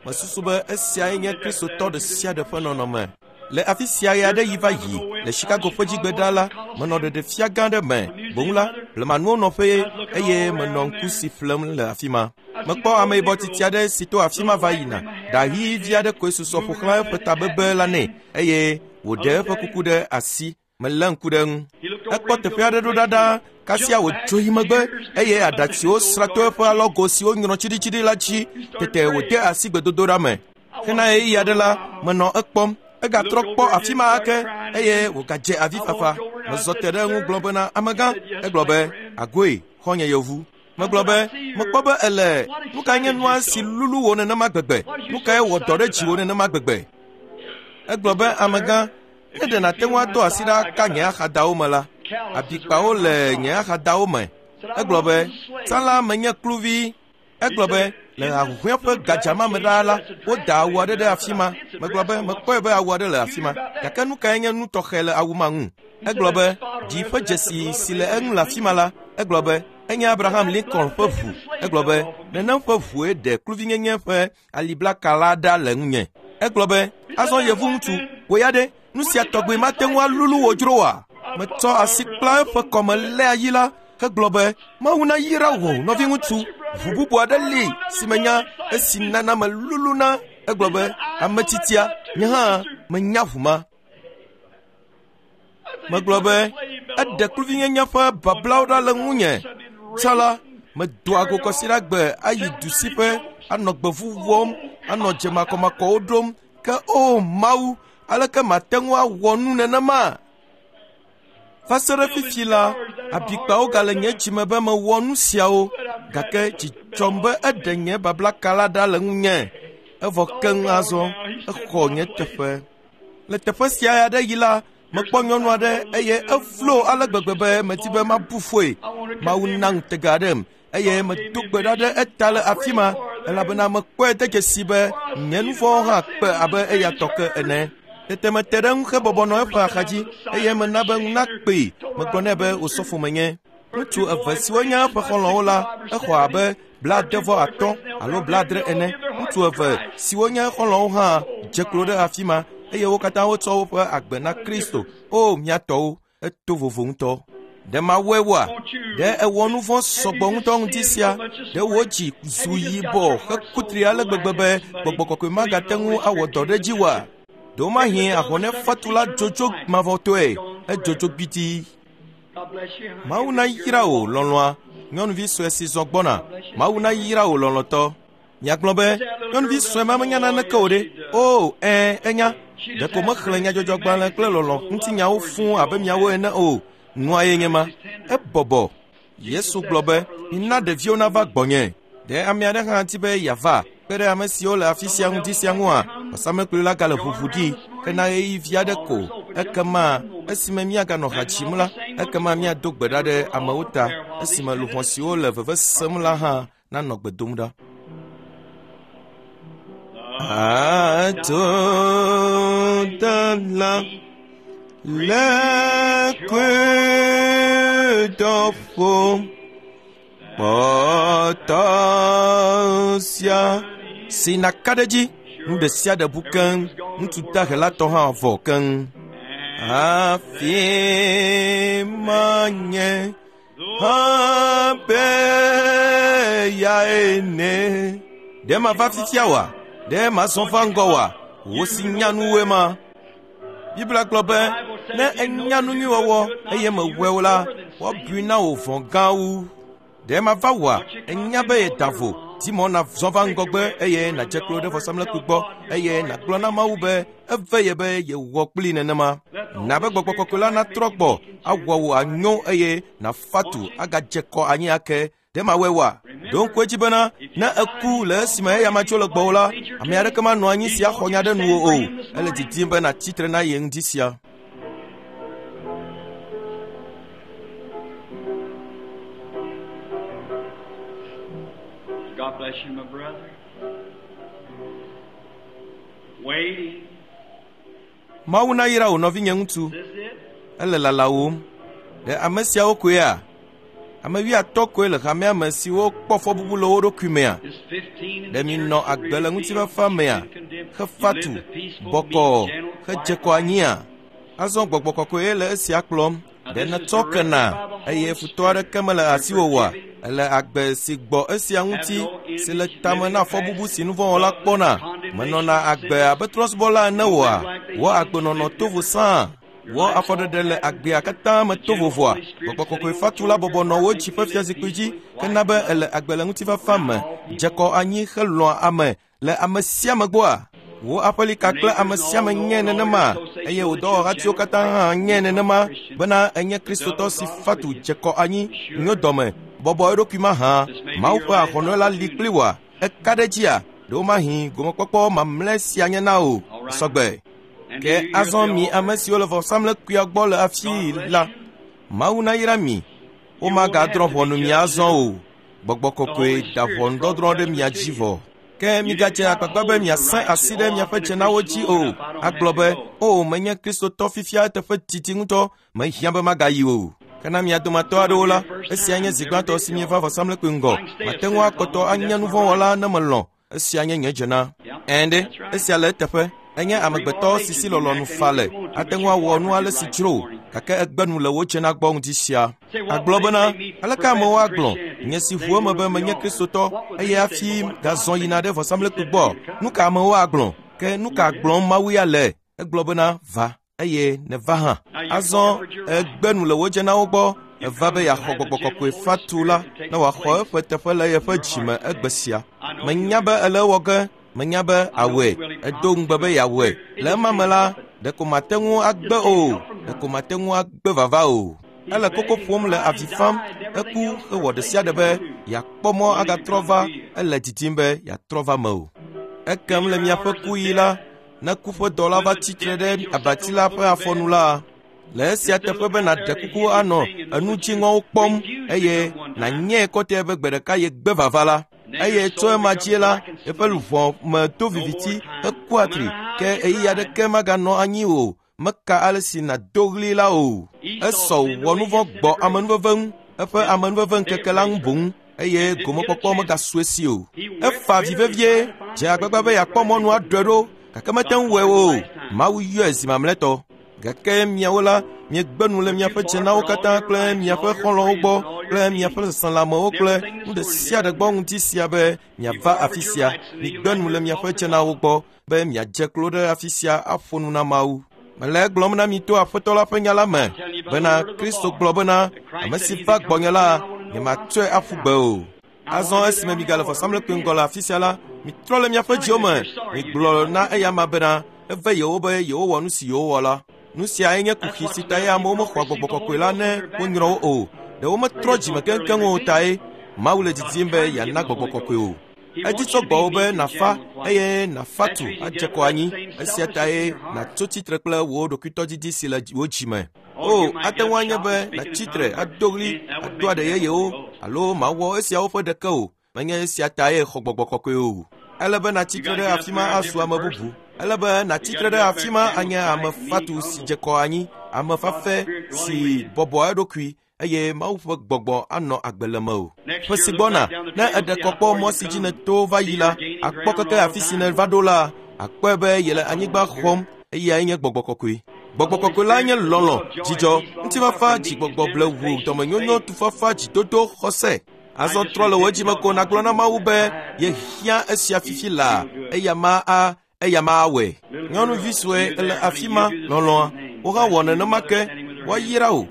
Mesusu be esiae nye Kristotɔ ɖe sia ɖe ƒe nɔnɔme. Le afi sia ɣe aɖe yi va yi le Chicago ƒe dzigbe la, menɔ ɖeɖefia gã aɖe me. Boŋ la, blemanuwo nɔƒee eye menɔ ŋku si ƒlem le afi ma. Mekpɔ ameyibɔ tsitsi aɖe si to afi ma va yina. Ɖa ɣi vi aɖe koe susɔ ƒo xlã eƒe tabebe la nɛ eye wòɖe eƒe kuku ɖe asi. Melé ŋku ɖe eŋu. Ekpɔ teƒe aɖe ɖo ɖaɖa kasia wòdzo yi megbe eye aɖatsiwo sra to eƒe alɔgo siwo nyrɔ tsiɖitsiɖi la dzi. Tete wòde asi gbedodoɖa me. Hena ɣeyiɣi aɖe la, menɔ ekpɔm. Egatrɔ kpɔ afi ma ake eye wògadze avifafa. Mezɔ te ɖe eŋu gblɔ bena, amegã. Egblɔ be, agoe, xɔ̃nye yevu. Megblɔ be, mekpɔ be ele, nu kae nye nua si lulu wò nenema gbegbe? Nu kae wɔ dɔ ɖe dziwò nenema gbegbe? Egblɔ be, amegã, ne ɖe nàte ŋu ado asi ɖa ka nye axadawo me la, abikpawo le nye axadawo me. Egblɔ be, tsã la menye kluvi. Egblɔ be, le ahuhɔ̃e ƒe gadzama me ɖaa la, woda awu aɖe ɖe afi ma. Megblɔ be, mekpɔe be awu aɖe le afi ma. Gake nu kae nye nu tɔxɛ le awu ma ŋu? Egblɔ be, dzi ƒe dzesi si le eŋu le afi ma la, egblɔ be, enye Abraham Lincoln ƒe ʋu. Egblɔ be, nenem ƒe ʋue ɖe kluvinyenye ƒe aliblaka la ɖa le ŋunye. Egblɔ be, azɔ yevu ŋutsu, wò ya ɖe, nu sia tɔgbe mate ŋu alulu wò dzro oa? Metsɔ asi kpla eƒe kɔme lé ayi la, hegblɔ be, Mawu nayra wò, nɔviŋutsu. Ʋu bubu aɖe li si menya esi nana melulu na. Egblɔ be, ame tsitsia, nye hã menya ʋu ma. Megblɔ be, eɖe kluvinyenye ƒe bablawo ɖa le ŋunye. Tsã la, medoa go kɔsiɖagbe ayi du si ƒe anɔ gbevu wɔm, anɔ dze makɔmakɔwo ɖom. Ke o Mawu, aleke mate ŋu awɔ nu nenema? Va se ɖe fifi la, abikpawo gale nye dzime be mewɔ nu siawo, gake dzi dzɔm be eɖe nye bablaka la ɖa le ŋunye. Evɔ keŋ azɔ, exɔ nye teƒe. Le teƒe sia aɖe yi la, mekpɔ nyɔnu aɖe eye evlo ale gbegbe be medi be mabu foe. Mawu na ŋutega aɖem eye medo gbe ɖa ɖe eta le afi ma elabena mekpɔe de dzesi be nye nu vɔ̃wo hã kpe abe eya tɔ ke ene. Tete mete ɖe eŋu hebɔbɔ nɔ eƒe axadzi eye mena be ŋu nakpee. Megblɔ nɛ be wòsɔfo menye. Ŋutsu eve siwo nye eƒe xɔlɔ̃wo la, exɔ abe blaade vɔ atɔ̃ alo blaadre ene. Ŋutsu eve siwo nye xɔlɔ̃wo hã dze klo ɖe afi ma eye wo katã wotsɔ woƒe agbe na Kristo. O mía tɔwo, eto vovo ŋutɔ. Ɖe mawɔe woa? Ɖe ewɔ nu vɔ̃ sɔgbɔ ŋutɔ ŋuti sia? Ɖe wò dzi zu yibɔ hekutri ale gbegbe be gbɔgbɔ kɔkɔe magate ŋu awɔ dɔ ɖe dzi woa? Ɖewomahi ahɔnɛfatu la dzodzo mavɔtɔe, edzodzo gbidii. Mawu nayra wò lɔlɔ̃a, nyɔnuvi sue si zɔ gbɔna. Mawu nayra wò lɔlɔ̃tɔ. Miagblɔ be, nyɔnuvi sue ma menya naneke o ɖe. O, ɛ̃, enya. Ɖeko mexlẽ nyadzɔdzɔgbalẽ kple lɔlɔ̃ ŋutinyawo fũu abe miawo ene o. Nua ye nye ma. Ebɔbɔ. Yesu gblɔ be, mina ɖeviwo nava gbɔnye. Ɖe ame aɖe hã di be yeava kpe ɖe ame siwo le afi sia ŋuti sia ŋua? Vɔsamlekpui la gale ʋuʋu ɖi hena ɣeyiɣi vi aɖe ko. Ekema esime míaganɔ ha dzim la, Ekema míado gbe ɖa ɖe amewo ta esime luʋɔ siwo le veve sem la hã nanɔ gbe dom ɖa. Atodala le kudɔƒo kpɔtɔ sia si naka ɖe dzi nu ɖe sia ɖe bu keŋ ŋutsu dahe la tɔ hã vɔ keŋ. Afi ma nye hã be yae ne. Ɖe mava fifia oa? Ɖe mazɔ va ŋgɔ oa? Wò si nya nuwoe ma. Biblia gblɔ be ne enya nu nyui wɔwɔ eye mewɔe o la, woabui na wò vɔ̃ gã wu. Ɖe mava wòa? Enya be yeda vo. Di mɔ nàzɔ va ŋgɔgbe eye nàdze klo ɖe vɔsamlekpui gbɔ eye nàgblɔ na Mawu be eve ye be yewɔ kpli nenema. Na be gbɔgbɔ kɔkɔe la natrɔ gbɔ awɔ wò anyo eye nàfa tu agadze kɔ anyi ake. Ɖe mawɔe oa? Ɖo ŋku edzi bena ne eku le esime eya ma tso le gbɔwò la, ame aɖeke manɔ anyi si axɔ nya ɖe nuwò o. Ele didim be nàtsi tre na ye ŋdi sia. God bless you, my brother. Waiting. Mawu nayra wò nɔvinye ŋutsu. Is this it? Ele lalawòm. Ɖe ame siawo koea? Ame wuiatɔ̃ koe le hamea me siwo kpɔ fɔbubu le wo ɖokui mea? Is fifteen in Ɖe the minɔ church agbe le really ŋutifafa mea? feel condemned? Hefa You tu, live the peaceful, bɔkɔɔ, meek, gentle, hedze quiet kɔ anyia? Azɔ gbɔgbɔ kɔkɔe le esia kplɔm. Ɖe nètsɔ kena eye futɔ aɖeke mele asiwò oa? Ele agbe si gbɔ esia ŋuti si le tame na fɔbubu si nuvɔ̃wɔla kpɔna. Menɔna agbe abe trɔ̃subɔla ene oa? Wò agbenɔnɔ tovo sãa. Wò afɔɖeɖe le agbea katã me to vovoa. Gbɔgbɔ kɔkɔe fatu la bɔbɔ nɔ wò dzi ƒe fiazikpui dzi kena be ele agbe le ŋutifafa me, dze kɔ anyi helɔ̃a ame le ame sia ame gbɔa? Wò aƒelika kple ame sia ame nye nenema eye wò dɔwɔhatiwo katã hã nye nenema bena enye kristotɔ si fatu dze kɔ anyi nyo dɔme bɔbɔ eɖokui mahã. Mawu ƒe ahɔnɔe la li kpli wòa? Eka ɖe dzia? Ɖewomahi gomekpɔkpɔ mamlɛ sia nye na wò sɔgbe. And Ke do you hear azɔ the mi altar? ame siwo le vɔsamlekpuia gbɔ le afii la, Mawu nayra mi. Womagadrɔ̃ ʋɔnu mi azɔ o. Gbɔgbɔ kɔkɔe da ʋɔnudɔdrɔ̃ ɖe mia dzi vɔ. Ke migadze agbagba be miasẽ asi ɖe miaƒe dzenawo dzi o. Agblɔ be, o menye kristotɔ fifia eteƒe didi ŋutɔ, mehiã be magayi o. Ke na mia dometɔ aɖewo la, esia nye zi gbãtɔ si mieva vɔsamlekpui ŋgɔ. Mate ŋu akpɔtɔ anye nuvɔ̃wɔla ne melɔ̃. Esia nye nye dzena. Ɛ̃ ɖe, esia le eteƒe. Enye amegbetɔ si si lɔlɔ̃nu fa le. Ate ŋu awɔ nu ale si dzro wò, gake egbe nu le wò dzena gbɔ ŋdi sia. Agblɔ bena, aleke amewo agblɔ, nye si ʋu eme be menye kristotɔ eye hafi gazɔ yina ɖe vɔsamlekpui gbɔ. Nu ka amewo agblɔ? Ke nu ka gblɔm Mawu ya le? Egblɔ bena, va eye neva hã. Azɔ egbe nu le wò dzenawo gbɔ. Eva be yeaxɔ gbɔgbɔ kɔkɔe fatu la ne wòaxɔ eƒe teƒe le yeƒe dzime egbe sia. Menya be ele ewɔ ge, menya be awɔe, edo ŋugbe be yeawɔe. Le ema me la, ɖeko mate ŋu agbe o, ɖeko mate ŋu agbe vava o. Ele koko ƒom le avi fam, eku hewɔ ɖe sia ɖe be yeakpɔ mɔ agatrɔ va, ele didim be yeatrɔ va me o. Ekem le miaƒe kuɣi la, ne ku ƒe dɔla va tsi tre ɖe abati la ƒe afɔnu la, le esia teƒe be nàɖe kuku anɔ enu dziŋɔwo kpɔm eye nànyae kɔtɛe be gbe ɖeka yegbe vava la, eye tso ema dzi la, eƒe luʋɔ me do viviti heku atri ke ɣeyiɣi aɖeke maganɔ anyi o. Meka ale si nàdo ɣli la o. Esɔ wɔ nu vɔ̃ gbɔ amenuveve ŋu, eƒe amenuveve ŋkeke la ŋu boŋ eye gomekpɔkpɔ megasu esi o. Efa avi vevie, dze agbagba be yeakpɔ mɔnu aɖɔe ɖo gake mete ŋu wɔe o. Mawu yɔe zi mamlɛtɔ. Gake miawo la, miegbe nu le miaƒe dzenawo katã kple miaƒe xɔlɔ̃wo gbɔ kple miaƒe seselãmewo kple nu ɖe sia ɖe gbɔ ŋuti sia be miava afi sia. Migbe nu le miaƒe dzenawo gbɔ be miadze klo ɖe afi sia aƒo nu na Mawu. Mele egblɔm na mi to Aƒetɔ la ƒe nya la me bena Kristo gblɔ bena ame si va gbɔnye la, nyematsɔe aƒu gbe o. Azɔ esime migale vɔsamlekpui ŋgɔ le afi sia la, mitrɔ le miaƒe dziwo me, migblɔ na eyama bena eve yewo be yewowɔ nu si yewowɔ la. Nu siae nye kuxi si ta ye amewo mexɔa gbɔgbɔ kɔkɔe la ne wonyrɔ wo o. Ɖe wometrɔ dzime keŋkeŋ o tae Mawu le didim be yeana gbɔgbɔ kɔkɔe o. Edi tso gbɔwò be nàfa eye nàfa tu adze kɔ anyi. Esia tae nàtso tsitre kple wò ɖokuitɔdidi si le wò dzime. O, ate ŋu anye be nàtsi tre ado ɣli, ado aɖe yeyewo alo màwɔ esiawo ƒe ɖeke o. Menye esia tae xɔ gbɔgbɔ kɔkɔe o. Ele be nàtsi tre ɖe afi ma azu ame bubu. Ele be nàtsi tre ɖe afi ma anye ame fatu si dze kɔ anyi, ame fafɛ si bɔbɔ eɖokui eye Mawu ƒe gbɔgbɔ anɔ agbe le mewò. Ƒe si gbɔna, ne èɖe kɔ kpɔ mɔ si dzi nèto va yi la, akpɔ keke afi si nèva ɖo la, akpɔe be yele anyigba xɔm eyae nye gbɔgbɔ kɔkɔe. Gbɔgbɔ kɔkɔe la nye lɔlɔ̃, dzidzɔ, ŋutifafa, dzigbɔgbɔ blewu, dɔmenyonyo, tufafa, dzidodo, xɔse. Azɔ trɔ le wò dzime ko nàgblɔ na Mawu be yehiã esia fifi laa, eya ma a eya ma awɔe. Nyɔnuvi sue ele afi ma lɔlɔ̃a, wò hã wɔ nenema ke, woayra wò.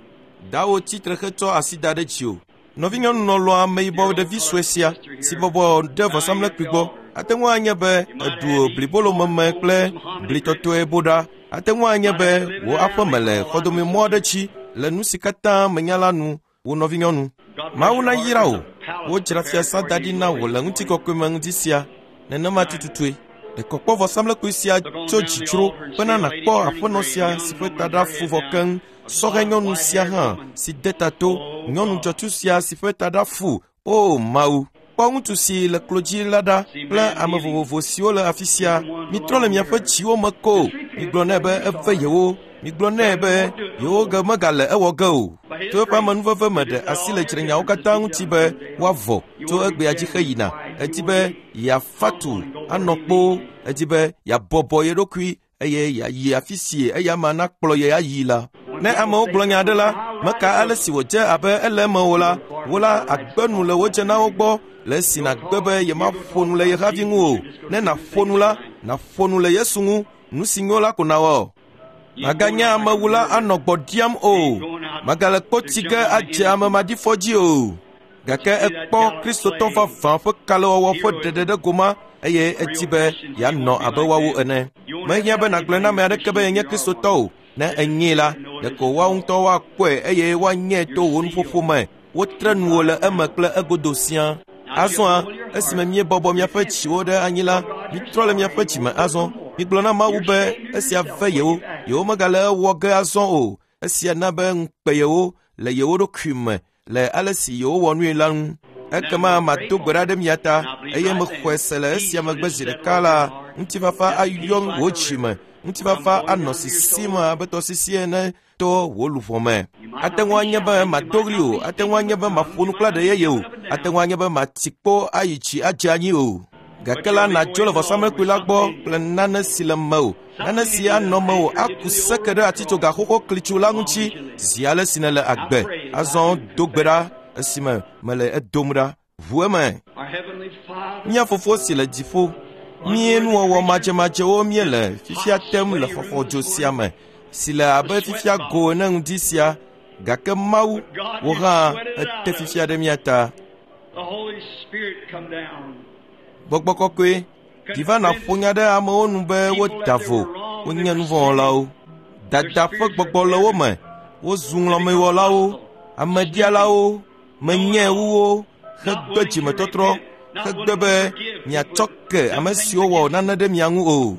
Dawo tsitre hetsɔ asi da ɖe dziwò. Nɔvinyɔnu lɔlɔ̃a ameyibɔ ɖevi sue sia si bɔbɔ ɖe vɔsamlekpui gbɔ ate ŋu anye be èɖu blibolomeme kple blitɔtɔe boɖa. Ate ŋu anye be wò aƒeme le xɔdomemɔ aɖe dzi le nu si katã menya la nu wò nɔvinyɔnu. Mawu nayra wò. Wodzra fiasã da ɖi na wò le ŋutikɔkɔe me ŋdi sia. Nenema tututue. Ɖe kpɔ vɔsamlekpui sia tso dzidzro bena nàkpɔ aƒenɔ sia si ƒe taɖa fu vɔ keŋ, sɔhɛ nyɔnu sia hã si de ta to, nyɔnu dzɔtsu sia si ƒe taɖa fu. O Mawu, kpɔ ŋutsu si le klo dzi la ɖa kple ame vovovo siwo le afi sia. Mitrɔ le miaƒe dziwo me ko. Migblɔ nɛ be eve yewo. Migblɔ nɛ be yewo ge megale ewɔ ge o. To eƒe amenuveve me ɖe asi le dzrenyawo katã ŋuti be woavɔ tso egbea dzi heyina. Edi be yeafa tu anɔ kpoo. Edi be yeabɔbɔ ye ɖokui eye yeayi afi si eya ma nakplɔ ye ayi la. Ne amewo gblɔ nya aɖe la, meka ale si wòdze abe ele eme o la, wo la agbe nu le wò dzenawo gbɔ le esi nàgbe be yemaƒo nu le ye havi ŋu o. Ne nàƒo nu la, nàƒo nu le Yesu ŋu. Nu si nyo la ko nàwɔ. Màganye amewula anɔ gbɔ ɖiam o. Màgale kpɔ tsi ge adze ame maɖifɔ dzi o. Gake ekpɔ Kristotɔ vavã ƒe kalẽwɔwɔ ƒe ɖeɖe ɖe goma eye edi be yeanɔ abe woawo ene. Mehiã be nàgblɔe na ame aɖeke be yenye Kristotɔ o. Ne enyee la, ɖeko woawo ŋutɔ woakpɔe eye woanyɛ to wò nuƒoƒo me. Wotre nuwò le eme kple egodo siaa. Azɔa, esime míebɔbɔ miaƒe dziwo ɖe anyi la, mitrɔ le miaƒe dzime azɔ. Migblɔ na Mawu be esia ve yewo, yewo megale ewɔ ge azɔ o. Esia na be ŋukpe yewo le yewo ɖokui me le ale si yewowɔ nui la ŋu. Ekema mado gbe ɖa ɖe mia ta eye mexɔe se le esia megbe zi ɖeka la, ŋutifafa ayɔ wò dzime. Ŋutifafa anɔ sisim abe tɔsisi ene to wò luʋɔ me. Ate ŋu anye be mado ɣli o, ate ŋu anye be maƒo nu kple aɖe yeye o, ate ŋu anye be mati kpo ayi tsi adze anyi o. Gake la nàdzo le vɔsamlekpui la gbɔ kple nane si le mewò, nane si anɔ mewò aku seke ɖe atitsoga xoxo klitsu la ŋuti zi ale si nèle agbe. Azɔ do gbe ɖa esime mele edom ɖa. Ʋu eme. Mía Fofo si le dziƒo, mí nuwɔwɔ madzemadzewo míele fifia tem le xɔxɔdzo sia me si le abe fifia go ene ŋdi sia. Gake Mawu, wò hã ete fifia ɖe mía ta. Gbɔgbɔ kɔkɔe, ɖi va nàƒo nya ɖe amewo nu be woda vo, wonye nuvɔ̃wɔlawo. Dada ƒe gbɔgbɔ le wo me, wozu ŋlɔmewɔlawo, ameɖialawo, menye wu wo, hegbe dzimetɔtrɔ, hegbe be miatsɔ ke ame siwo wɔ nane ɖe mia ŋu o.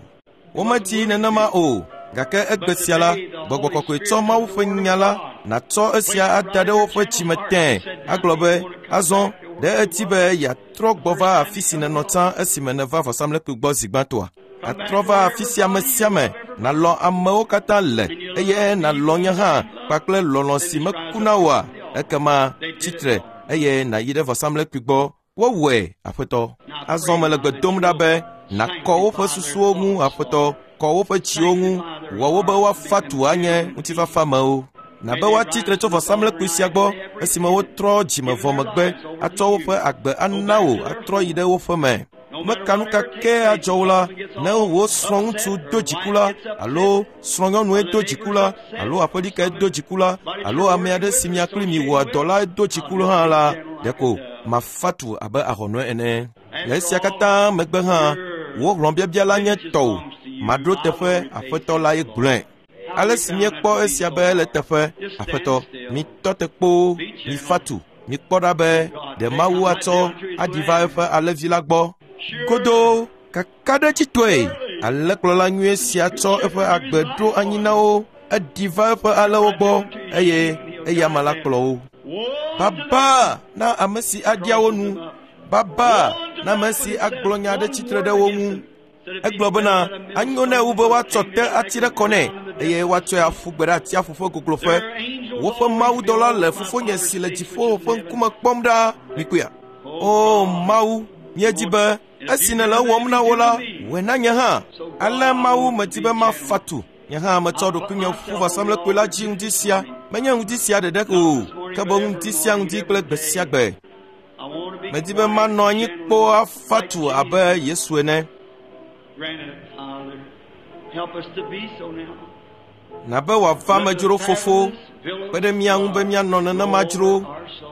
Womedi nenema o, gake egbe sia la, gbɔgbɔ kɔkɔe tsɔ Mawu ƒe nya la nàtsɔ esia ada ɖe woƒe dzime tẽe, agblɔ be azɔ ɖe edi be yeatrɔ gbɔ va afi si nènɔ tsã esime nèva vɔsamlekpui gbɔ zi gbãtɔa. Atrɔ va afi sia ame sia ame, nàlɔ̃ amewo katã le eye nàlɔ̃ nye hã kpakple lɔlɔ̃ si mekuna oa. Ekema tsitre eye nàyi ɖe vɔsamlekpui gbɔ. Wowɔe, Aƒetɔ. Azɔ mele gbe dom ɖa be nàkɔ woƒe susuwo ŋu, Aƒetɔ, kɔ woƒe dziwo ŋu, wɔ wo be woafa tu anye ŋutifafamewo. Nabe woatsi tre tso vɔsamlekpui sia gbɔ esime wotrɔ dzime vɔ megbe atsɔ woƒe agbe ana wò atrɔ yi ɖe woƒe me. Meka nu ka ke adzɔ wo la, ne wò srɔ̃ŋutsu do dziku la, alo srɔ̃nyɔnue do dziku la, alo aƒelikae do dziku la, alo ame aɖe si mia kpli mi wɔa dɔ la do dziku hã la, ɖeko mafa tu abe ahɔnɔe ene. Le esia katã megbe hã, wò hlɔ̃biabia la nye tɔwò. Maɖo teƒe Aƒetɔ la ye gblɔe. Ale si míekpɔ esia be ele teƒe, Aƒetɔ, mitɔ te kpoo, mifa tu, mikpɔ ɖa be ɖe Mawu atsɔ aɖi va eƒe alẽvi la gbɔ. Godoo kakaɖedzitɔe alẽkplɔla nyui sia tsɔ eƒe agbe ɖo anyi na wo. Eɖi va eƒe alẽwo gbɔ eye eya ma la kplɔ wo. Baba na ame si aɖia wo nu. Baba na ame si agblɔ nya aɖe tsitre ɖe wo ŋu. Egblɔ bena anyo nɛ wu be woatsɔ te ati ɖe kɔ nɛ eye woatsɔe aƒu gbe ɖe atsiaƒu ƒe gogloƒe. Woƒe mawudɔla le fofonye si le dziƒo ƒe ŋkume kpɔm ɖaa. Mikpɔea? O Mawu, míedi be esi nèle ewɔm na wo la, wɔe na nye hã. Ale Mawu medi be mafa tu. Nye hã metsɔ ɖokuinye ƒu vɔsamlekpui la dzi ŋdi sia. Menye ŋdi sia ɖeɖe o, ke boŋ ŋdi sia ŋdi kple gbe sia gbe. Medi be manɔ anyi kpoo afa tu abe Yesu ene. Na be wòava amedzro fofo, kpe ɖe mía ŋu be míanɔ nenema dzro.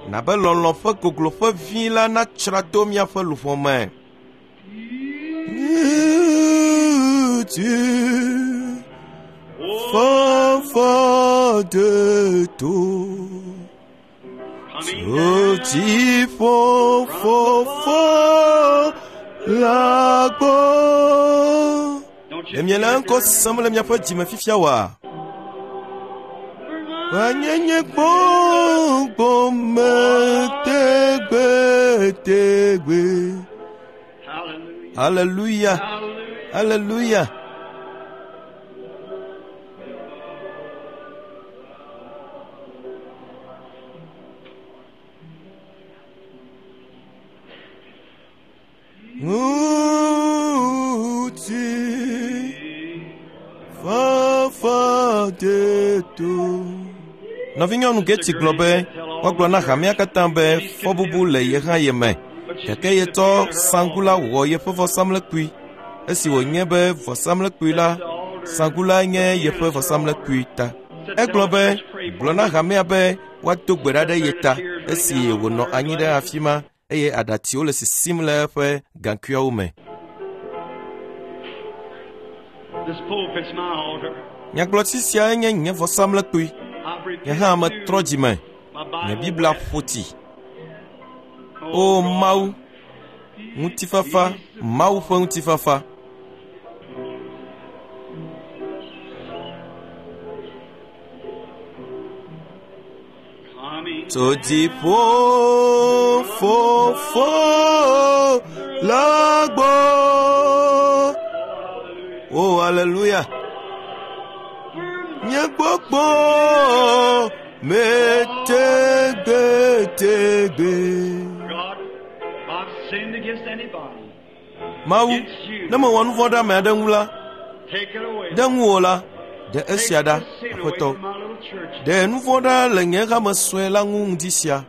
Na be lɔlɔ̃ ƒe gogloƒe vi la natsra to míaƒe luʋɔ me. Fafa de to, tso dziƒo fofo la gbɔ. Ɖe miele ŋkɔ sem le miaƒe dzime fifia oa? Vanyenye gbɔgbɔ me tegbetegbe. Hallelujah. Hallelujah. Ŋuti fafa de to. Nɔvinyɔnu Getty gblɔ be woagblɔ na hamea katã be fɔbubu le ye hã ye me. Gake yetsɔ saŋku la wɔ yeƒe vɔsamlekpui. Esi wònye be vɔsamlekpui la, saŋku la nye yeƒe vɔsamlekpui ta. Egblɔ be gblɔ na hamea be woado gbe ɖa ɖe ye ta esi wònɔ anyi ɖe afi ma eye aɖatsiwo le sisim le eƒe gaŋkuiawo me. Nyagblɔtsi siae nye nye vɔsamlekpui. Nye hã metrɔ dzime. Nye Biblia ƒo tsi. O Mawu, ŋutifafa, Mawu ƒe ŋutifafa. Tso dziƒo fofo la gbɔ. O hallelujah. Nye gbɔgbɔ me tegbetegbe. Mawu, ne mewɔ nu vɔ̃ ɖe ame aɖe ŋu la, ɖe ŋuwò la, ɖe esia ɖa, Aƒetɔ. Ɖe nu vɔ̃ ɖa le nye hame sue la ŋu ŋdi sia.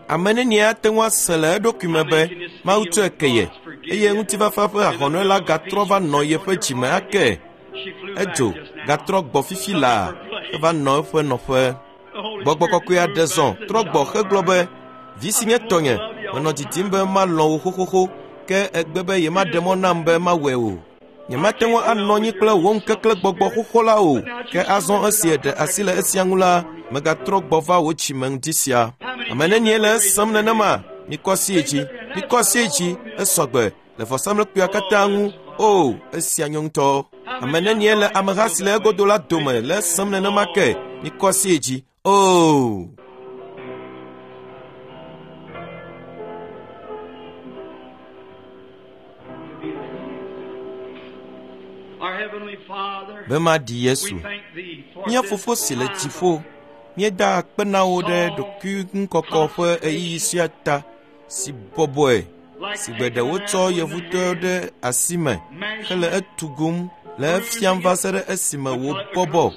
Ame nenie ate ŋu ase le eɖokui me be Mawu tsɔe ke ye eye ŋutifafa ƒe ahɔnɔe la gatrɔ va nɔ yeƒe dzime ake. Edzo gatrɔ gbɔ fifi laa eva nɔ eƒe nɔƒe. Gbɔgbɔ kɔkɔe aɖe zɔ trɔ gbɔ hegblɔ be vi si nye tɔnye menɔ didim be malɔ̃ wò xoxoxo ke egbe be yemaɖe mɔ nam be mawɔe o. Nyemate ŋu anɔ anyi kple wò ŋkekle gbɔgbɔ xoxo la o. Ke azɔ esi eɖe asi le esia ŋu la, megatrɔ gbɔ va wò dzime ŋdi sia. Ame nenie le esem nenema? Mikɔ asi yi dzi, mikɔ asi yi dzi, esɔgbe le vɔsamlekpuia katã ŋu. O, esia nyo ŋutɔ. Ame nenie le ameha si le egodo la dome le esem nenema ke? Mikɔ asi yi dzi. O. Be maɖi Yesu. Mía fofo si le dziƒo, míeda akpe na wò ɖe ɖokuiŋukɔkɔ ƒe ɣeyiɣi sia ta si bɔbɔe si gbe ɖe wotsɔ yevutɔe ɖe asi me hele etugum le efiam va se ɖe esime wòbɔbɔ.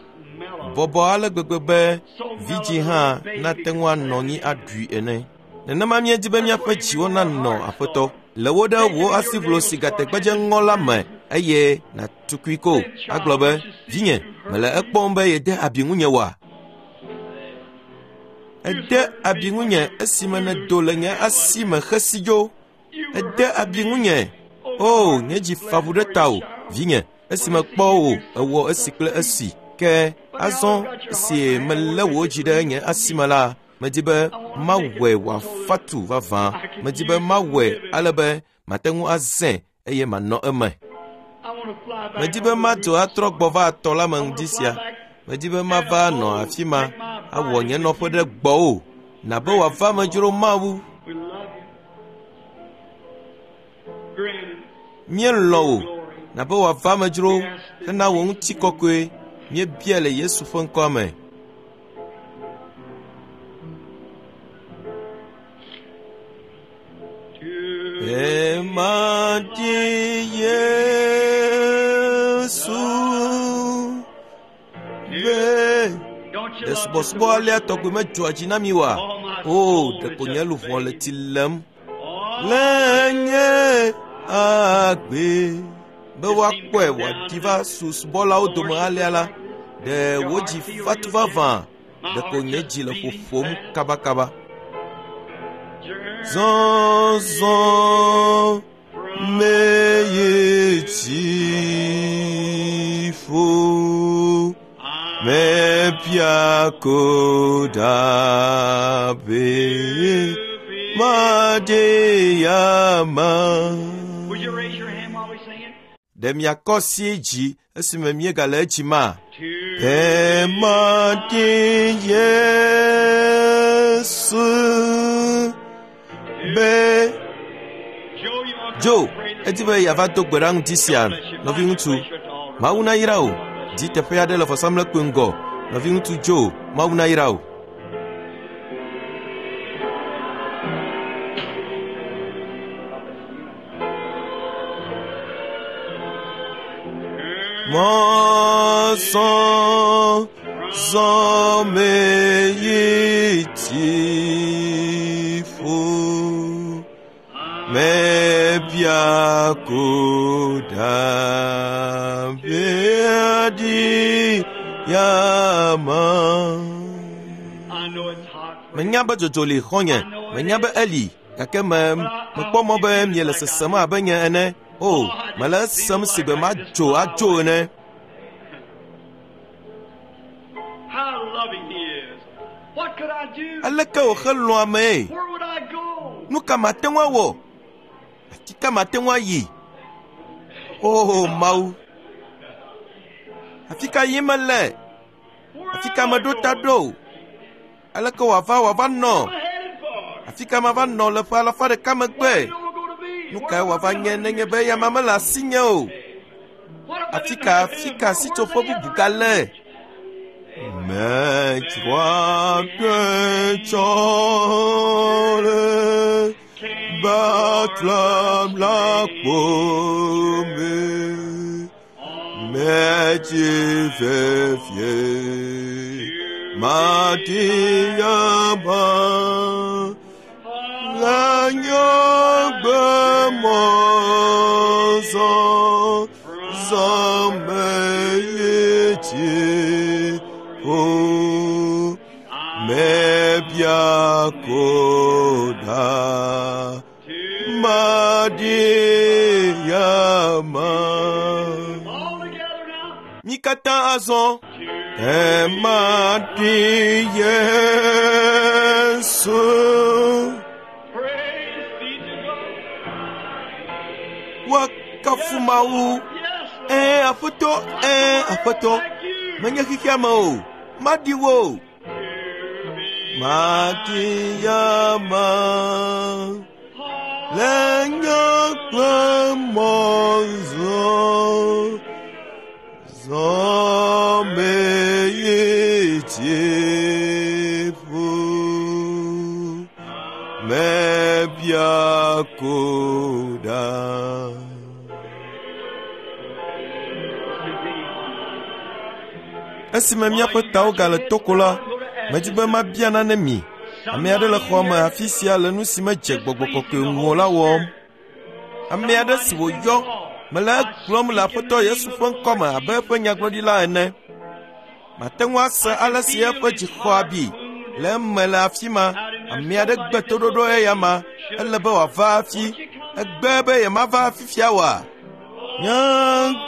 Bɔbɔ ale gbegbe be vidzĩ hã nate ŋu anɔ anyi aɖui ene. Nenema míedi be míaƒe dziwo nanɔ Aƒetɔ. Le wo ɖe wò asiʋlo si gategbedze ŋɔ la me eye nàtukui ko agblɔ be vinye mele ekpɔm be yede abi ŋunye oa? Ede abi ŋunye esime nèdo le nye asi me xesi dzo. Ede abi ŋunye. O, nye dzi fa ʋu ɖe tawò, vinye, esime kpɔ wò ewɔ esi kple esi. Ke azɔ esi melé wò dzi ɖe nye asi me la, Medi be mawɔe wòafa tu vavã. Medi be mawɔe ale be mate ŋu azẽ eye manɔ eme. I want to fly back. Medi be madzo atrɔ gbɔ va atɔ la me ŋdi sia. Medi be mava nɔ afi ma awɔ nye nɔƒe ɖe gbɔwò. Na be wòava medzro Mawu. We love you. Grant Míelɔ̃ wò. Na be wòava medzro hena wò ŋutikɔkɔe. Míebia le Yesu ƒe ŋkɔa me. to Emadi Yesu be Don't you ɖe love just to subɔsubɔ alea worship tɔgbi Him? medzɔa dzi na mi oa? O, ɖeko nye luʋɔ le tsi lem Oh, le nye agbe be woakpɔe wòaɖi va su subɔlawo dome alea la, ɖe wò dzi fatu vavã ɖeko nye dzi le ƒoƒom kabakaba. Zɔzɔ meye dziƒo mebia ko ɖa be madeyama. Would you raise your hand while we sing it? Ɖe miakɔ asi dzi esime míegale edzi ma? To Ɖe madi Yesu be Joe, you want to Joe, pray this edi be yeava do gbe ɖa ŋdi sia, nɔviŋutsu. Mawu nayra wò. Di teƒe aɖe le vɔsamlekpui ŋgɔ. Nɔviŋutsu Joe, Mawu nayra wò. Mɔzɔ zɔ me yi dziƒo. Mebia ko ɖa be aɖi yama. I know it's hot. Menya be dzodzo li xɔ̃nye, menya be eli, gake me mekpɔ mɔ be miele sesem abe nye ene. O, mele esem si gbe madzo adzo ene. How loving He is. What could I do? Aleke wòxelɔ̃ amee? Where would I go? Nu ka mate ŋu awɔ? Afi ka mate ŋu ayi? O Mawu! Afi ka yim mele? Where Afi am ka I meɖo ta going? ɖo? Aleke wòava wòava nɔ? What am I headed for? Afi ka mava nɔ le ƒe alafa ɖeka megbe? Where am I going to be? Nu Where kae am I wòava going nye to nenye be? be eyama mele asinye o? What if I Afi didn't ka have afi him? ka Where- sitsoƒe where's any bubu other gale? refuge? Medzroa ɖe tsɔ le Betlehem la kpo me. Medzi vevie madi ama le nye gbe mɔzɔ zɔ me yi dziƒo. Mebia ko ɖa madi ama. All together now. Mí katã azɔ. Emadi Yesu Praise be to God. woakafu Mawu. Yes, Lord. Ɛ̃, Aƒetɔ, ɛ̃, Aƒetɔ. Like you. Menye xexea me o. Maɖi wo. Maɖi yama le nye gbe mɔzɔ zɔ me yi dziƒo. Mebia ko ɖa. Esime míaƒe tawo gale toko la, medi be mabia nane mi. Ame aɖe le xɔa me afi sia le nu si medze gbɔgbɔ kɔkɔe ŋu o la wɔm. Ame aɖe si wòyɔ, mele egblɔm le Aƒetɔ Yesu ƒe ŋkɔme abe eƒe nyagblɔɖila ene. Mate ŋu ase ale si eƒe dzi xɔ abi le eme le afi ma. Ame aɖe gbe toɖoɖo eya ma, ele be wòava hafi. Egbe be yemava fifia oa? Nye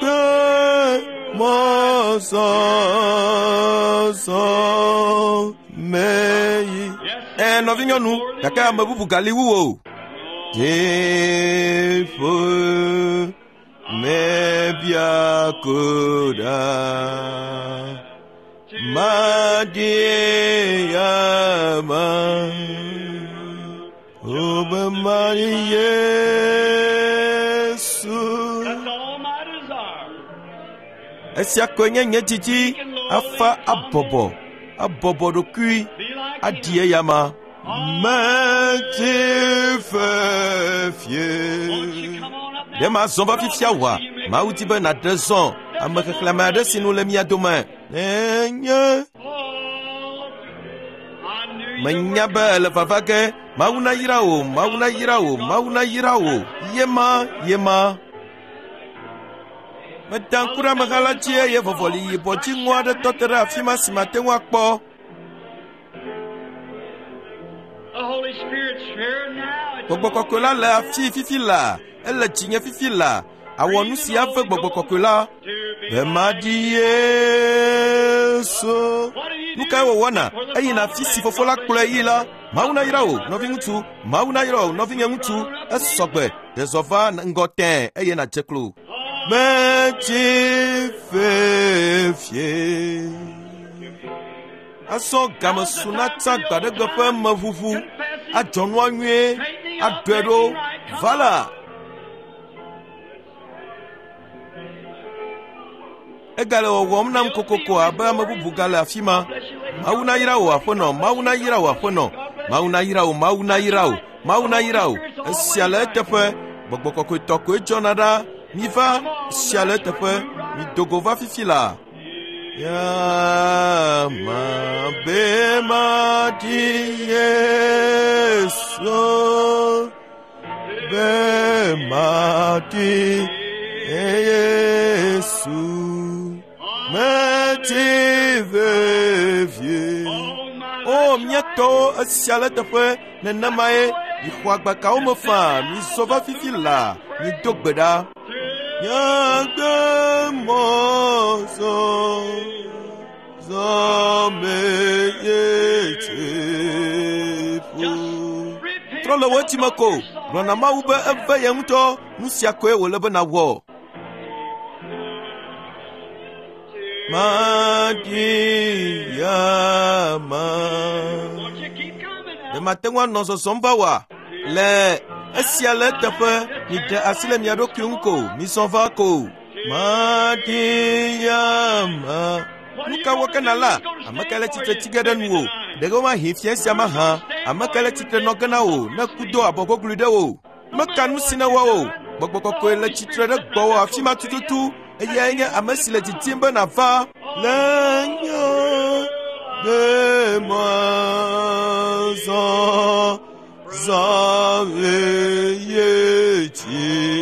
gbe mɔzɔzɔ me yi. Yes, Ɛ nɔvinyɔnu, gake ame bubu gali wu wò. Dziƒo mebia ko ɖa, maɖi eyama, o be maɖi Yesu. That's all my desire. Esia koe nye nye didi, afa abɔbɔ, abɔbɔ ɖokui, Be like aɖi him. eyama. Meti Won't you fefie. come on up now? Ɖe mazɔ va fifia oa? Mawu di be nàɖe zɔ ame xexlẽme aɖe si nu le mía dome. Nenye Oh, I knew you menya were be ele vava ge. Mawu nayra wò, Mawu nayra wò, Mawu nayra wò. Yema, yema. Meda ŋku ɖe ameha la dzi eye vɔvɔli yibɔ dziŋɔ aɖe tɔ te ɖe afi ma si mate ŋu akpɔ. The Holy Spirit's here now. It's Gbɔgbɔ kɔkɔe la le afi fifi la. Ele dzinye fifi la. Awɔ nu si ave gbɔgbɔ kɔkɔe la. to be Be maɖi Yesu. Nu kae wòwɔna? Eyina afi si fofo la kplɔe yi la. Mawu nayra wò, nɔviŋutsu. Mawu nayra wò, nɔvinye ŋutsu. Esɔgbe. Ɖe zɔ va ŋgɔ tẽe eye nàdze klo. Metsi fefie. Azɔ game su na tsa gbaɖegbe ƒe meʋuʋu. Adzɔ nua nyuie. Aɖɔe ɖo. Va la. Egale wɔwɔm nam kokoko abe ame bubu gale afi ma. Mawu nayra wò aƒenɔ, Mawu nayra wò aƒenɔ, Mawu nayra wò, Mawu nayra wò, Mawu nayra wò. Esia le eteƒe. Gbɔgbɔ kɔkɔetɔ koe dzɔna ɖa. Miva, esia le eteƒe. Mido go va fifi la. Yama be maɖi Yesu, be maɖi Yesu. Meti vevie. Oh, my O mía tɔwo, esia le teƒe nenemae. Mixɔ agbakawo me faa, mizɔ va fifi la, mido gbe ɖa. Nyagbe mɔ zɔ, zɔ me ye dziƒo. Trɔ le wò dzime ko, gblɔ na Mawu be eve ye ŋutɔ, nu sia koe wòle be nàwɔ. Maɖi yama. Won't you keep coming Ɖe now? mate ŋu anɔ zɔzɔm va oa? Le esia le eteƒe, miɖe asi le mia ɖokui ŋu ko, mizɔ va ko. Maɖi yama. Nu ka wɔ ke nàla? Ame kae le tsitre tsi ge ɖe nuwò? Ɖe womahi fia sia mahã? Ame kae le tsitre nɔ ge na wò ne ku do abɔ gogloe ɖe wò? Meka nu si nèwɔ o. Gbɔgbɔ kɔkɔe le tsitre ɖe gbɔwò afi ma tututu. Eyae nye ame si le didim be nàva. Le nye gbemɔ zɔ, zɔ eye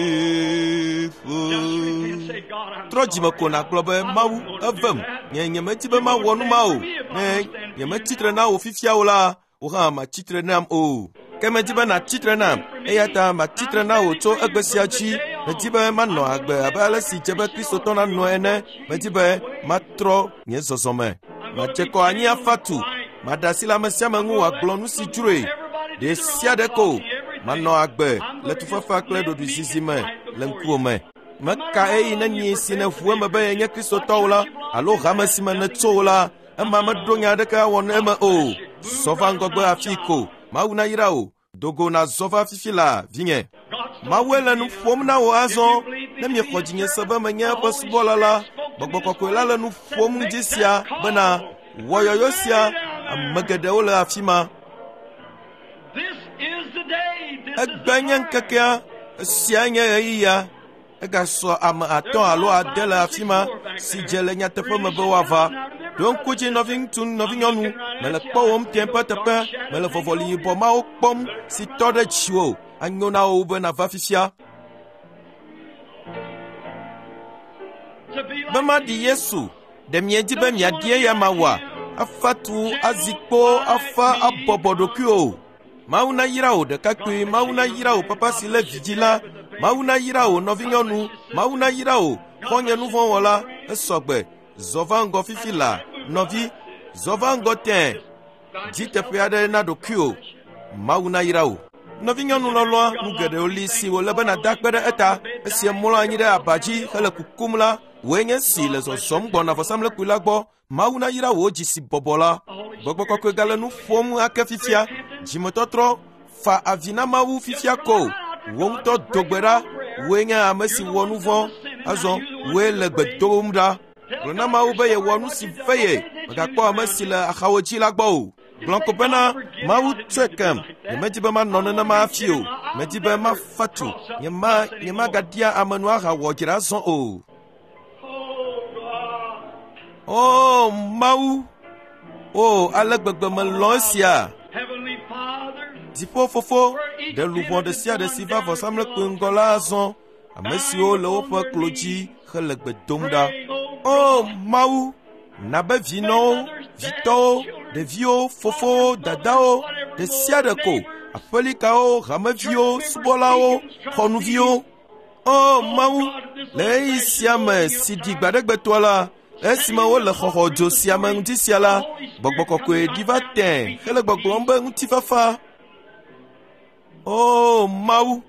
dziƒo. Just repent, say, God, I'm Trɔ dzime ko nàgblɔ be Mawu evem. Nye nyemedi be mawɔ nu ma o. Ne nyemetsitre na wò fifia o la, wò hã màtsitre nam o. Ke medi be nàtsitre nam, eya ta màtsitre na wò tso egbe sia dzi. Medi be manɔ agbe abe ale si dze be Kristotɔ nanɔ ene. Medi be matrɔ nye zɔzɔme. Madze kɔ anyi afa tu. Maɖe asi le ame sia ame ŋu wòagblɔ nu si dzroe. Ɖe sia ɖe ko manɔ agbe le tufafa kple ɖoɖoezizi me le ŋkuwò me. Meka eyi ne nyi si nèʋu eme be yenye Kristotɔwo la alo hame si me nètso o la, ema meɖo nya aɖeke awɔ ne eme o. Zɔ va ŋgɔgbe afii ko. Mawu nayra wò. Do go nàzɔ va fifi la, vinye. Mawue le nu ƒom na wò azɔ. Ne miexɔ dzinye se be menye eƒe subɔla la, Gbɔgbɔ kɔkɔe la le nu ƒom ŋdi sia bena wɔ yɔyɔ sia. Ame geɖewo le afi ma. This is the day. This is Egbe the nye time. ŋkekea, esia nye ɣeyiɣia. Egasɔ ame atɔ̃ alo ade le afi ma si dze le nyateƒe me be woava. Ɖo ŋku dzi nɔviŋutsu, nɔvinyɔnu, mele kpɔwòm tẽ ƒe teƒe, mele vɔvɔli yibɔ mawo kpɔm si tɔ ɖe dziwò. Anyo na wò be nàva fifia. To be Be like maɖi Yesu, ɖe miedi be miaɖi eya mawɔa? Afa tu, azi kpo, afa abɔbɔ ɖokuiwò. Mawu nayra wò ɖekakpui, Mawu nayra wò papa si lé vi dzi la, Mawu nayra wò nɔvinyɔnu, Mawu nayra wò xɔ̃nye nuvɔ̃wɔla, esɔgbe. Zɔ va ŋgɔ fifi la, nɔvi, zɔ va ŋgɔ tẽe. Dzi teƒe aɖe na ɖokuiwò. Mawu nayra wò. Nɔvinyɔnu lɔlɔ̃a, nu geɖewo li si wòle be nàda akpe ɖe eta. Esi mlɔ anyi ɖe aba dzi hele kukum la, wòe nye si le zɔzɔm gbɔna vɔsamlekpui la gbɔ. Mawu nayra wò dzi si bɔbɔ la. Gbɔgbɔ kɔkɔe gale nu ƒom ake fifia. Dzimetɔtrɔ fa avi na Mawu fifia ko. Wò ŋutɔ do gbe ɖa. Wòe nye ame si wɔ nu vɔ̃. Azɔ wòe le gbe dom ɖa. Gblɔ na Mawu be yewɔ nu si ve ye. Mègakpɔ ame si le axawo dzi la gbɔ o. Gblɔ ko bena Mawu tsɔe kem. Nyemedi be manɔ nenema hafi o. Medi be mafa tu. Nyema nyemagaɖia ame nu ahawɔ dzre azɔ o. O Mawu, o ale gbegbe melɔ̃ esia. Dziƒo fofo, ɖe luʋɔ ɖe sia ɖe si va vɔsamlekpui ŋgɔ la azɔ, ame siwo le woƒe klo dzi hele gbe dom ɖa. O Mawu, na be vinɔwo, vitɔwo, ɖeviwo, fofowo, dadawo, ɖe sia ɖe ko, aƒelikawo, hameviwo, subɔlawo, xɔnuviwo. O Mawu, le ɣeyiɣi sia me si ɖi gbaɖegbetɔa la, esime wole xɔxɔ dzo sia me ŋuti sia la, gbɔgbɔ kɔkɔe ɖi va tẽ hele gbɔgblɔm be ŋutifafa. O Mawu,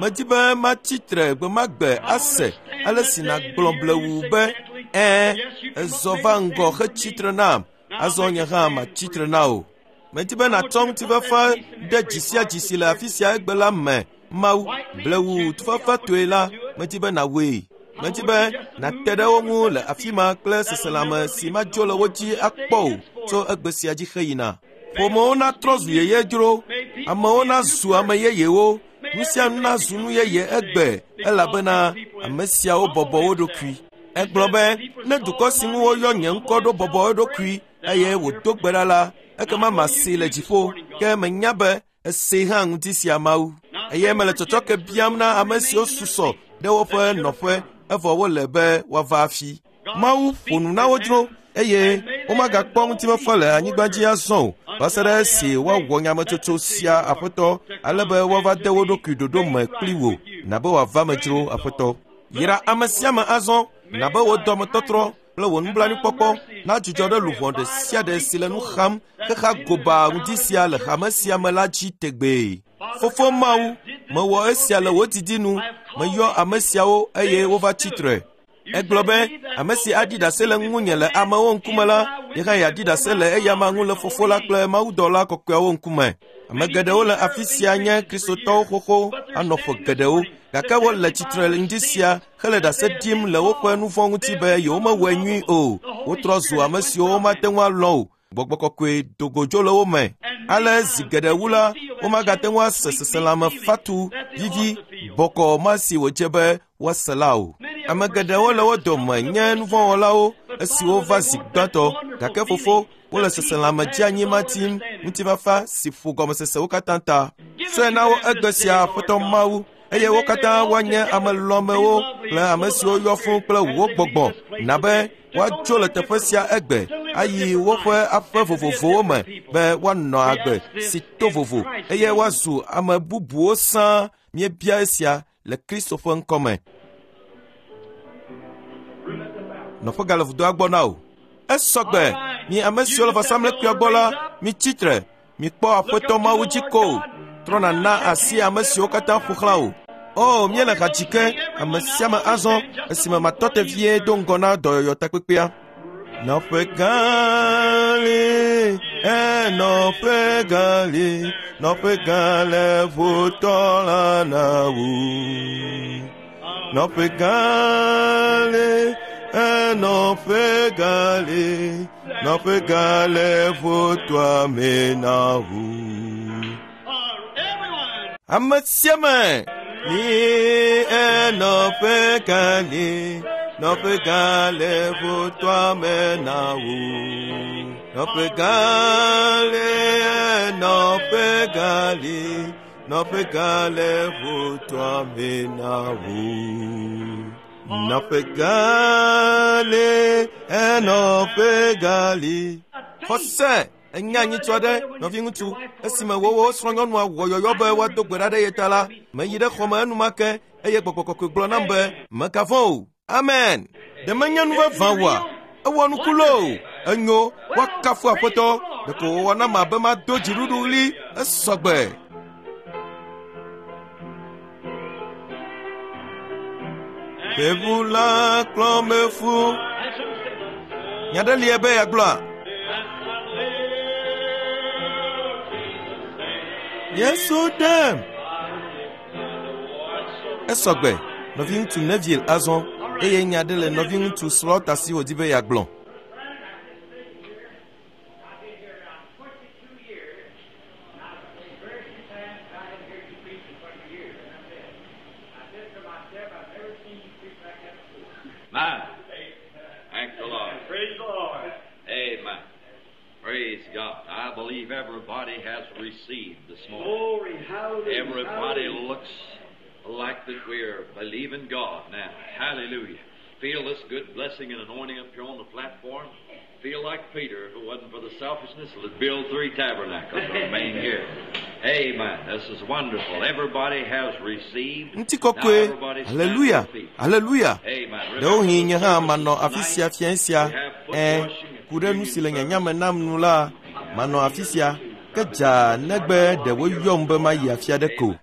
medi be matsi tre gbe ma gbe ase ale si nàgblɔ blewu be ɛ̃, ezɔ va ŋgɔ hetsi tre nam, azɔ nye hã matsi tre na wò. Medi be nàtsɔ ŋutifafa ɖe dzi sia dzi si le afi sia egbe la me. Mawu, blewu tufafatɔe la, medi be nàwɔe. Medi be nàte ɖe wo ŋu le afi ma kple seselãme si madzo le wo dzi akpɔ o tso egbe sia dzi heyina. Ƒomewo natrɔ zu yeye dzro, amewo nazu ame yeyewo, nu sia nu nazu nu yeye egbe elabena ame siawo bɔbɔ wo ɖokui. Egblɔ be ne dukɔ si ŋu woyɔ nye ŋkɔ ɖo bɔbɔ eɖokui eye wòdo gbe ɖa la, ekema masee le dziƒo. Ke menya be esee hã ŋuti sia Mawu. Eye mele tsɔtsɔke biam na ame siwo susɔ ɖe woƒe nɔƒe evɔ wole be woava afi. Mawu ƒo nu na wo dzro eye womagakpɔ ŋutifafa le anyigba dzi azɔ o va se ɖe esi woawɔ nyametsotso sia Aƒetɔ, ale be woava de wo ɖokui ɖoɖo me kpli wò, na be wòava me dzro Aƒetɔ. Yra ame sia ame azɔ, na be wò dɔmetɔtrɔ kple wò nublanuikpɔkpɔ nadzudzɔ ɖe luʋɔ ɖe sia ɖe si le nu xam xexa goba ŋuti sia le hame sia me la dzi tegbee. Fofo Mawu, mewɔ esia le wò didi nu, meyɔ ame siawo eye wova tsi tre. Egblɔ be ame si aɖi ɖase le ŋunye le amewo ŋkume la, ye hã yeaɖi ɖase le eyama ŋu le Fofo la kple Mawudɔla kɔkɔeawo ŋkume. Ame geɖewo le afi sia nye Kristotɔwo xoxo anɔ ƒe geɖewo, gake wole tsitre le ŋdi sia hele ɖase ɖim le woƒe nu vɔ̃ ŋuti be yewomewɔe nyui o. Wotrɔ zu ame siwo womate ŋu alɔ̃ o. Gbɔgbɔ kɔkɔe do go dzo le wo me. Ale zi geɖe wu la, womagate ŋu ase seselãme fatu, vivi, bɔkɔ ma si wòdze be woase la o. Ame geɖewo le wo dome nye nuvɔ̃wɔlawo esiwo va zi gbãtɔ, gake fofo, wole seselãme dzeanyi ma tim ŋutifafa si ƒo gɔmesesewo katã ta. Tsɔe na wo egbe sia Aƒetɔ Mawu, eye wo katã woanye ame lɔ̃amewo kple ame siwo yɔ fũu kple wò gbɔgbɔ, na be woatso le teƒe sia egbe ayi woƒe aƒe vovovowo me be woanɔ agbe si to vovo eye woazu ame bubuwo sãa. Míebia esia le Kristo ƒe ŋkɔme. Nɔƒe gale vudoa gbɔ na wò. Esɔgbe, mi ame siwo le vɔsamlekpuia gbɔ la, mitsi tre, mikpɔ Aƒetɔ Mawu dzi ko. Trɔ nàna asi ame siwo katã ƒo xlã wò. O, míele ha dzi ke ame sia ame azɔ esime matɔ te vie do ŋgɔ na dɔyɔyɔ takpekpea. Nɔƒe gã li, nɔƒe gã li, nɔƒe gã le ʋutɔ la na wò. Nɔƒe gã li, nɔƒe gã li, nɔƒe gã le ʋutɔa me na wò. Ame sia ame li, nɔƒe gã li, nɔƒe gã le ʋutɔa me na wò. Nɔƒe gã li, nɔƒe gã li, nɔƒe gã le ʋutɔa me na wò. Nɔƒe gã li, nɔƒe gã li. Xɔse enya nyitsɔ aɖe, nɔviŋutsu, esime wowo srɔ̃nyɔnua wɔ yɔyɔ be woado gbe ɖa ɖe ye ta la, meyi ɖe xɔme enumake eye gbɔgbɔ kɔkɔe gblɔ nam be mègavɔ̃ o. Amen. Ɖe menye nu vavã oa? Ewɔ nuku loo. Enyo, woakafu Aƒetɔ. Ɖeko wòwɔ nam abe mado dziɖuɖuɣli esɔgbe. Gbevu la kplɔ me fu. Nya ɖe lie be yeagblɔa? Yesu ɖem. Esɔgbe, nɔviŋutsu Neville azɔ eye nya ɖe le nɔviŋutsu Slaughter si wòdi be yeagblɔ. My. Thank the Lord. Praise the Lord. Amen. Praise God. I believe everybody has received this morning. Glory, hallelujah. Everybody hallelujah. looks like that we're believing God now. Hallelujah. Feel this good blessing and anointing up here on the platform. Feel like Peter, if it wasn't for the selfishness, would build three tabernacles and remain here. Amen. This is wonderful. Everybody has received. Now Ŋutikɔkɔe, everybody stand to haleluya, your feet. haleluya. Amen. Ɖewohĩ nye hã Remember manɔ the afi sia tonight fiẽ sia. we have foot Ẽ, washing and ku ɖe nu si le communion nyanya me nam nu la, manɔ afi sia. Ke dzaa negbe ɖe woyɔm be mayi afi aɖe ko.